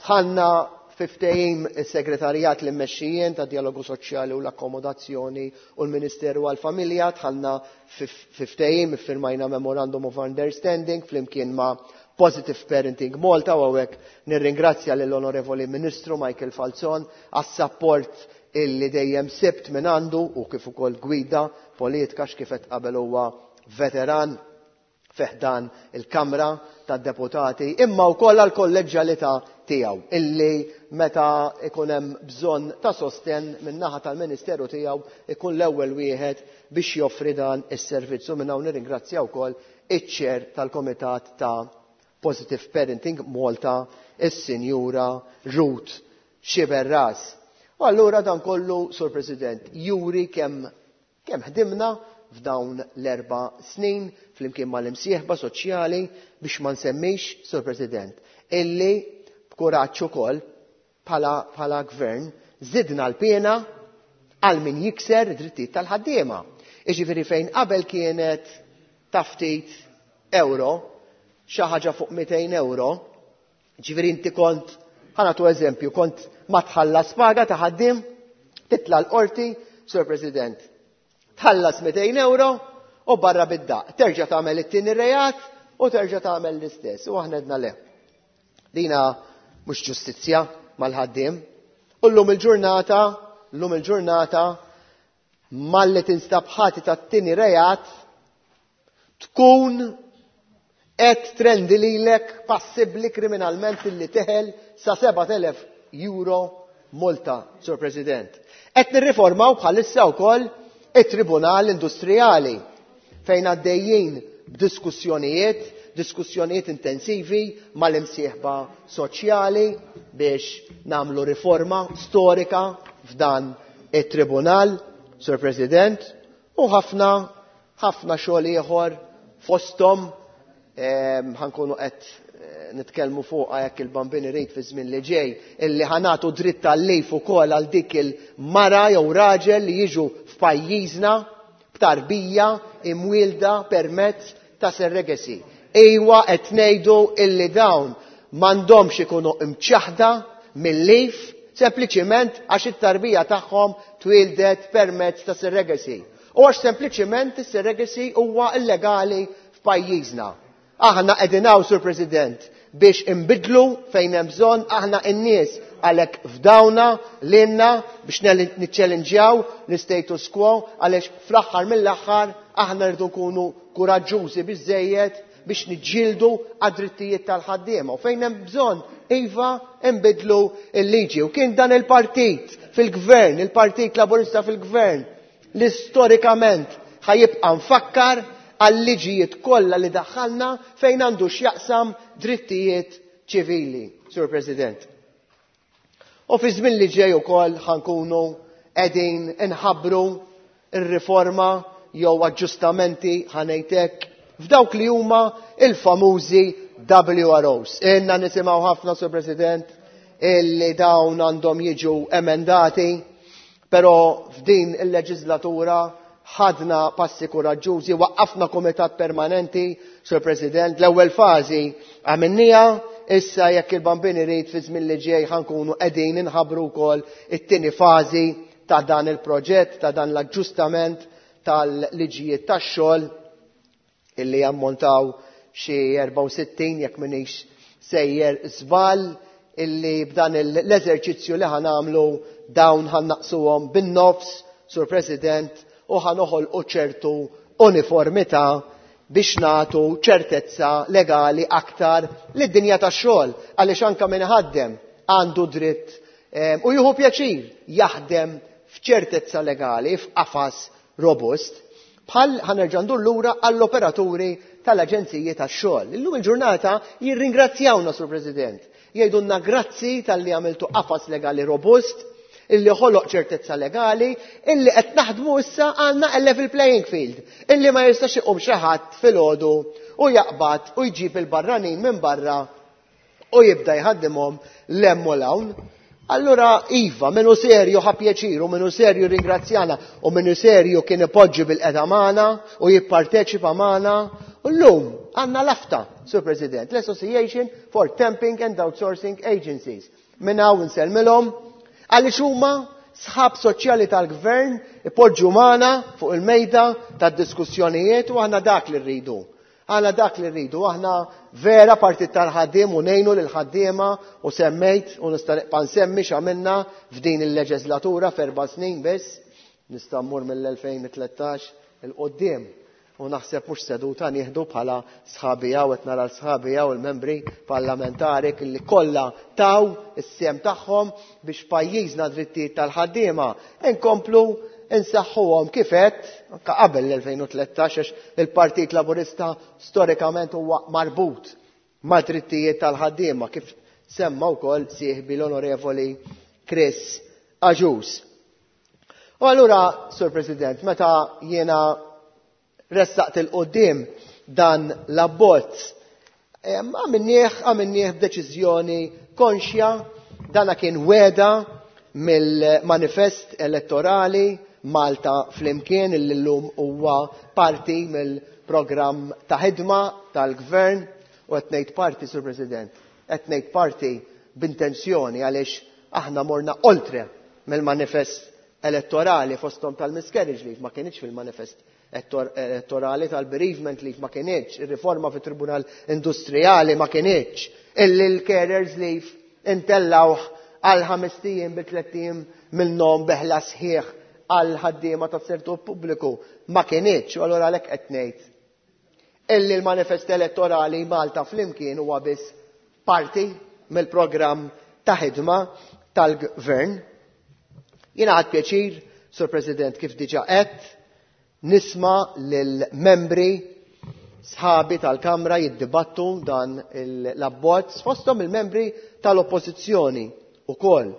Speaker 14: dħalna fi ftehim is-segretarjat li mmexxi jien ta' dialogu soċjali u l-akkomodazzjoni u l-Ministeru għal-Familja, dħalna fi ftehim, iffirmajna Memorandum of Understanding flimkien ma' Positive Parenting Malta, u hawnhekk nirringrazzja lill-Onorevoli Ministru Michael Falzon għas-support illi dejjem sibt minn għandu u kif ukoll gwida politika, x'kif qabel huwa veteran fi ħdan il-Kamra tad-Deputati, imma wkoll għall-kolleġġjalità tiegħu illi meta ikun hemm bżonn ta' sosten min-naħa tal-Ministeru tiegħu ikun l-ewwel wieħed biex joffri dan is-servizz. U minn hawn nirringrazzja wkoll iċ-chair tal-Komitat ta' Positive Parenting Malta, is-Sinjura Ruth Sciberras. U allura dan kollu, Sur President, juri kemm kemm ħdimna f'dawn l-erba' snin flimkien mal-imsieħba soċjali, biex ma nsemmix, Sur President, illi b'kuraġġ ukoll bħala, bħala gvern zidna l-pena għal min jikser drittijiet tal-ħaddiema. Iġifieri fejn qabel kienet ta' ftit euro, xi ħaġa fuq mitejn euro, ġifieri inti kont, ħa nagħtu eżempju, kont ma tħallas paga ta' ħaddiem, titla l-qorti, Sur President, tħallas mitejn euro u barra bid-daq. Terġa' tagħmel it-tieni reat u terġa' tagħmel l-istess. U aħna għedna le. Dina mhux ġustizzja mal-ħaddiem. U llum il-ġurnata, llum il-ġurnata, malli tinstab ħati tat-tieni reat, tkun qed trendi lilek passibbli kriminalment illi teħel sa sebat elef euro multa, Sur President. Qed nirriformaw bħalissa wkoll it-Tribunal Industrijali fejn għaddejjin b'diskussjonijiet, diskussjonijiet intensivi mal-imsieħba soċjali biex namlu riforma storika f'dan it-tribunal, Sur President, u ħafna ħafna xogħol ieħor, fosthom ħa nkunu qed eh, nitkellmu fuqha jekk il-Bambin irid fi żmien li ġej, illi ħa nagħtu dritt tal-leave ukoll għal dik il-mara jew raġel li jiġu f'pajjiżna b'tarbija imwielda permezz ta' surrogacy. Ejwa qed ngħidu illi dawn m'għandhomx ikunu imċaħda mill-leave sempliċiment għax it-tarbija tagħhom twieldet permezz ta' surrogacy. U għax sempliċiment is-surrogacy huwa illegali f'pajjiżna. Aħna qegħdin hawn, Sur President, biex inbidlu fejn hemm bżonn, aħna n-nies għalhekk fdawna lilna biex niċċellinġjaw l-status quo, għaliex fl-aħħar mill-aħħar aħna rridu nkunu kuraġġużi biżżejjed biex niġġieldu għad-drittijiet tal-ħaddiema. U fejn hemm bżonn, iva, nbidlu l-liġi. U kien dan il-partit fil-gvern, il-Partit Laburista fil-gvern, li storikament ħajibqa' mfakkar għal-liġijiet kollha li daħħalna fejn għandu x'jaqsam drittijiet ċivili, Sur President. U fi żmien li ġej ukoll ħankunu qegħdin inħabbru r-riforma jew aġġustamenti ħanejtek f'dawk li huma il-famużi W R Os. Inna nisimgħu ħafna, Sur President, illi dawn għandhom jiġu emendati, però f'din il-leġislatura ħadna passi kuraġġużi, waqqafna komitat permanenti, Sur President. L-ewwel fażi għamilniha, issa jekk il-Bambin irid fi żmien li ġej ħankunu qegħdin inħabbru wkoll it-tieni fażi ta' dan il-proġett, ta' dan l-aġġustament tal-liġijiet tax-xogħol illi jammontaw xi erbgħa u sittin jekk m'iniex sejjer żball, illi b'dan l-eżerċizzju li ħanamlu dawn ħannaqsuhom bin-nofs, Sur President, u ħanoħolqu ċertu uniformità biex nagħtu ċertezza legali aktar lid-dinja tax-xogħol, għaliex anke min iħaddem għandu dritt, eh, u jieħu pjaċir jaħdem f'ċertezza legali, f'qafas robust, bħal ħanerġa' ndur lura għall-operaturi tal-aġenziji tax-xogħol. Illum il-ġurnata jirringrazzjawna, Sur President, jgħidulna grazzi talli għamiltu qafas legali robust, illi ħoloq ċertezza legali, illi qed naħdmu issa għandna level playing field, illi ma jistax iqum xi ħadd filgħodu u jaqbad u jġib il-barranin minn barra u jibda jħaddimhom l-hemm u l-hawn. Allura iva, minnu serju ħa pjaċir, u minnu serju ringrazzjana, u minnu serju kien ipoġġi bil-qeda magħna u jipparteċipa magħna. U llum għandna l-AFTA, Sur President, l-Association for Temping and Outsourcing Agencies. Minn hawn insellmilhom għaliex huma sħab soċjali tal-gvern ipoġġu magħna fuq il-mejda tad-diskussjonijiet, u aħna dak li rridu. Aħna dak li rridu, aħna vera partit tal-ħaddiem u ngħinu lill-ħaddiema, u semmejt u nista' nibqa' nsemmi x'għamilna f'din il-leġislatura f'erba' snin biss, nista' mmur mill-elfejn u tlettax il-qudiem. U naħseb mhux seduta nieħdu bħala sħabi hawn, qed nara l-sħabi hawn il-membri parlamentari li kollha taw is-sehem tagħhom biex pajjiżna drittijiet tal-ħaddiema inkomplu insaħħuhom kif għedt anke qabel l-elfejn u tlettax, għax il-Partit Laburista storikament huwa marbut ma' drittijiet tal-ħaddiema, kif semma wkoll sieħbi l-Onorevoli Chris Agius. U allura, Sur President, meta jiena ressaqt il-qoddim dan l-abbozz, em, għamilnieh, għamilnieh b'deċiżjoni konxja, dana kien weda mill-manifest elettorali Malta Flimkien, illi llum huwa parti mill-programm ta' ħidma tal-gvern, u qed ngħid parti, Sur President, qed ngħid parti b'intenzjoni għaliex aħna morna oltre mill-manifest elettorali fosthom tal-miscarriage leave ma kienx fil-manifest elettorali, tal-bereavement leave ma kienx, ir-riforma fit-Tribunal Industrijali ma kienx, illi l-carers leave intellawh għal ħames ijiem bi tliet ijiem minnhom beħla sħiħ għal ħaddiema tas-settur pubbliku ma kienx, u allura għalhekk qed ngħid illi l-manifest elettorali Malta Flimkien huwa biss parti mill-programm ta' ħidma tal-gvern. Jiena ħadt pjaċir, Sur President, kif diġà għedt, nisma' lill-membri sħabi tal-Kamra jiddibattu dan l-abbozz fosthom il-membri tal-Oppożizzjoni ukoll,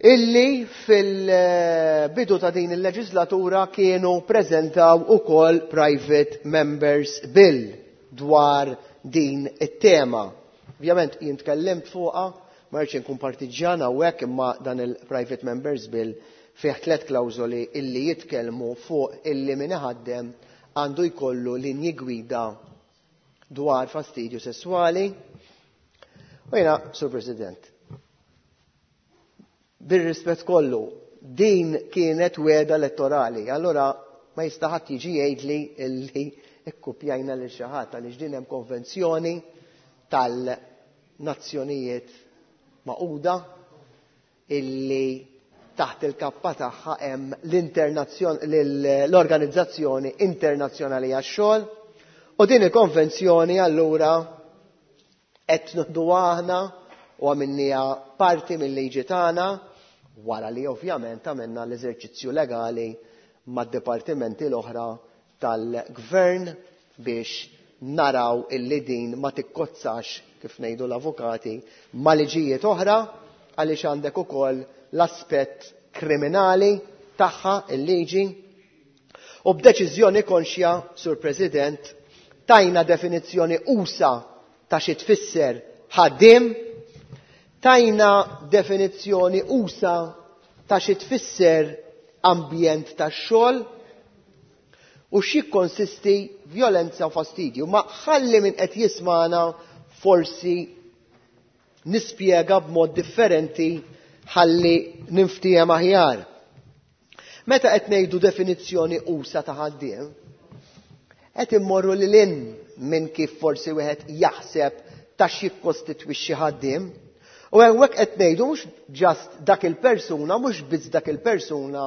Speaker 14: illi fil-bidu ta' din il-leġislatura kienu preżentaw ukoll Private Members Bill dwar din it-tema. Ovvjament jien tkellimt fuqha, ma rridx inkun partiġġjan hawnhekk, imma dan il-Private Members Bill fih tliet klawżoli illi jitkellmu fuq illi min iħaddem għandu jkollu linji gwida dwar fastidju sesswali. U jiena, Sur President, bir-rispett kollu, din kienet wegħda elettorali, allora ma jista' ħadd jiġi jgħidli illi ikkupjajna lil xi ħadd, għaliex din hemm konvenzjoni tal-Nazzjonijiet Magħquda illi taħt il-kappa tagħha hemm l-Organizzazzjoni Internazzjonali għax-Xogħol, u din il-konvenzjoni allura qed nieħduha aħna u għamilniha parti mill-liġi tagħna, wara li ovvjament għamilna l-eżerċizzju legali mad-dipartimenti l-oħra tal-gvern biex naraw illi din ma tikkozzax, kif ngħidu l-avukati, ma' liġijiet oħra, għaliex għandek ukoll l-aspett kriminali tagħha il-liġi. U b'deċiżjoni konxja, Sur President, tajna definizzjoni usa ta' xi tfisser ħaddiem, tajna definizzjoni usa ta' xi tfisser ambjent tax-xogħol u x'jikkonsisti vjolenza u fastidju. Ma ħalli min qed jismana forsi nispjega b'mod differenti ħalli ninftiehem aħjar. Meta qed ngħidu definizzjoni usa ta' ħaddiem, qed immorru lil hinn minn kif forsi wieħed jaħseb ta' x'jikkostitwixxi ħaddiem. U hawnhekk qed ngħidu mhux ġast dak il-persuna, mhux biss dak il-persuna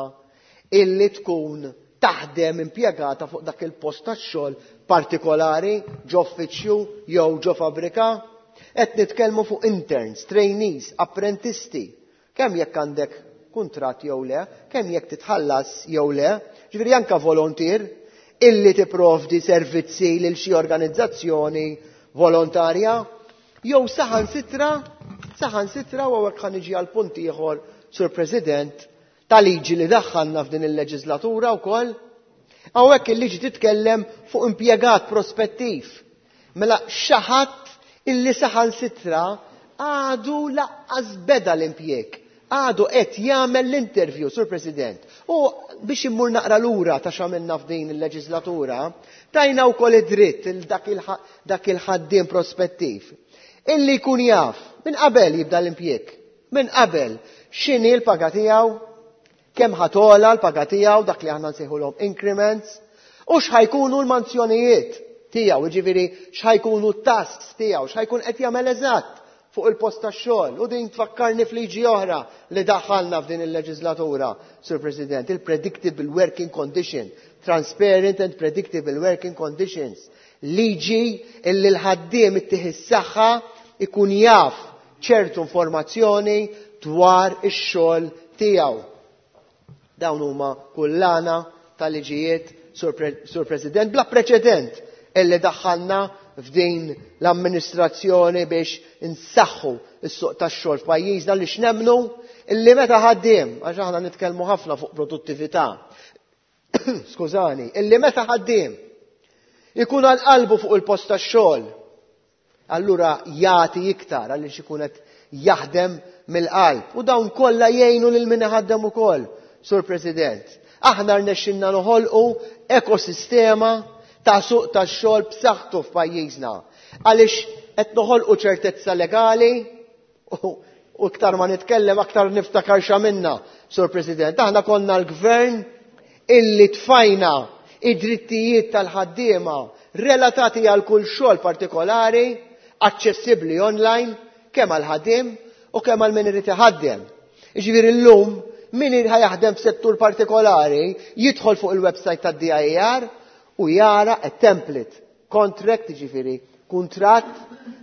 Speaker 14: illi tkun taħdem impjegata fuq dak il-post tax-xogħol partikolari, ġo uffiċċju jew ġo fabbrika. Qed nitkellmu fuq interns, trainees, apprentisti, kemm jekk għandek kuntratt jew le, kemm jekk titħallas jew le, ġifieri anke volontier illi tipprovdi servizzi lil xi organizzazzjoni volontarja, jew saħansitra, saħansitra u hawnhekk ħa niġi għal punt ieħor, Sur President, ta' liġi li daħħalna f'din il-leġislatura wkoll. Hawnhekk il-liġi titkellem fuq impjegat prospettiv. Mela xi ħadd illi saħansitra għadu laqqas beda l-impjeg, għadu qed jagħmel l-interview, Sur President. U biex immur naqra lura ta' x'għamilna f'din il-leġislatura, tajna wkoll id-dritt il dak il-ħa-, dak il-ħaddiem prospettiv illi jkun jaf minn qabel jibda l-impjeg, minn qabel x'inhi l-paga tiegħu, kemm ħatola l-paga tiegħu, dak li aħna nsejħulhom increments, u x'ħajkunu l-manzjonijiet tiegħu, jiġifieri x'ħajkunu t-tasks tiegħu, x'ħajkun qed jagħmel eżatt fuq il-post tax-xogħol. U din tfakkarni f'liġi oħra li daħħalna f'din il-leġislatura, Sur President, il-Predictable Working Condition, Transparent and Predictable Working Conditions, liġi illi l-ħaddiem ittieħ is-saħħa ikun jaf ċertu informazzjoni dwar ix-xogħol tiegħu. Dawn huma kullana tal-liġijiet, Sur Pre-, Sur President, bla preċedent illi daħħalna f'din l-amministrazzjoni biex insaħħu s-suq tax-xogħol f'pajjiżna, li x'nemmnu illi meta ħaddiem, għax aħna nitkellmu ħafna fuq produttività, skużani, illi meta ħaddiem ikun għal qalbu fuq il-post tax-xogħol, allura jagħti iktar għaliex ikun qed jaħdem mill-qalb. U dawn kollha jgħinu lil min iħaddem ukoll, Sur President. Aħna rnexxinna noħolqu ekosistema ta' suq tax-xogħol b'saħħtu f'pajjiżna, għaliex qed noħolqu ċertezza legali u, u iktar ma nitkellem aktar niftakar x'għamilna, Sur President. Aħna konna l-gvern illi tfajna id-drittijiet tal-ħaddiema relatati għal kull xogħol partikolari, aċċessibbli online, kemm għal ħaddiem u kemm għal min irid iħaddem. Jiġifieri llum min irid jaħdem f'settur partikolari jidħol fuq il-website tad-D I A R u jara a template contract, jiġifieri kuntratt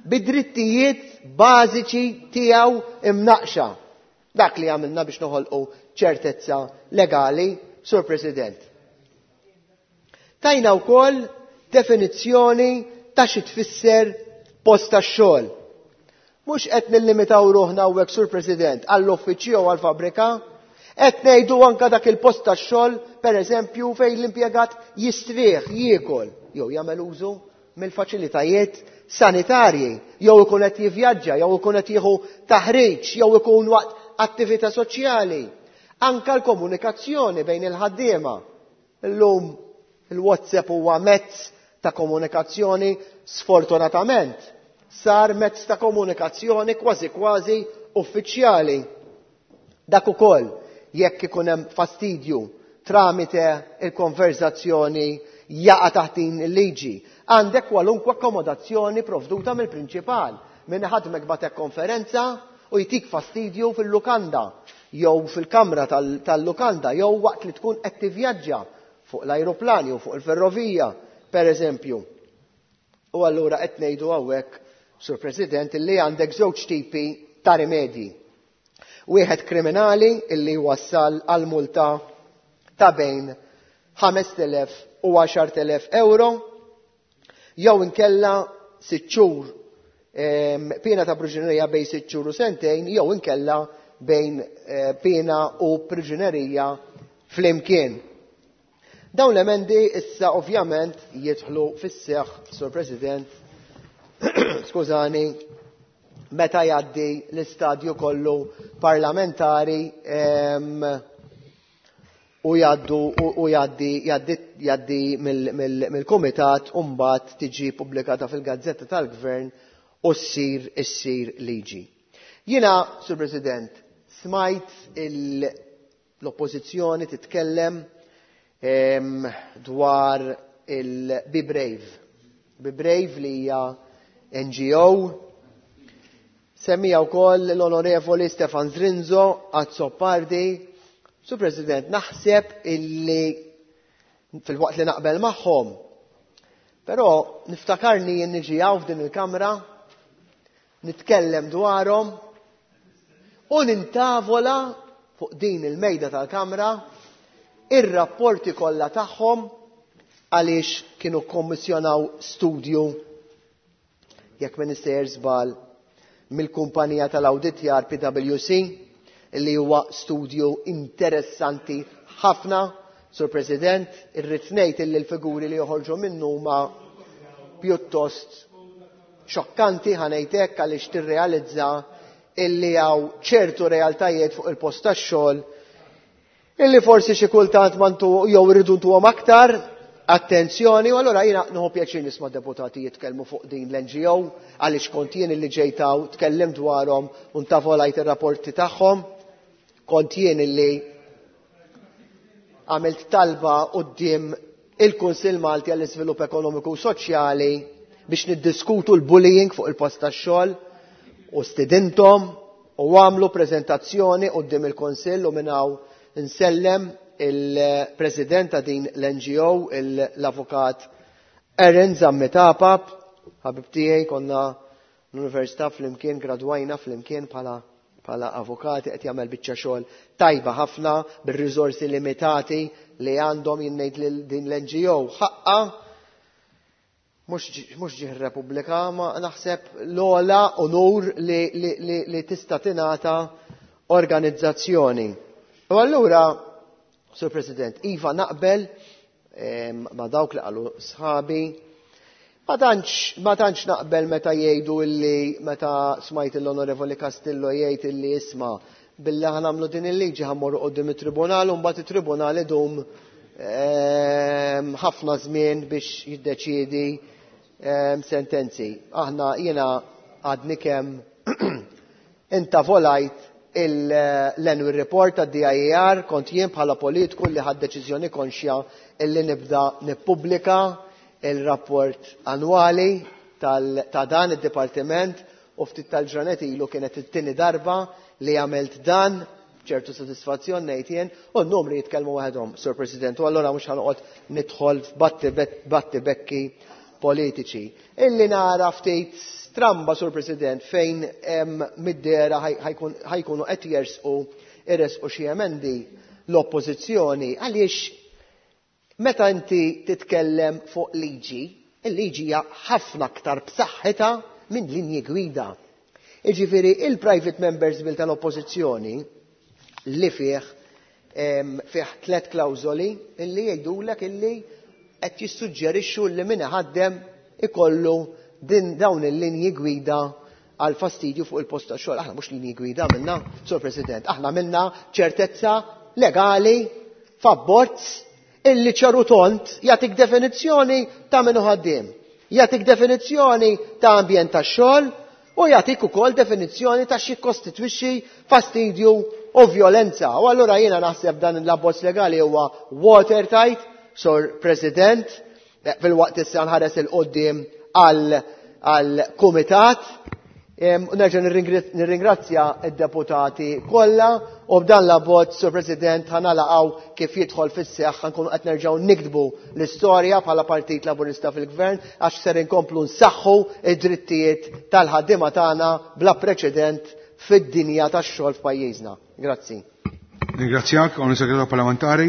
Speaker 14: bid-drittijiet bażiċi tiegħu imnaqxa. Dak li għamilna biex noħolqu ċertezza legali, Sur President. Tajna wkoll definizzjoni ta' xi tfisser post tax-xogħol. Mhux qed nillimitaw ruħna hawnhekk, Sur President, għall-uffiċċju jew għall-fabbrika, qed ngħidu anke dak il-post tax-xogħol, pereżempju, fejn l-impjegat jistrieħ, jiekol jew jagħmel użu mill-faċilitajiet sanitarji, jew ikun qed jivvjaġġa, jew ikun qed jieħu taħriġ, jew ikun waqt attività soċjali. Anka l-komunikazzjoni bejn il-ħaddiema. Illum il-WhatsApp huwa mezz ta' komunikazzjoni, sfortunatament sar mezz ta' komunikazzjoni kważi kważi uffiċjali. Dak ukoll jekk ikun hemm fastidju tramite il-konverzazzjoni jaqa' taħt din il-liġi. Għandek kwalunkwe akkomodazzjoni provduta mill-prinċipal. Min ħadmek batek konferenza u jtik fastidju fil-lukanda jew fil-kamra tal-lukanda jew waqt li tkun qed tivvjaġġa fuq l-ajruplan jew fuq il-ferrovija, per eżempju. U allura qed ngħidu hawnhekk, Sur President, illi għandek żewġ tipi ta' rimedji. Wieħed kriminali illi wassal għal multa ta' bejn ħamest elef u għaxart elef euro, jew inkella sitt xhur piena ta' priġunerija bejn sitt xhur u sentejn, jew inkella bejn piena u priġunerija flimkien. Dawn l-emendi issa ovvjament jidħlu fis-seħħ, Sur President, skużani, meta jgħaddi l-istadju kollu parlamentari u jgħaddu u jgħaddi jgħaddi mill-kumitat u mbagħad tiġi pubblikata fil-Gazzetta tal-Gvern u ssir issir liġi. Jiena, Sur President, smajt l-oppożizzjoni titkellem dwar il-Be Brave. Be Brave li hija N G O. Semmija wkoll l-Onorevoli Stefan Zrinzo Azzopardi. Sur President, naħseb illi fil-waqt li naqbel magħhom, però niftakarni jien niġi hawn f'din il-kamra, nitkellem dwarhom u nintavola fuq din il-mejda tal-kamra ir-rapporti kollha tagħhom għaliex kienu kkommissjonaw studju, jekk ma nistejjer żball, mill-kumpanija tal-awditjar P W C, li huwa studju interessanti ħafna. Sur President, irrid ngħid illi l-figuri li joħorġu minnu huma pjuttost xokkanti, ħa ngħid hekk, għaliex tirrealizza illi hawn ċertu realtajiet fuq il-post tax-xogħol illi forsi xi kultant ma ntu jew irridu ntuhom aktar attenzjoni. U allura jiena nieħu pjaċir nisma' deputati jitkellmu fuq din l-N G O għaliex kont jien illi ġejt hawn tkellim dwarhom u ntavolajt ir-rapporti tagħhom. Kont jien illi għamilt talba quddiem il-Kunsill Malti għall-Iżvilupp Ekonomiku u Soċjali biex niddiskutu l-bullying fuq il-post tax-xogħol u stidinthom u għamlu preżentazzjoni quddiem il-Kunsill u minn hawn nsellem il-President ta' din l-N G O, l-Avukat Aaron Zammit Apap, ħabib tiegħi, konna l-università flimkien, gradwajna flimkien bħala, bħala avukati, qed jagħmel biċċa xogħol tajba ħafna bir-riżorsi limitati li għandhom. Jien ngħid lil din l-N G O ħaqqa mhux ġieħ ir-Repubblika, ma naħseb l-ogħla onur li, li, li, li tista' tingħata organizzazzjoni. U allura, Sur President, iva naqbel, em, ma dawk li qalu sħabi, ma tantx, ma tantx naqbel meta jgħidu illi, meta smajt l-Onorevoli Castillo jgħid illi isma' billi ħanamlu din il-liġi ħammorru quddiem it-tribunal u mbagħad it-tribunal idum, em, ħafna żmien biex jiddeċiedi, em, sentenzi. Aħna jiena għadni kemm intavolajt l-annual report tad D I A R, kont jien bħala politiku li ħad deċiżjoni konxja illi nibda nippubblika il-rapport annwali tal-, ta' dan id-dipartiment, u ftit tal-ġranet ilu kienet it-tieni darba li għamilt dan, ċertu sodisfazzjon ngħid jien, u n-numri jitkellmu waħedhom, Sur President, u allura mhux ħanoqgħod nidħol f'batti bekki politiċi. Illi nara ftit stramba, Sur President, fejn hemm mid-dera ħajkunu qed jersqu iresqu xi emendi l-oppożizzjoni, għaliex meta inti titkellem fuq liġi, il-liġi hija ħafna aktar b'saħħitha minn linji gwida. Jiġifieri il-private members bill tal-oppożizzjoni li fih, em, fih tliet klawżoli illi jgħidulek illi qed jissuġġerixxu li min iħaddem ikollu din dawn il-linji gwida għal fastidju fuq il-post ta' xogħol. Aħna mhux linji gwida għamilna, Sur President, aħna għamilna ċertezza legali f'abbozz illi ċaru tont jagħtik definizzjoni ta' min hu ħaddiem, jagħtik definizzjoni ta' ambjent ta' xogħol u jagħtik ukoll definizzjoni ta' xi jikkostitwixxi fastidju u vjolenza. U allura jiena naħseb dan l-abbozz legali huwa watertight, Sur President, fil-waqt issa nħares il-qoddim għal kumitat. Nerġa' nirringrazzja id-deputati kollha u b'dan l-abbozz, Sur President, ħa nalaqgħu kif jidħol fis-seħħ ħa nkunu qed nerġgħu niktbu l-istorja bħala Partit Laburista fil-Gvern għax ser inkomplu nsaħħu id-drittijiet tal-ħaddiema tagħna bla preċedent fid-dinja tax-xogħol f'pajjiżna. Grazzi.
Speaker 1: Ringrazzjak, Onorevoli Segretarju Parlamentari,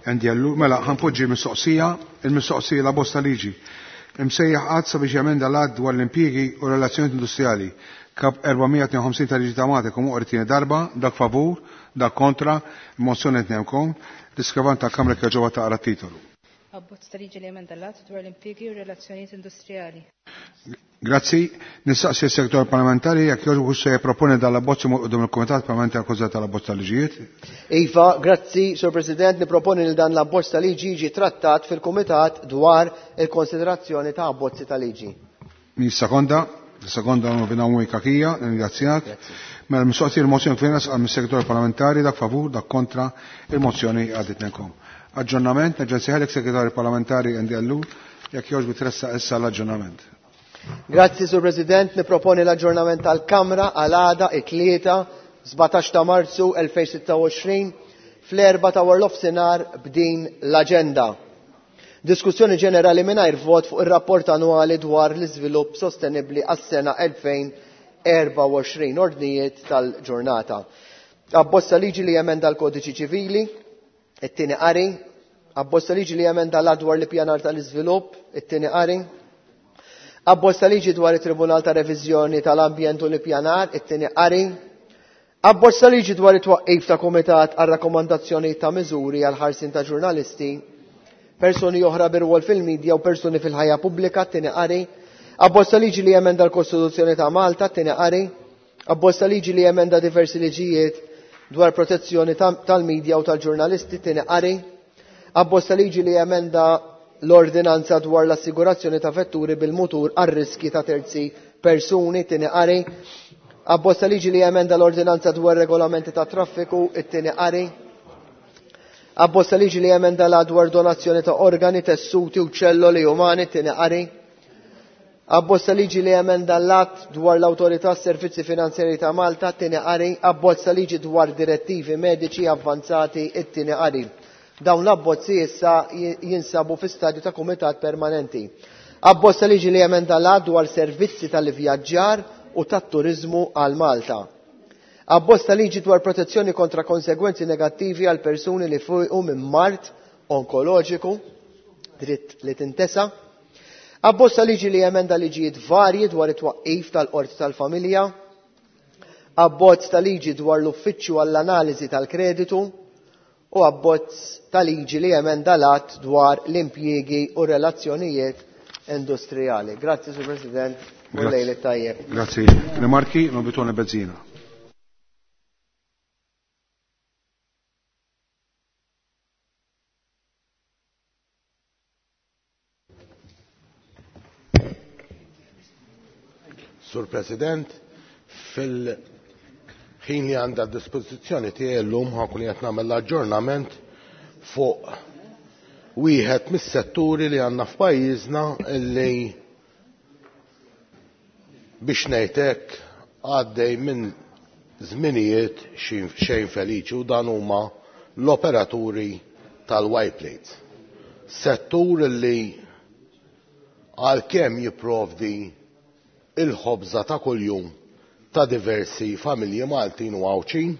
Speaker 1: Andy Ellul. Mela, ħa npoġġi mistoqsija, il-mistoqsija la bosta liġi. Imsejjaħ att sabiex jemenda l-att dwar l-impjiegi u relazzjonijiet industrijali. Kap erba' mija tnejn u ħamsin tal-liġi ta' Malta kum tieni darba, dak favur, dak kontra, mozzjoni tnemkom, l-iskrivan tal-Kamra kħeġoba taqra titolu.
Speaker 2: Abbozz ta' liġi li jemenda l-att dwar l-impjiegi u relazzjonijiet industrijali.
Speaker 1: Grazzi. Nistaqsi s-segretarju parlamentari jekk jogħġbu se jipproponi dal-abbozz quddiem il-Kumitat Parlamentari Akkużat tal-abbozz tal-liġijiet.
Speaker 14: Iva, grazzi, Sur President, niproponi li dan l-abbozz ta' liġi jiġi trattat fil-Kumitat dwar il-konsiderazzjoni ta' abbozzi ta' liġi.
Speaker 1: Min sekonda, sekonda Onorevoli Cachia, ringrazzjak. Mela mistoqsi il-mozzjoni kif għal mis-segretarju parlamentari, dak favur, dak kontra, il-mozzjoni għaddit nenkom. Aġġornament, nerġa' nsejħlek segretarju parlamentari Andy Ellul, jekk jogħġbu tressa issa l-aġġornament.
Speaker 14: Grazzi, Sur President, niproponi l-aġġornament tal-Kamra għal għada it-tlieta sbatax ta' Marzu elfejn u sitta u għoxrin fl-erba ta' waranofsinhar b'din l-aġenda. Diskussjoni ġenerali mingħajr vot fuq ir-rapport annwali dwar l-iżvilupp sostenibbli għas-sena elfejn u erbgħa u għoxrin, ordnijiet tal-ġurnata. Abbozz ta' liġi li jemenda l-Kodiċi Ċivili, it-tieni qari, abbozz ta' liġi li jemenda l-att dwar l-ippjanar tal-iżvilupp, it-tieni qari, abbozz ta' liġi dwar it-Tribunal ta' Reviżjoni tal-Ambjent u l-Ippjanar, it-tieni qari, abbozz ta' liġi dwar it-twaqqif ta' Kumitat għal rakkomandazzjoni ta' miżuri għal ħarsien ta' ġurnalisti, persuni oħra bir-rwol fil-medja u persuni fil-ħajja pubblika, t-tieni qari, abbozz ta' liġi li jemenda l-Kostituzzjoni ta' Malta, t-tieni qari, abbozz ta' liġi li jemenda diversi liġijiet dwar protezzjoni tal-medja u tal-ġurnalisti, t-tieni qari, abbozz ta' liġi li jemenda l-ordinanza dwar l-assigurazzjoni ta' vetturi bil-mutur għar-riski ta' terzi persuni, tieni qari, abbozz ta' liġi li jemenda l-ordinanza dwar regolamenti ta' traffiku, it-tieni qari, abbozz ta' liġi li jemenda la dwar donazzjoni ta' organi, tessuti u ċelloli umani, tieni qari, abbozz ta' liġi li jemenda l-att dwar l-Awtorità Servizzi Finanzjari ta' Malta, tieni qari, abbozz ta' liġi dwar direttivi mediċi avvanzati, it-tieni qari. Dawn l-abbozzi issa jinsabu fi stadju ta' kumitat permanenti. Abbozz ta' liġi li jemenda l-att dwar servizzi tal-vjaġġar u tat-turizmu għal Malta. Abbozz ta' liġi dwar protezzjoni kontra konsegwenzi negattivi għal persuni li fuqu minn mard onkoloġiku, dritt li tintesa. Abbozz ta' liġi li jemenda liġijiet varji dwar it-twaqqif tal-qorti tal-familja. Abbozz ta' liġi dwar l-uffiċċju għall-analiżi tal-kreditu u abbozz ta' liġi li jemenda l-att dwar l-impjiegi u relazzjonijiet industrijali. Grazzi, Sur President, u lejl tajjeb.
Speaker 1: Grazzi. Rimarki, Nobitone Bezzina.
Speaker 15: Sur President, fil-ħin li għandha dispożizzjoni tiegħi llum ħa nkun qed nagħmel l-aġġornament fuq wieħed mis-setturi li għandna f'pajjiżna illi biex ngħid għaddej minn żminijiet xejn feliċi, u dan huma l-operaturi tal-Y plates. Settur li għalkemm jipprovdi il-ħobża ta' kuljum ta' diversi familji Maltin u Għawdxin,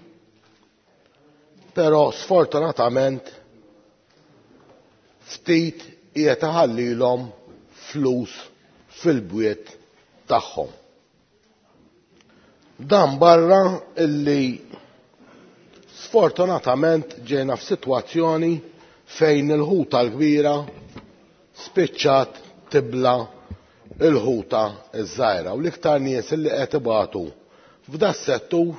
Speaker 15: però sfortunatament ftit qiegħed iħallilhom flus fil-bwiet tagħhom. Dan barra illi sfortunatament ġejna f'sitwazzjoni fejn il-ħuta l-kbira spiċċat tibla il-ħuta ż-żgħira u l-iktar nies li qed ibatu f'da settur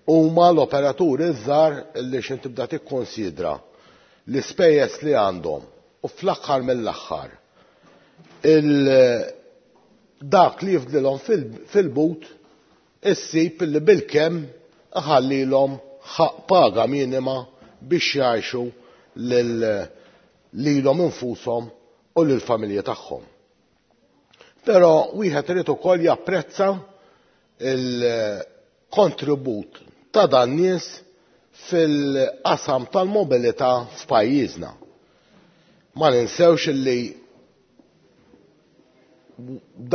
Speaker 15: huma l-operaturi ż-żgħar li x'in tibda tikkonsidra l-ispejjeż li għandhom u fl-aħħar mill-aħħar dak li jifdlilhom fil-but issib li bilkemm iħallilhom ħaqq paga minima biex jgħixu lilhom infushom u lill-familji tagħhom. Però wieħed irid ukoll japprezza il-kontribut ta' dan nies fil-qasam tal-mobilità f'pajjiżna. Ma ninsewx li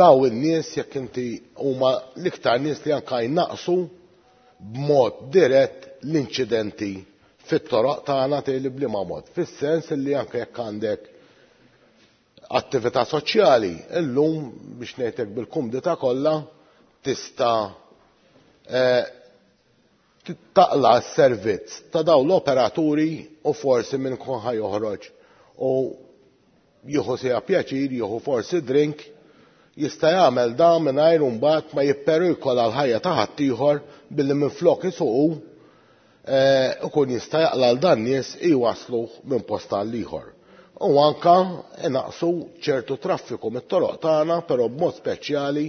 Speaker 15: daw in-nies jekk inti huma l-iktar nies li anke jnaqsu b'mod dirett l-inċidenti fit-toroq tagħna tgħid b'liema mod. Fis-sens li anke jekk għandek attività soċjali, illum biex ngħidlek bil-kumdità kollha tista' taqla s-servizz ta' dawn l-operaturi u forsi minn kun ħa joħroġ u jieħu sija pjaċir, jieħu forsi drink, jista' jagħmel dan mingħajr imbagħad ma jipperikola l-ħajja ta' ħaddieħor billi minflok isuqu ikun jista' jaqla' l dan nies iwaslu minn post għal ieħor. U anka inaqsu ċertu traffiku mit-toroq tagħna, però b'mod speċjali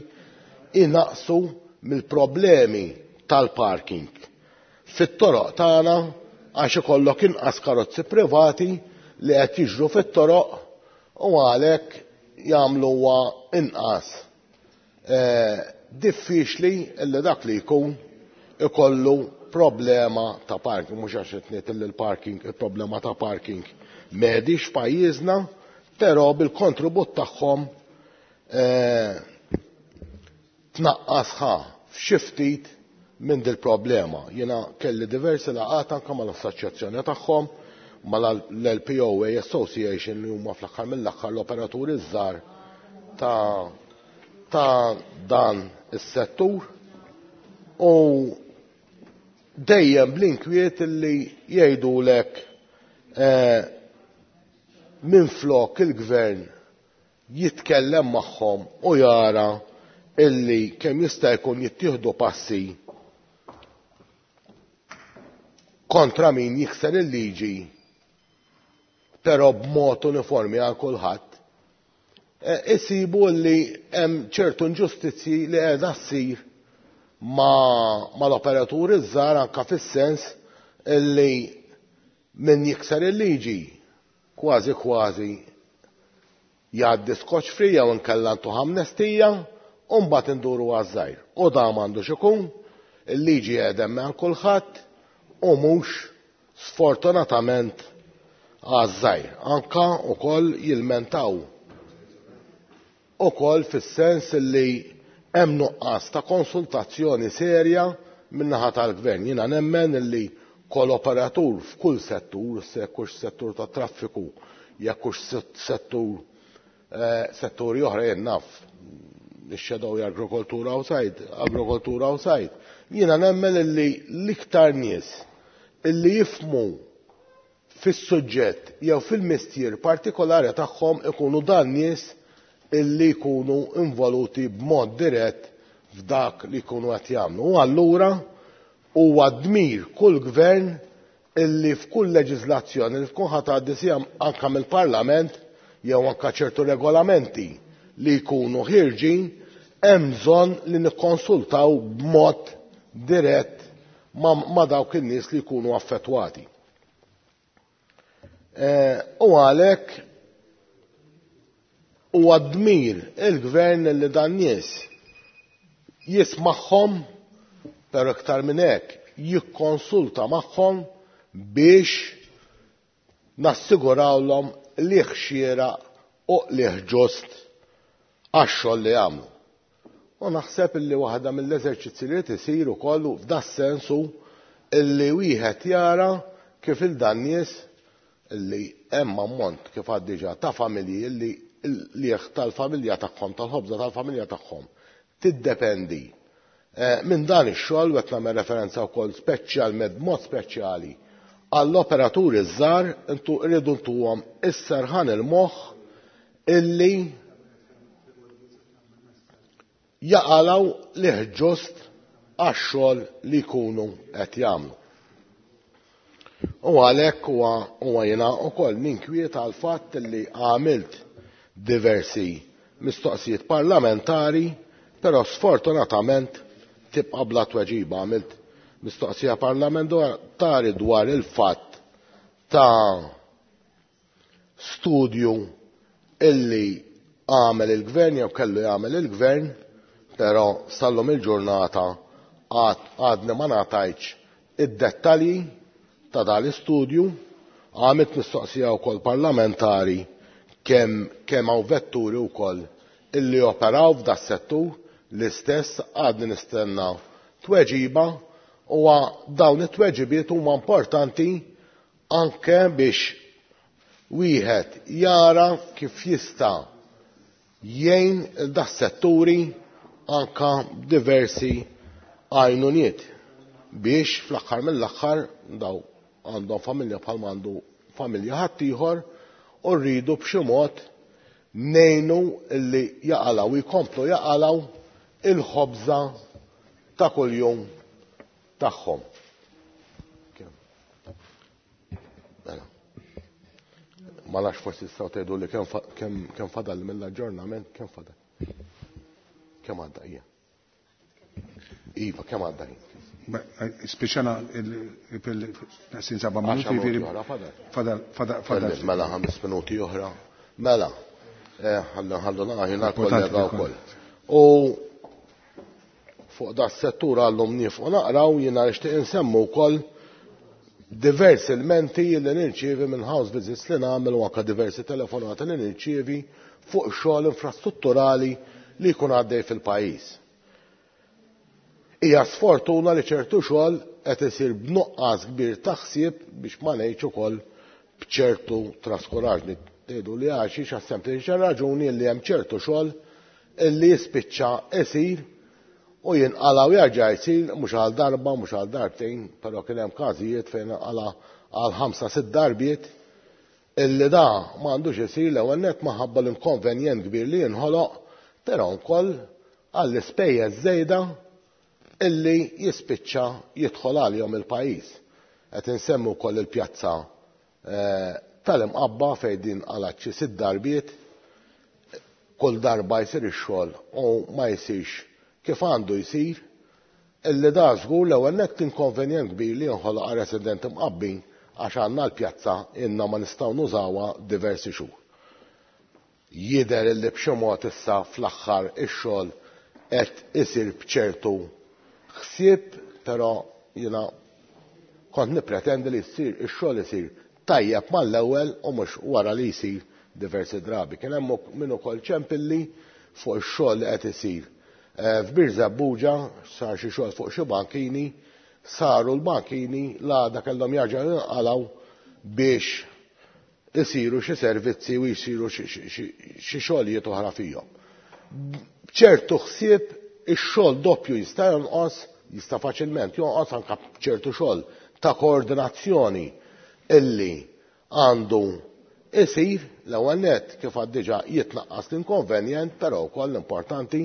Speaker 15: inaqsu mill-problemi tal-parking fit-toroq tagħna għax ikollok inqas karozzi privati li qed jiġru fit-toroq u għalhekk jagħmluha inqas diffiċli li dak li jkun ikollu problema ta' parking, mhux għax qed ngħid li l-parking, il-problema ta' parking m'għedix f'pajjiżna, però bil-kontribut tagħhom tnaqqas ħa f'xi ftit minn dil-problema. Jiena kelli diversi laqgħat anke mal-assoċjazzjoni tagħhom, mal-L P O A Association li huma fl-aħħar mill-aħħar l-operaturi żgħar ta', ta' dan is-settur u dejjem bl-inkwiet li jgħidulek eh, minflok il-gvern jitkellem magħhom u jara illi kemm jista' jkun jittieħdu passi kontra min jikser il-liġi, però b'mod uniformi għal kulħadd, isibu li hemm ċertu inġustizzji li qiegħda ssir mal-operaturi żgħar anke fis-sens illi min jikser il-liġi kważi kważi jgħaddi scotch free jew inkella ntuh amnestija u mbagħad induru għaż-żgħir. U dan m'għandux ikun, il-liġi qiegħda hemm għal kulħadd u mhux sfortunatament għaż-żgħir. Anka wkoll jilmentaw ukoll fis-sens li hemm nuqqas ta' konsultazzjoni serja min-naħa tal-gvern. Jiena nemmen li kol operatur f'kull settur, se jekkux settur ta' traffiku, jekkux settur, eh, setturi oħra, jien naf ix-shadow agrikoltura u sajd, agrikoltura u sajd. Jiena nemmen li l-iktar nies illi jifhmu fis-suġġett jew fil-mistier partikolari tagħhom ikunu dan nies illi jkunu involuti b'mod dirett f'dak li jkunu qed jagħmlu. U allura huwa dmir kull gvern illi f'kull leġiżlazzjoni li tkun ħa tgħaddi sija anke mill-Parlament jew anke ċertu regolamenti li jkunu ħirġin, hemm bżonn li nikkonsultaw b'mod dirett ma', ma' dawk in-nies li jkunu affettwati. Eh, u għalhekk huwa dmir il-gvern li dan nies jismagħhom, però iktar minn hekk jikkonsulta magħhom biex nassigurawlhom liħ xieraq u liħ ġust għax-xogħol li jagħmlu. U naħseb illi waħda mill-eżerċizzi li tisir ukoll f'da sensu illi wieħed jara kif il dan nies illi hemm ammont kif għad diġà ta' familji illi l-lieħ tal-familja tagħhom, tal-ħobża tal-familja tagħhom tiddependi minn dan ix-xogħol, u qed nagħmel referenza wkoll speċjalment b'mod speċjali għall-operaturi żgħar, intu rridu ntuhom is-serħan il-moħħ illi jaqalaw liħ ġust għax-xogħol li jkunu qed jagħmlu. U għalhekk huwa huwa jiena wkoll ninkwieta għal fatt li għamilt diversi mistoqsijiet parlamentari, però sfortunatament tibqa' bla tweġiba. Għamilt mistoqsija parlamentari dwar il-fatt ta' studju illi għamel il-gvern jew kellu jagħmel il-gvern, però sallum il-ġurnata għadni ma ngħatajtx id-dettalji ta' dal-istudju. Għamilt mistoqsija wkoll parlamentari kemm kemm hawn vetturi wkoll illi operaw f'da settur, l-istess għadni nistenna tweġiba, u dawn it-tweġibiet huma importanti anke biex wieħed jara kif jista' jgħin da setturi anka diversi għajnuniet biex fl-aħħar mill-aħħar daw għandhom familja bħalma għandu familja ħaddieħor, u rridu b'xi mod ngħinu li jaqalaw jkomplu jaqalaw il-ħobża ta' kuljum tagħhom. Mela. Ma nafx forsi tistgħu tgħidu li kemm kemm fadal mill-aġġornament, kemm fadal? Kemm għadda hija? Iva, kemm għadda ħin?
Speaker 1: Spiċċana il-sin seba' minuti. Fadal, fadal, fadal.
Speaker 15: Mela ħames minuti oħra. Mela, ħallu ħallu naqgħu kollega wkoll. U fuq da settur għallum nifqu naqraw, jiena nixtieq insemmu wkoll diversi elementi li nirċievi minn house visits li nagħmel u anke diversi telefonati li nirċievi fuq xogħol infrastrutturali li jkun għaddej fil-pajjiż. Hija sfortuna li ċertu xogħol qed isir b'nuqqas kbir ta' ħsieb biex ma ngħidx ukoll b'ċertu traskuraġni. Tgħidu li għax għas sempliċi raġuni li hemm ċertu xogħol illi jispiċċa isir u jinqala u jerġa' jsir mhux għal darba, mhux għal darbtejn, però kien hemm każijiet fejn inqala għal ħamsa sitt darbiet illi da m'għandux isir l-ewwel nett minħabba l-inkonvenjent kbir li jinħoloq, però wkoll għall-ispejjeż żejda illi jispiċċa jidħol għalihom il-pajjiż. Qed insemmu wkoll il-pjazza tal-Imqabba fejn din qalgħet xi sitt darbiet, kull darba jsir ix-xogħol u ma jsirx kif għandu jsir, illi da żgur l-ewwel nett inkonvenjent kbir li jinħoloq għal residenti Mqabbin għax għandna l-pjazza inna ma nistgħu nużawha diversi xhur. Jidher illi b'xi mod issa fl-aħħar ix-xogħol qed isir b'ċertu ħsieb, però jiena kont nippretendi li jsir ix-xogħol isir tajjeb mal-ewwel u mhux wara li jsir diversi drabi. Kien hemm min ukoll ċempilli fuq ix-xogħol li qed isir f'Birżebbuġa, sar xi xogħol fuq xi bankini, saru l-bankini l-għada kellhom jerġgħu jinqalgħu biex isiru xi servizzi u jsiru xi xogħlijiet oħra fihom. B'ċertu ħsieb ix-xogħol doppju jista' jonqos, jista' faċilment jonqos anke b'ċertu xogħol ta' koordinazzjoni illi għandu isir l-ewwel nett kif għad diġà jitnaqqas l-inkonvenjent, però wkoll importanti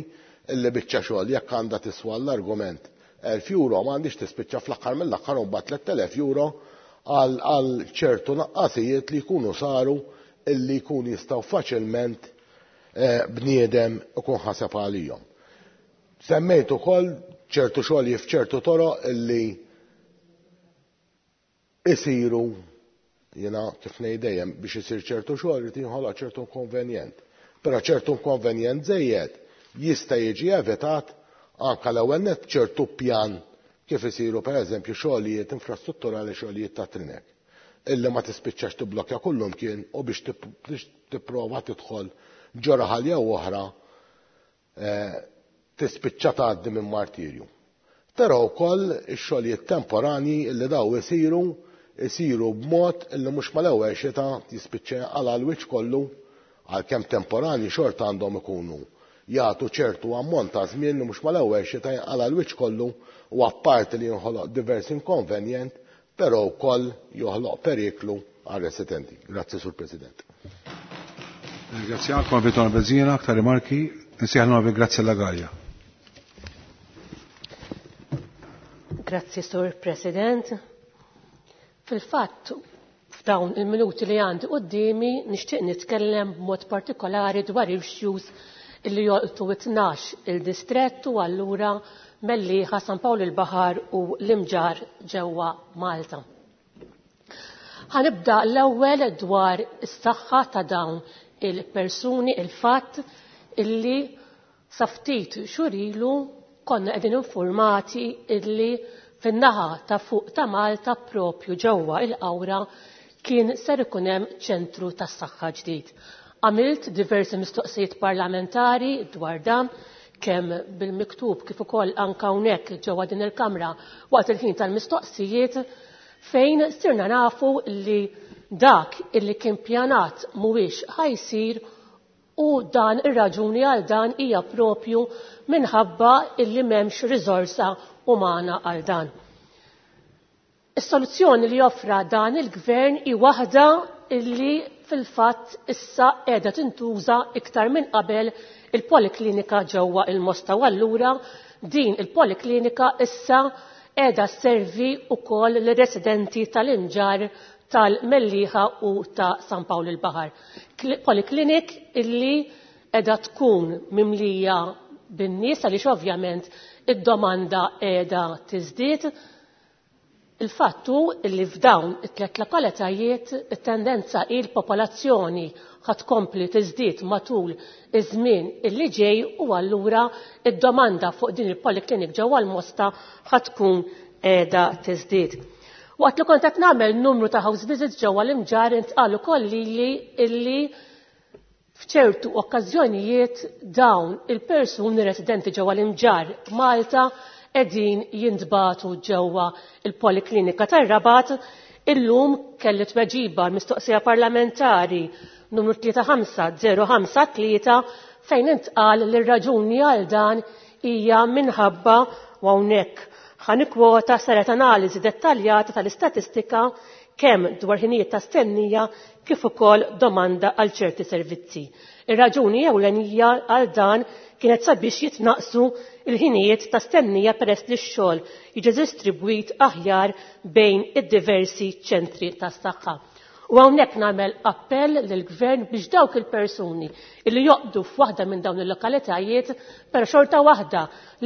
Speaker 15: illi biċċa xogħol jekk għandha tiswa l-argument elf euro m'għandix tispiċċa fl-aħħar mill-aħħar u mbagħad tliet elef euro għal ċertu naqqasijiet li jkunu saru illi jkunu jistgħu faċilment bniedem ikun ħaseb għalihom. Semmejt ukoll ċertu xogħol f'ċertu toroq illi isiru, jiena kif ngħid dejjem biex isir ċertu xogħol irid jinħoloq ċertu inkonvenjent. Però ċertu inkonvenjent żejjed jista' jiġi evitat anke l-ewwel nett ċertu pjan kif isiru pereżempju xogħlijiet infrastrutturali, xogħlijiet ta' trinek, illi ma tispiċċax tibblokja kullum kien u biex tipprova tidħol ġo raħal jew oħra tispiċċa tgħaddi minn martirju. Però wkoll ix-xogħlijiet temporani illi daw isiru isiru b'mod illi mhux mal-ewwel xita jispiċċa jinqala' l-wiċċ kollu, għalkemm temporani xorta għandhom ikunu jagħtu ċertu ammont ta' żmien li mhux mal-ewwel xita jinqala' l-wiċċ kollu, u apparti li jinħoloq diversi inkonvenjent, però wkoll joħloq periklu għar-residenti. Grazzi, Sur President.
Speaker 1: Ringrazzjakom, Vittorio Bezzina, aktar rimarki, nsejħlu grazie alla Gallia.
Speaker 16: Grazzi, Sur President. Fil-fatt, f'dawn il-minuti li għandi qudiemi nixtieq nitkellem b'mod partikolari dwar issues illi jolqtu it-tnax il-distrett u allura Mellieħa, San Pawl il-Baħar u l-Imġarr ġewwa Malta. Ħanibda l-ewwel dwar is-saħħa ta' dawn il-persuni, il-fatt illi sa ftit xhur ilu konna qegħdin informati illi fin-naħa ta' fuq ta' Malta propju ġewwa il-Qawra kien ser ikun hemm ċentru tas-saħħa ġdid. Għamilt diversi mistoqsijiet parlamentari dwar dan, kemm bil-miktub kif ukoll anke hawnhekk ġewwa din il-Kamra waqt il-ħin tal-mistoqsijiet, fejn sirna nafu li dak illi kien pjanat mhuwiex ħajsir u dan ir-raġuni għal dan hija propju minħabba illi m'hemmx riżorsa umana għal dan. Is-soluzzjoni li joffra dan il-gvern hi waħda illi fil-fatt issa qiegħda tintuża iktar minn qabel il-poliklinika ġewwa il-Mosta, u allura din il-poliklinika issa qiegħda sservi wkoll lir-residenti tal-Imġarr, tal-Mellieħa u ta' San Pawl il-Baħar. Poliklinik illi qiegħda tkun mimlija bin-nies għaliex ovvjament id-domanda qiegħda tiżdied. Il-fatt hu illi f'dawn it-tliet lokalitajiet it-tendenza hi l-popolazzjoni ħa tkompli tiżdied matul iż-żmien illi ġej u allura id-domanda fuq din il-poliklinik ġewwa l-Mosta ħa tkun qiegħda tiżdied. Waqt li kont qed nagħmel numru ta' house visits ġewwa l-Imġarr intqal ukoll lili illi f'ċertu okkażjonijiet dawn il-persuni residenti ġewwa l-Imġarr Malta qegħdin jintbagħtu ġewwa il-Poliklinika tar-Rabat. Illum kelli tweġiba l-mistoqsija parlamentari numru tlieta ħamsa zero ħamsa tlieta fejn intqal li r-raġuni għal dan hija minħabba, u hawnhekk ħanikwota, saret analiżi dettaljata tal-istatistika kemm dwar ħinijiet ta' stennija kif ukoll domanda għal ċerti servizzi. Ir-raġuni ewlenija għal dan kienet sabiex jitnaqsu il-ħinijiet ta' stennija peress li x-xogħol jiġi distribwit aħjar bejn id-diversi ċentri tas-saħħa. U hawnhekk nagħmel appell lill-Gvern biex dawk il-persuni li joqdu f'waħda minn dawn il-lokalitajiet però xorta waħda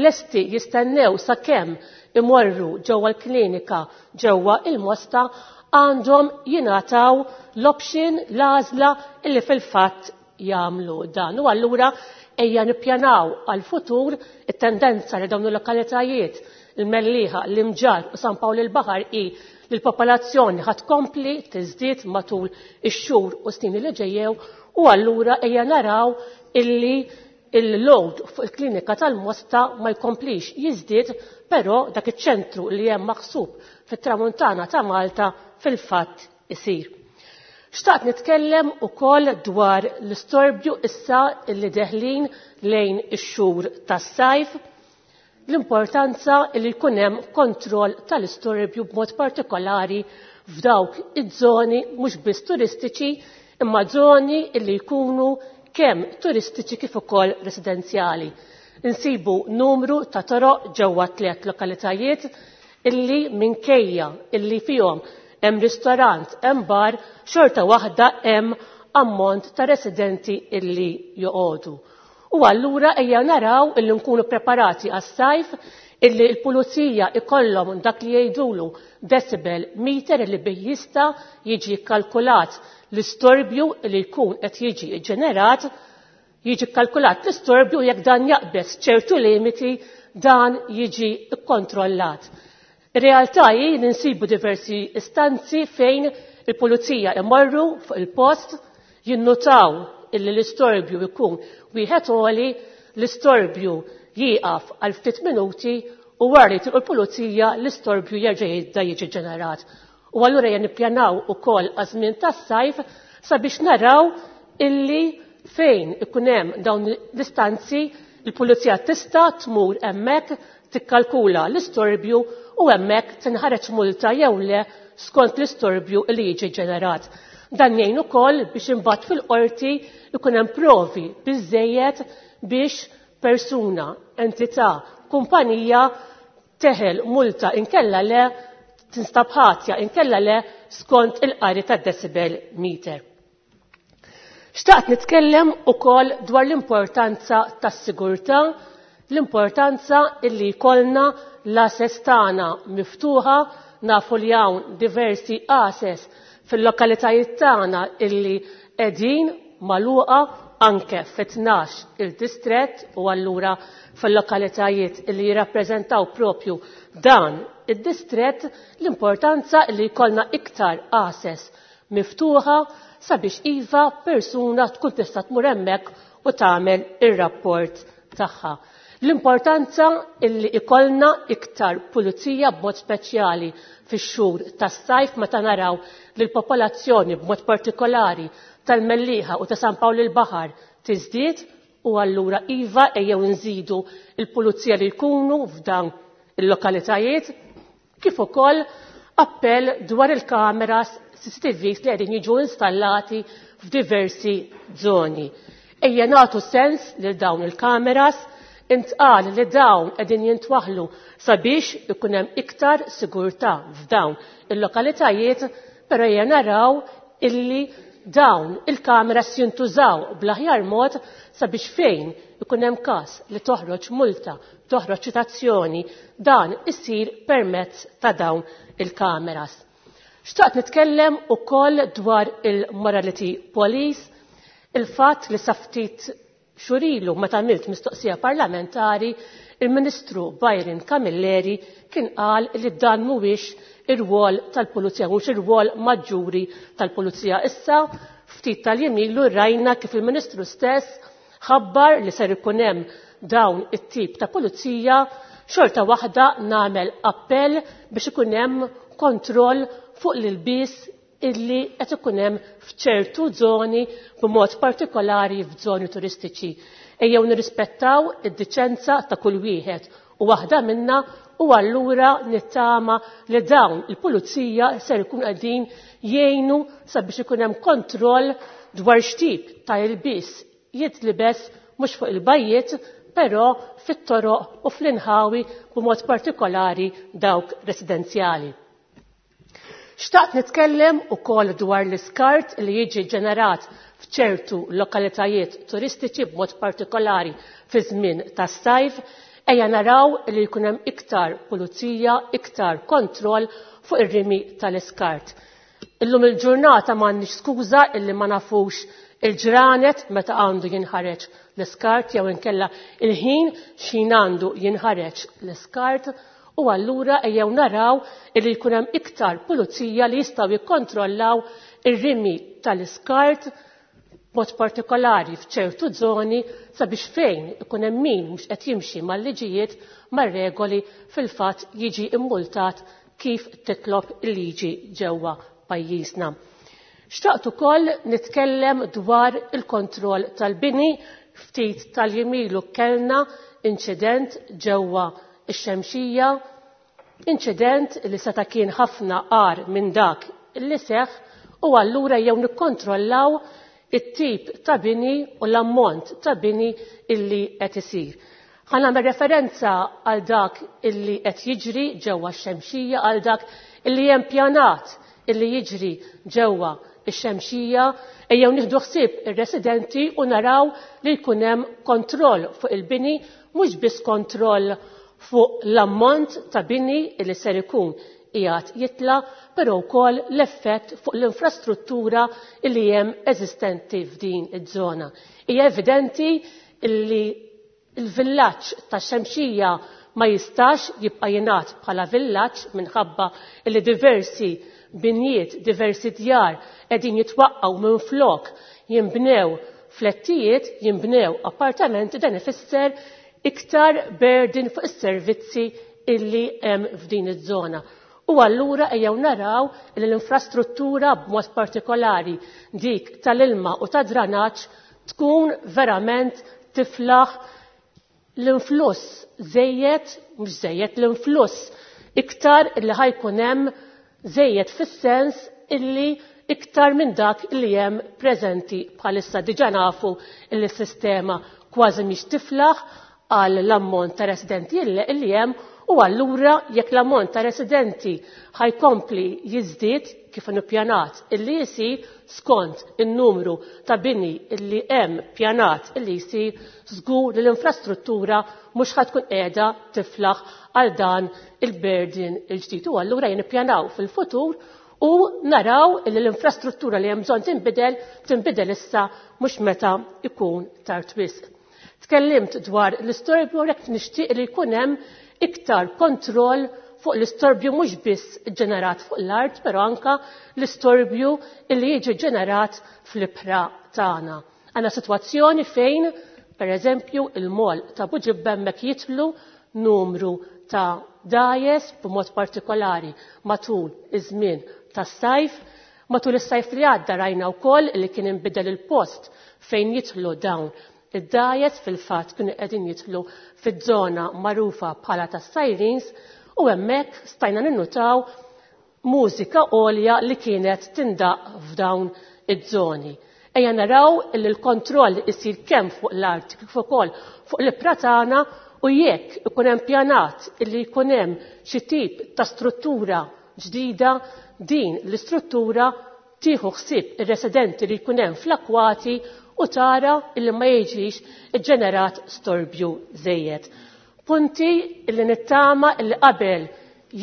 Speaker 16: lesti jistennew sakemm imorru ġewwa l-klinika ġewwa il-Mosta għandhom jingħataw l-option, l-għażla illi fil-fatt jagħmlu dan. U allura ejja nippjanaw għal-futur it-tendenza li dawn il-lokalitajiet il-Mellieħa, l-Imġarr u San Pawl il-Baħar hi li l-popolazzjoni ħa tkompli tiżdied matul ix-xhur u snin li ġejjew, u allura ejja naraw illi il-load fuq il-klinika tal-Mosta ma jkomplix jiżdied, però dak iċ-ċentru li hemm maħsub fit-tramuntana ta' Malta fil-fatt isir. Xtaqt nitkellem ukoll dwar l-istorbju issa illi deħlin lejn ix-xhur tas-sajf, l-importanza li jkun hemm kontroll tal-istorbju b'mod partikolari f'dawk iż-żoni mhux biss turistiċi imma żoni li jkunu kemm turistiċi kif ukoll residenzjali. Insibu numru ta' toroq ġewwa tliet lokalitajiet illi minkejja illi fihom hemm ristorant, hemm bar, xorta waħda hemm ammont ta' residenti illi joqogħdu. U allura ejja naraw illi nkunu preparati għas-sajf, illi l-pulizija ikollhom dak li jgħidulu decibel meter illi bih jista' jiġi kkalkulat l-istorbju li jkun qed jiġi ġenerat, jiġi kkalkulat l-istorbju jekk dan jaqbeż ċertu limiti dan jiġi kkontrollat. Ir-realtà hi li nsibu diversi istanzi fejn il-pulizija imorru fuq il-post, jinnutaw illi l-istorbju jkun wieħed għoli, l-istorbju jieqaf għal ftit minuti u wara li tilqu l-pulizija l-istorbju jerġa' jibda jiġi ġenerat. U allura ejja nippjanaw ukoll għaż-żmien tas-sajf sabiex naraw illi fejn ikun hemm dawn l-istanzi il-pulizija tista' tmur hemmhekk tikkalkula l-istorbju u hemmhekk tinħareġ multa jew le skont l-istorbju li jiġi ġenerat. Dan jgħin ukoll biex imbagħad fil-qorti ikun hemm provi biżżejjed biex persuna, entità, kumpanija teħel multa inkella le tinstab ħatja inkella le skont il-qari tad-decibel meter. Xtaqt nitkellem ukoll dwar l-importanza tas-sigurtà, l-importanza illi jkollna l-ases tagħna miftuħa, nafu li hawn diversi ases fil-lokalitajiet tagħna illi qegħdin magħluqa anke fit-tnax il-distrett u allura fil-lokalitajiet illi jirrappreżentaw propju dan id-distrett, l-importanza li jkollna iktar ases miftuħa sabiex iva persuna tkun tista' tmur hemmhekk u tagħmel ir-rapport tagħha. L-importanza illi ikollna iktar pulizija b'mod speċjali fix-xhur tas-sajf meta naraw li l-popolazzjoni b'mod partikolari tal-Mellieħa u ta' San Pawl il-Baħar tiżdied u allura iva ejjew nżidu il-pulizija li jkunu f'dan il-lokalitajiet, kif ukoll appell dwar il-kameras C C T Vs li qegħdin jiġu installati f'diversi żoni. Ejja nagħtu sens lil dawn il-kameras, intqal li dawn qegħdin jintwaħlu sabiex ikun hemm iktar sigurtà f'dawn il-lokalitajiet, però ejja naraw illi dawn il-kameras jintużaw bl-aħjar mod sabiex fejn ikun hemm każ li toħroġ multa, toħroġ ċitazzjoni, dan isir permezz ta' dawn il-kameras. Xtaqt nitkellem ukoll dwar il-Morality Police, il-fatt li sa ftit xurilu meta għamilt mistoqsija parlamentari, il-Ministru Byron Camilleri kien qal li dan mhuwiex ir-rwol tal-Pulizija, mhuwiex ir-rwol maġġuri tal-Pulizija. Issa ftit tal-jiem ilu rajna kif il-Ministru stess ħabbar li ser ikun hemm dawn it-tip ta' pulizija, xorta waħda nagħmel appell biex ikun hemm kontroll fuq l-ilbies illi qed ikun hemm f'ċertu żoni b'mod partikolari f'żoni turistiċi. Ejjew nirrispettaw id-diċenza ta' kull wieħed u waħda minna, u allura nittama li dawn il-pulizija ser ikun qegħdin jgħinu sabiex ikun hemm kontroll dwar x'tip ta' ilbies jitlibes mhux fuq il-bajjiet, però fit-toroq u fl-inħawi b'mod partikolari dawk residenzjali. Xtaqt nitkellem ukoll dwar l-iskart li jiġi ġenerat f'ċertu lokalitajiet turistiċi b'mod partikolari fi żmien tas-sajf. Ejja naraw li jkun hemm iktar pulizija, iktar kontroll fuq ir-rimi tal-iskart. Illum il-ġurnata m'għandniex skuża illi ma nafux il-ġranet meta għandu jinħareġ l-iskart jew inkella il-ħin x'ħin għandu jinħareġ l-iskart, u allura ejjew naraw illi jkun hemm iktar pulizija li jistgħu jikkontrollaw ir-rimi tal-iskart b'mod partikolari f'ċertu żoni sabiex fejn ikun hemm min mhux qed jimxi mal-liġijiet mar-regoli fil-fatt jiġi immultat kif titlob il-liġi ġewwa pajjiżna. Xtaqt ukoll nitkellem dwar il-kontroll tal-bini. Ftit tal-jiem ilu kellna inċident ġewwa ix-Xemxija, inċident li seta' kien ħafna qar minn dak li seħħ, u allura jew nikkontrollaw it-tip ta' bini u l-ammont ta' bini illi qed isir. Ħa nagħmel referenza għal dak illi qed jiġri ġewwa x-Xemxija, għal dak illi hemm pjanat illi jiġri ġewwa ix-Xemxija, ejjew nieħdu ħsieb ir-residenti u naraw li jkun hemm kontroll fuq il-bini, mhux biss kontroll fuq l-ammont ta' bini li ser ikun qiegħed jitla', però wkoll l-effett fuq l-infrastruttura li hemm eżistenti f'din iż-żona. Hija evidenti li l-villaġġ tax-Xemxija ma jistax jibqa' jingħad bħala villaġġ minħabba li diversi binjiet, diversi djar qegħdin jitwaqqgħu minn flok, jinbnew flettijiet, jinbnew appartamenti, dan ifisser iktar burden fuq is-servizzi illi hemm f'din iż-żona. U allura ejjew naraw li l-infrastruttura b'mod partikolari dik tal-ilma u tad-dranaġġ tkun verament tiflaħ l-influss żejjed, mhux żejjed, l-influss iktar illi ħajkun hemm żejjed fis-sens illi iktar minn dak illi hemm preżenti bħalissa. Diġà nafu illi s-sistema kważi mhix tiflaħ għal l-ammont ta' residenti illi hemm, U allura jekk l-ammont ta' residenti ħajkompli jiżdied kif pjanat illi jsir skont in-numru ta' bini illi hemm pjanat illi jsir, żgur li l-infrastruttura mhux ħa tkun qiegħda tiflaħ għal dan il-burden il-ġdid. U allura jippjanaw fil-futur u naraw illi l-infrastruttura li hemm bżonn tinbidel tinbidel issa mhux meta ikun tard wisq. Tkellimt dwar l-istorbju, jekk nixtieq li jkun hemm iktar kontroll fuq l-istorbju mhux biss ġenerat fuq l-art, però anka l-istorbju li jiġi ġenerat fl-ibħra tagħna. Għandna sitwazzjoni fejn, per eżempju, il-mol ta' Buġibba hemmhekk jitlu numru ta' dajes b'mod partikolari matul iż-żmien tas-sajf. Matul is-sajf li għadda rajna wkoll li kien inbidel il-post fejn jitlu dawn id-dajes, fil-fatt kienu qegħdin jitlu fiż-żona magħrufa bħala tas-Sirens, u hemmhekk stajna ninnutaw mużika għolja li kienet tindaq f'dawn iż-żoni. Ejja naraw li l-kontroll isir kemm fuq l-art kif ukoll fuq l-ibħra tagħna, u jekk ikun hemm pjanat illi jkun hemm xi tip ta' struttura ġdida, din l-istruttura tieħu ħsieb ir-residenti li jkun hemm fl-akwati u tara illi ma jiġix iġġenerat storbju żejjed. Punti illi nittama illi qabel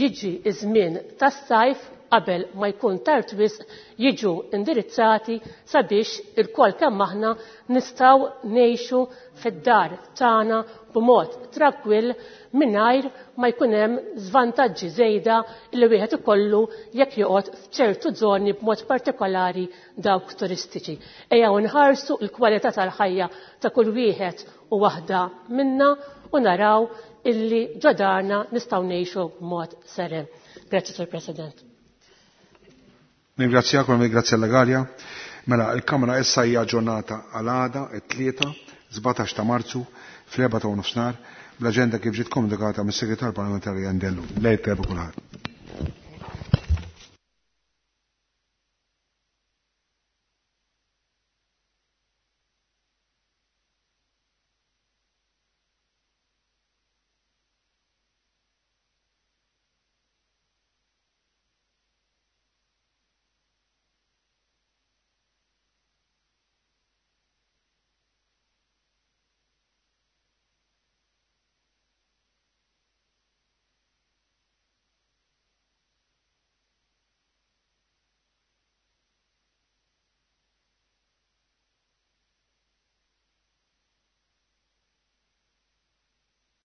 Speaker 16: jiġi iż-żmien tas-sajf, qabel ma jkun tard wisq, jiġu indirizzati sabiex il-kol kemm aħna nistgħu ngħixu fid-dar tagħna b'mod trankwill mingħajr ma jkun hemm żvantaġġi żejda li wieħed ikollu jekk joqgħod f'ċertu żoni b'mod partikolari dawk turistiċi. Ejja nħarsu l-kwalità tal-ħajja ta' kull wieħed u waħda minna u naraw illi ġodarna nistgħu ngħixu b'mod seren. Grazzi, Sur President.
Speaker 1: Ningrazzjakom, ningrazzja l-Galja. Mela, il-Kamra issa hija ġurnata għal għada, it-tlieta, sbatax ta' Marzu, fl-erba' ta' nofsinhar, bl-aġenda kif ġiet komunikata mis-Segretar Parlamentari Andellu. Lejl tajjeb kulħadd.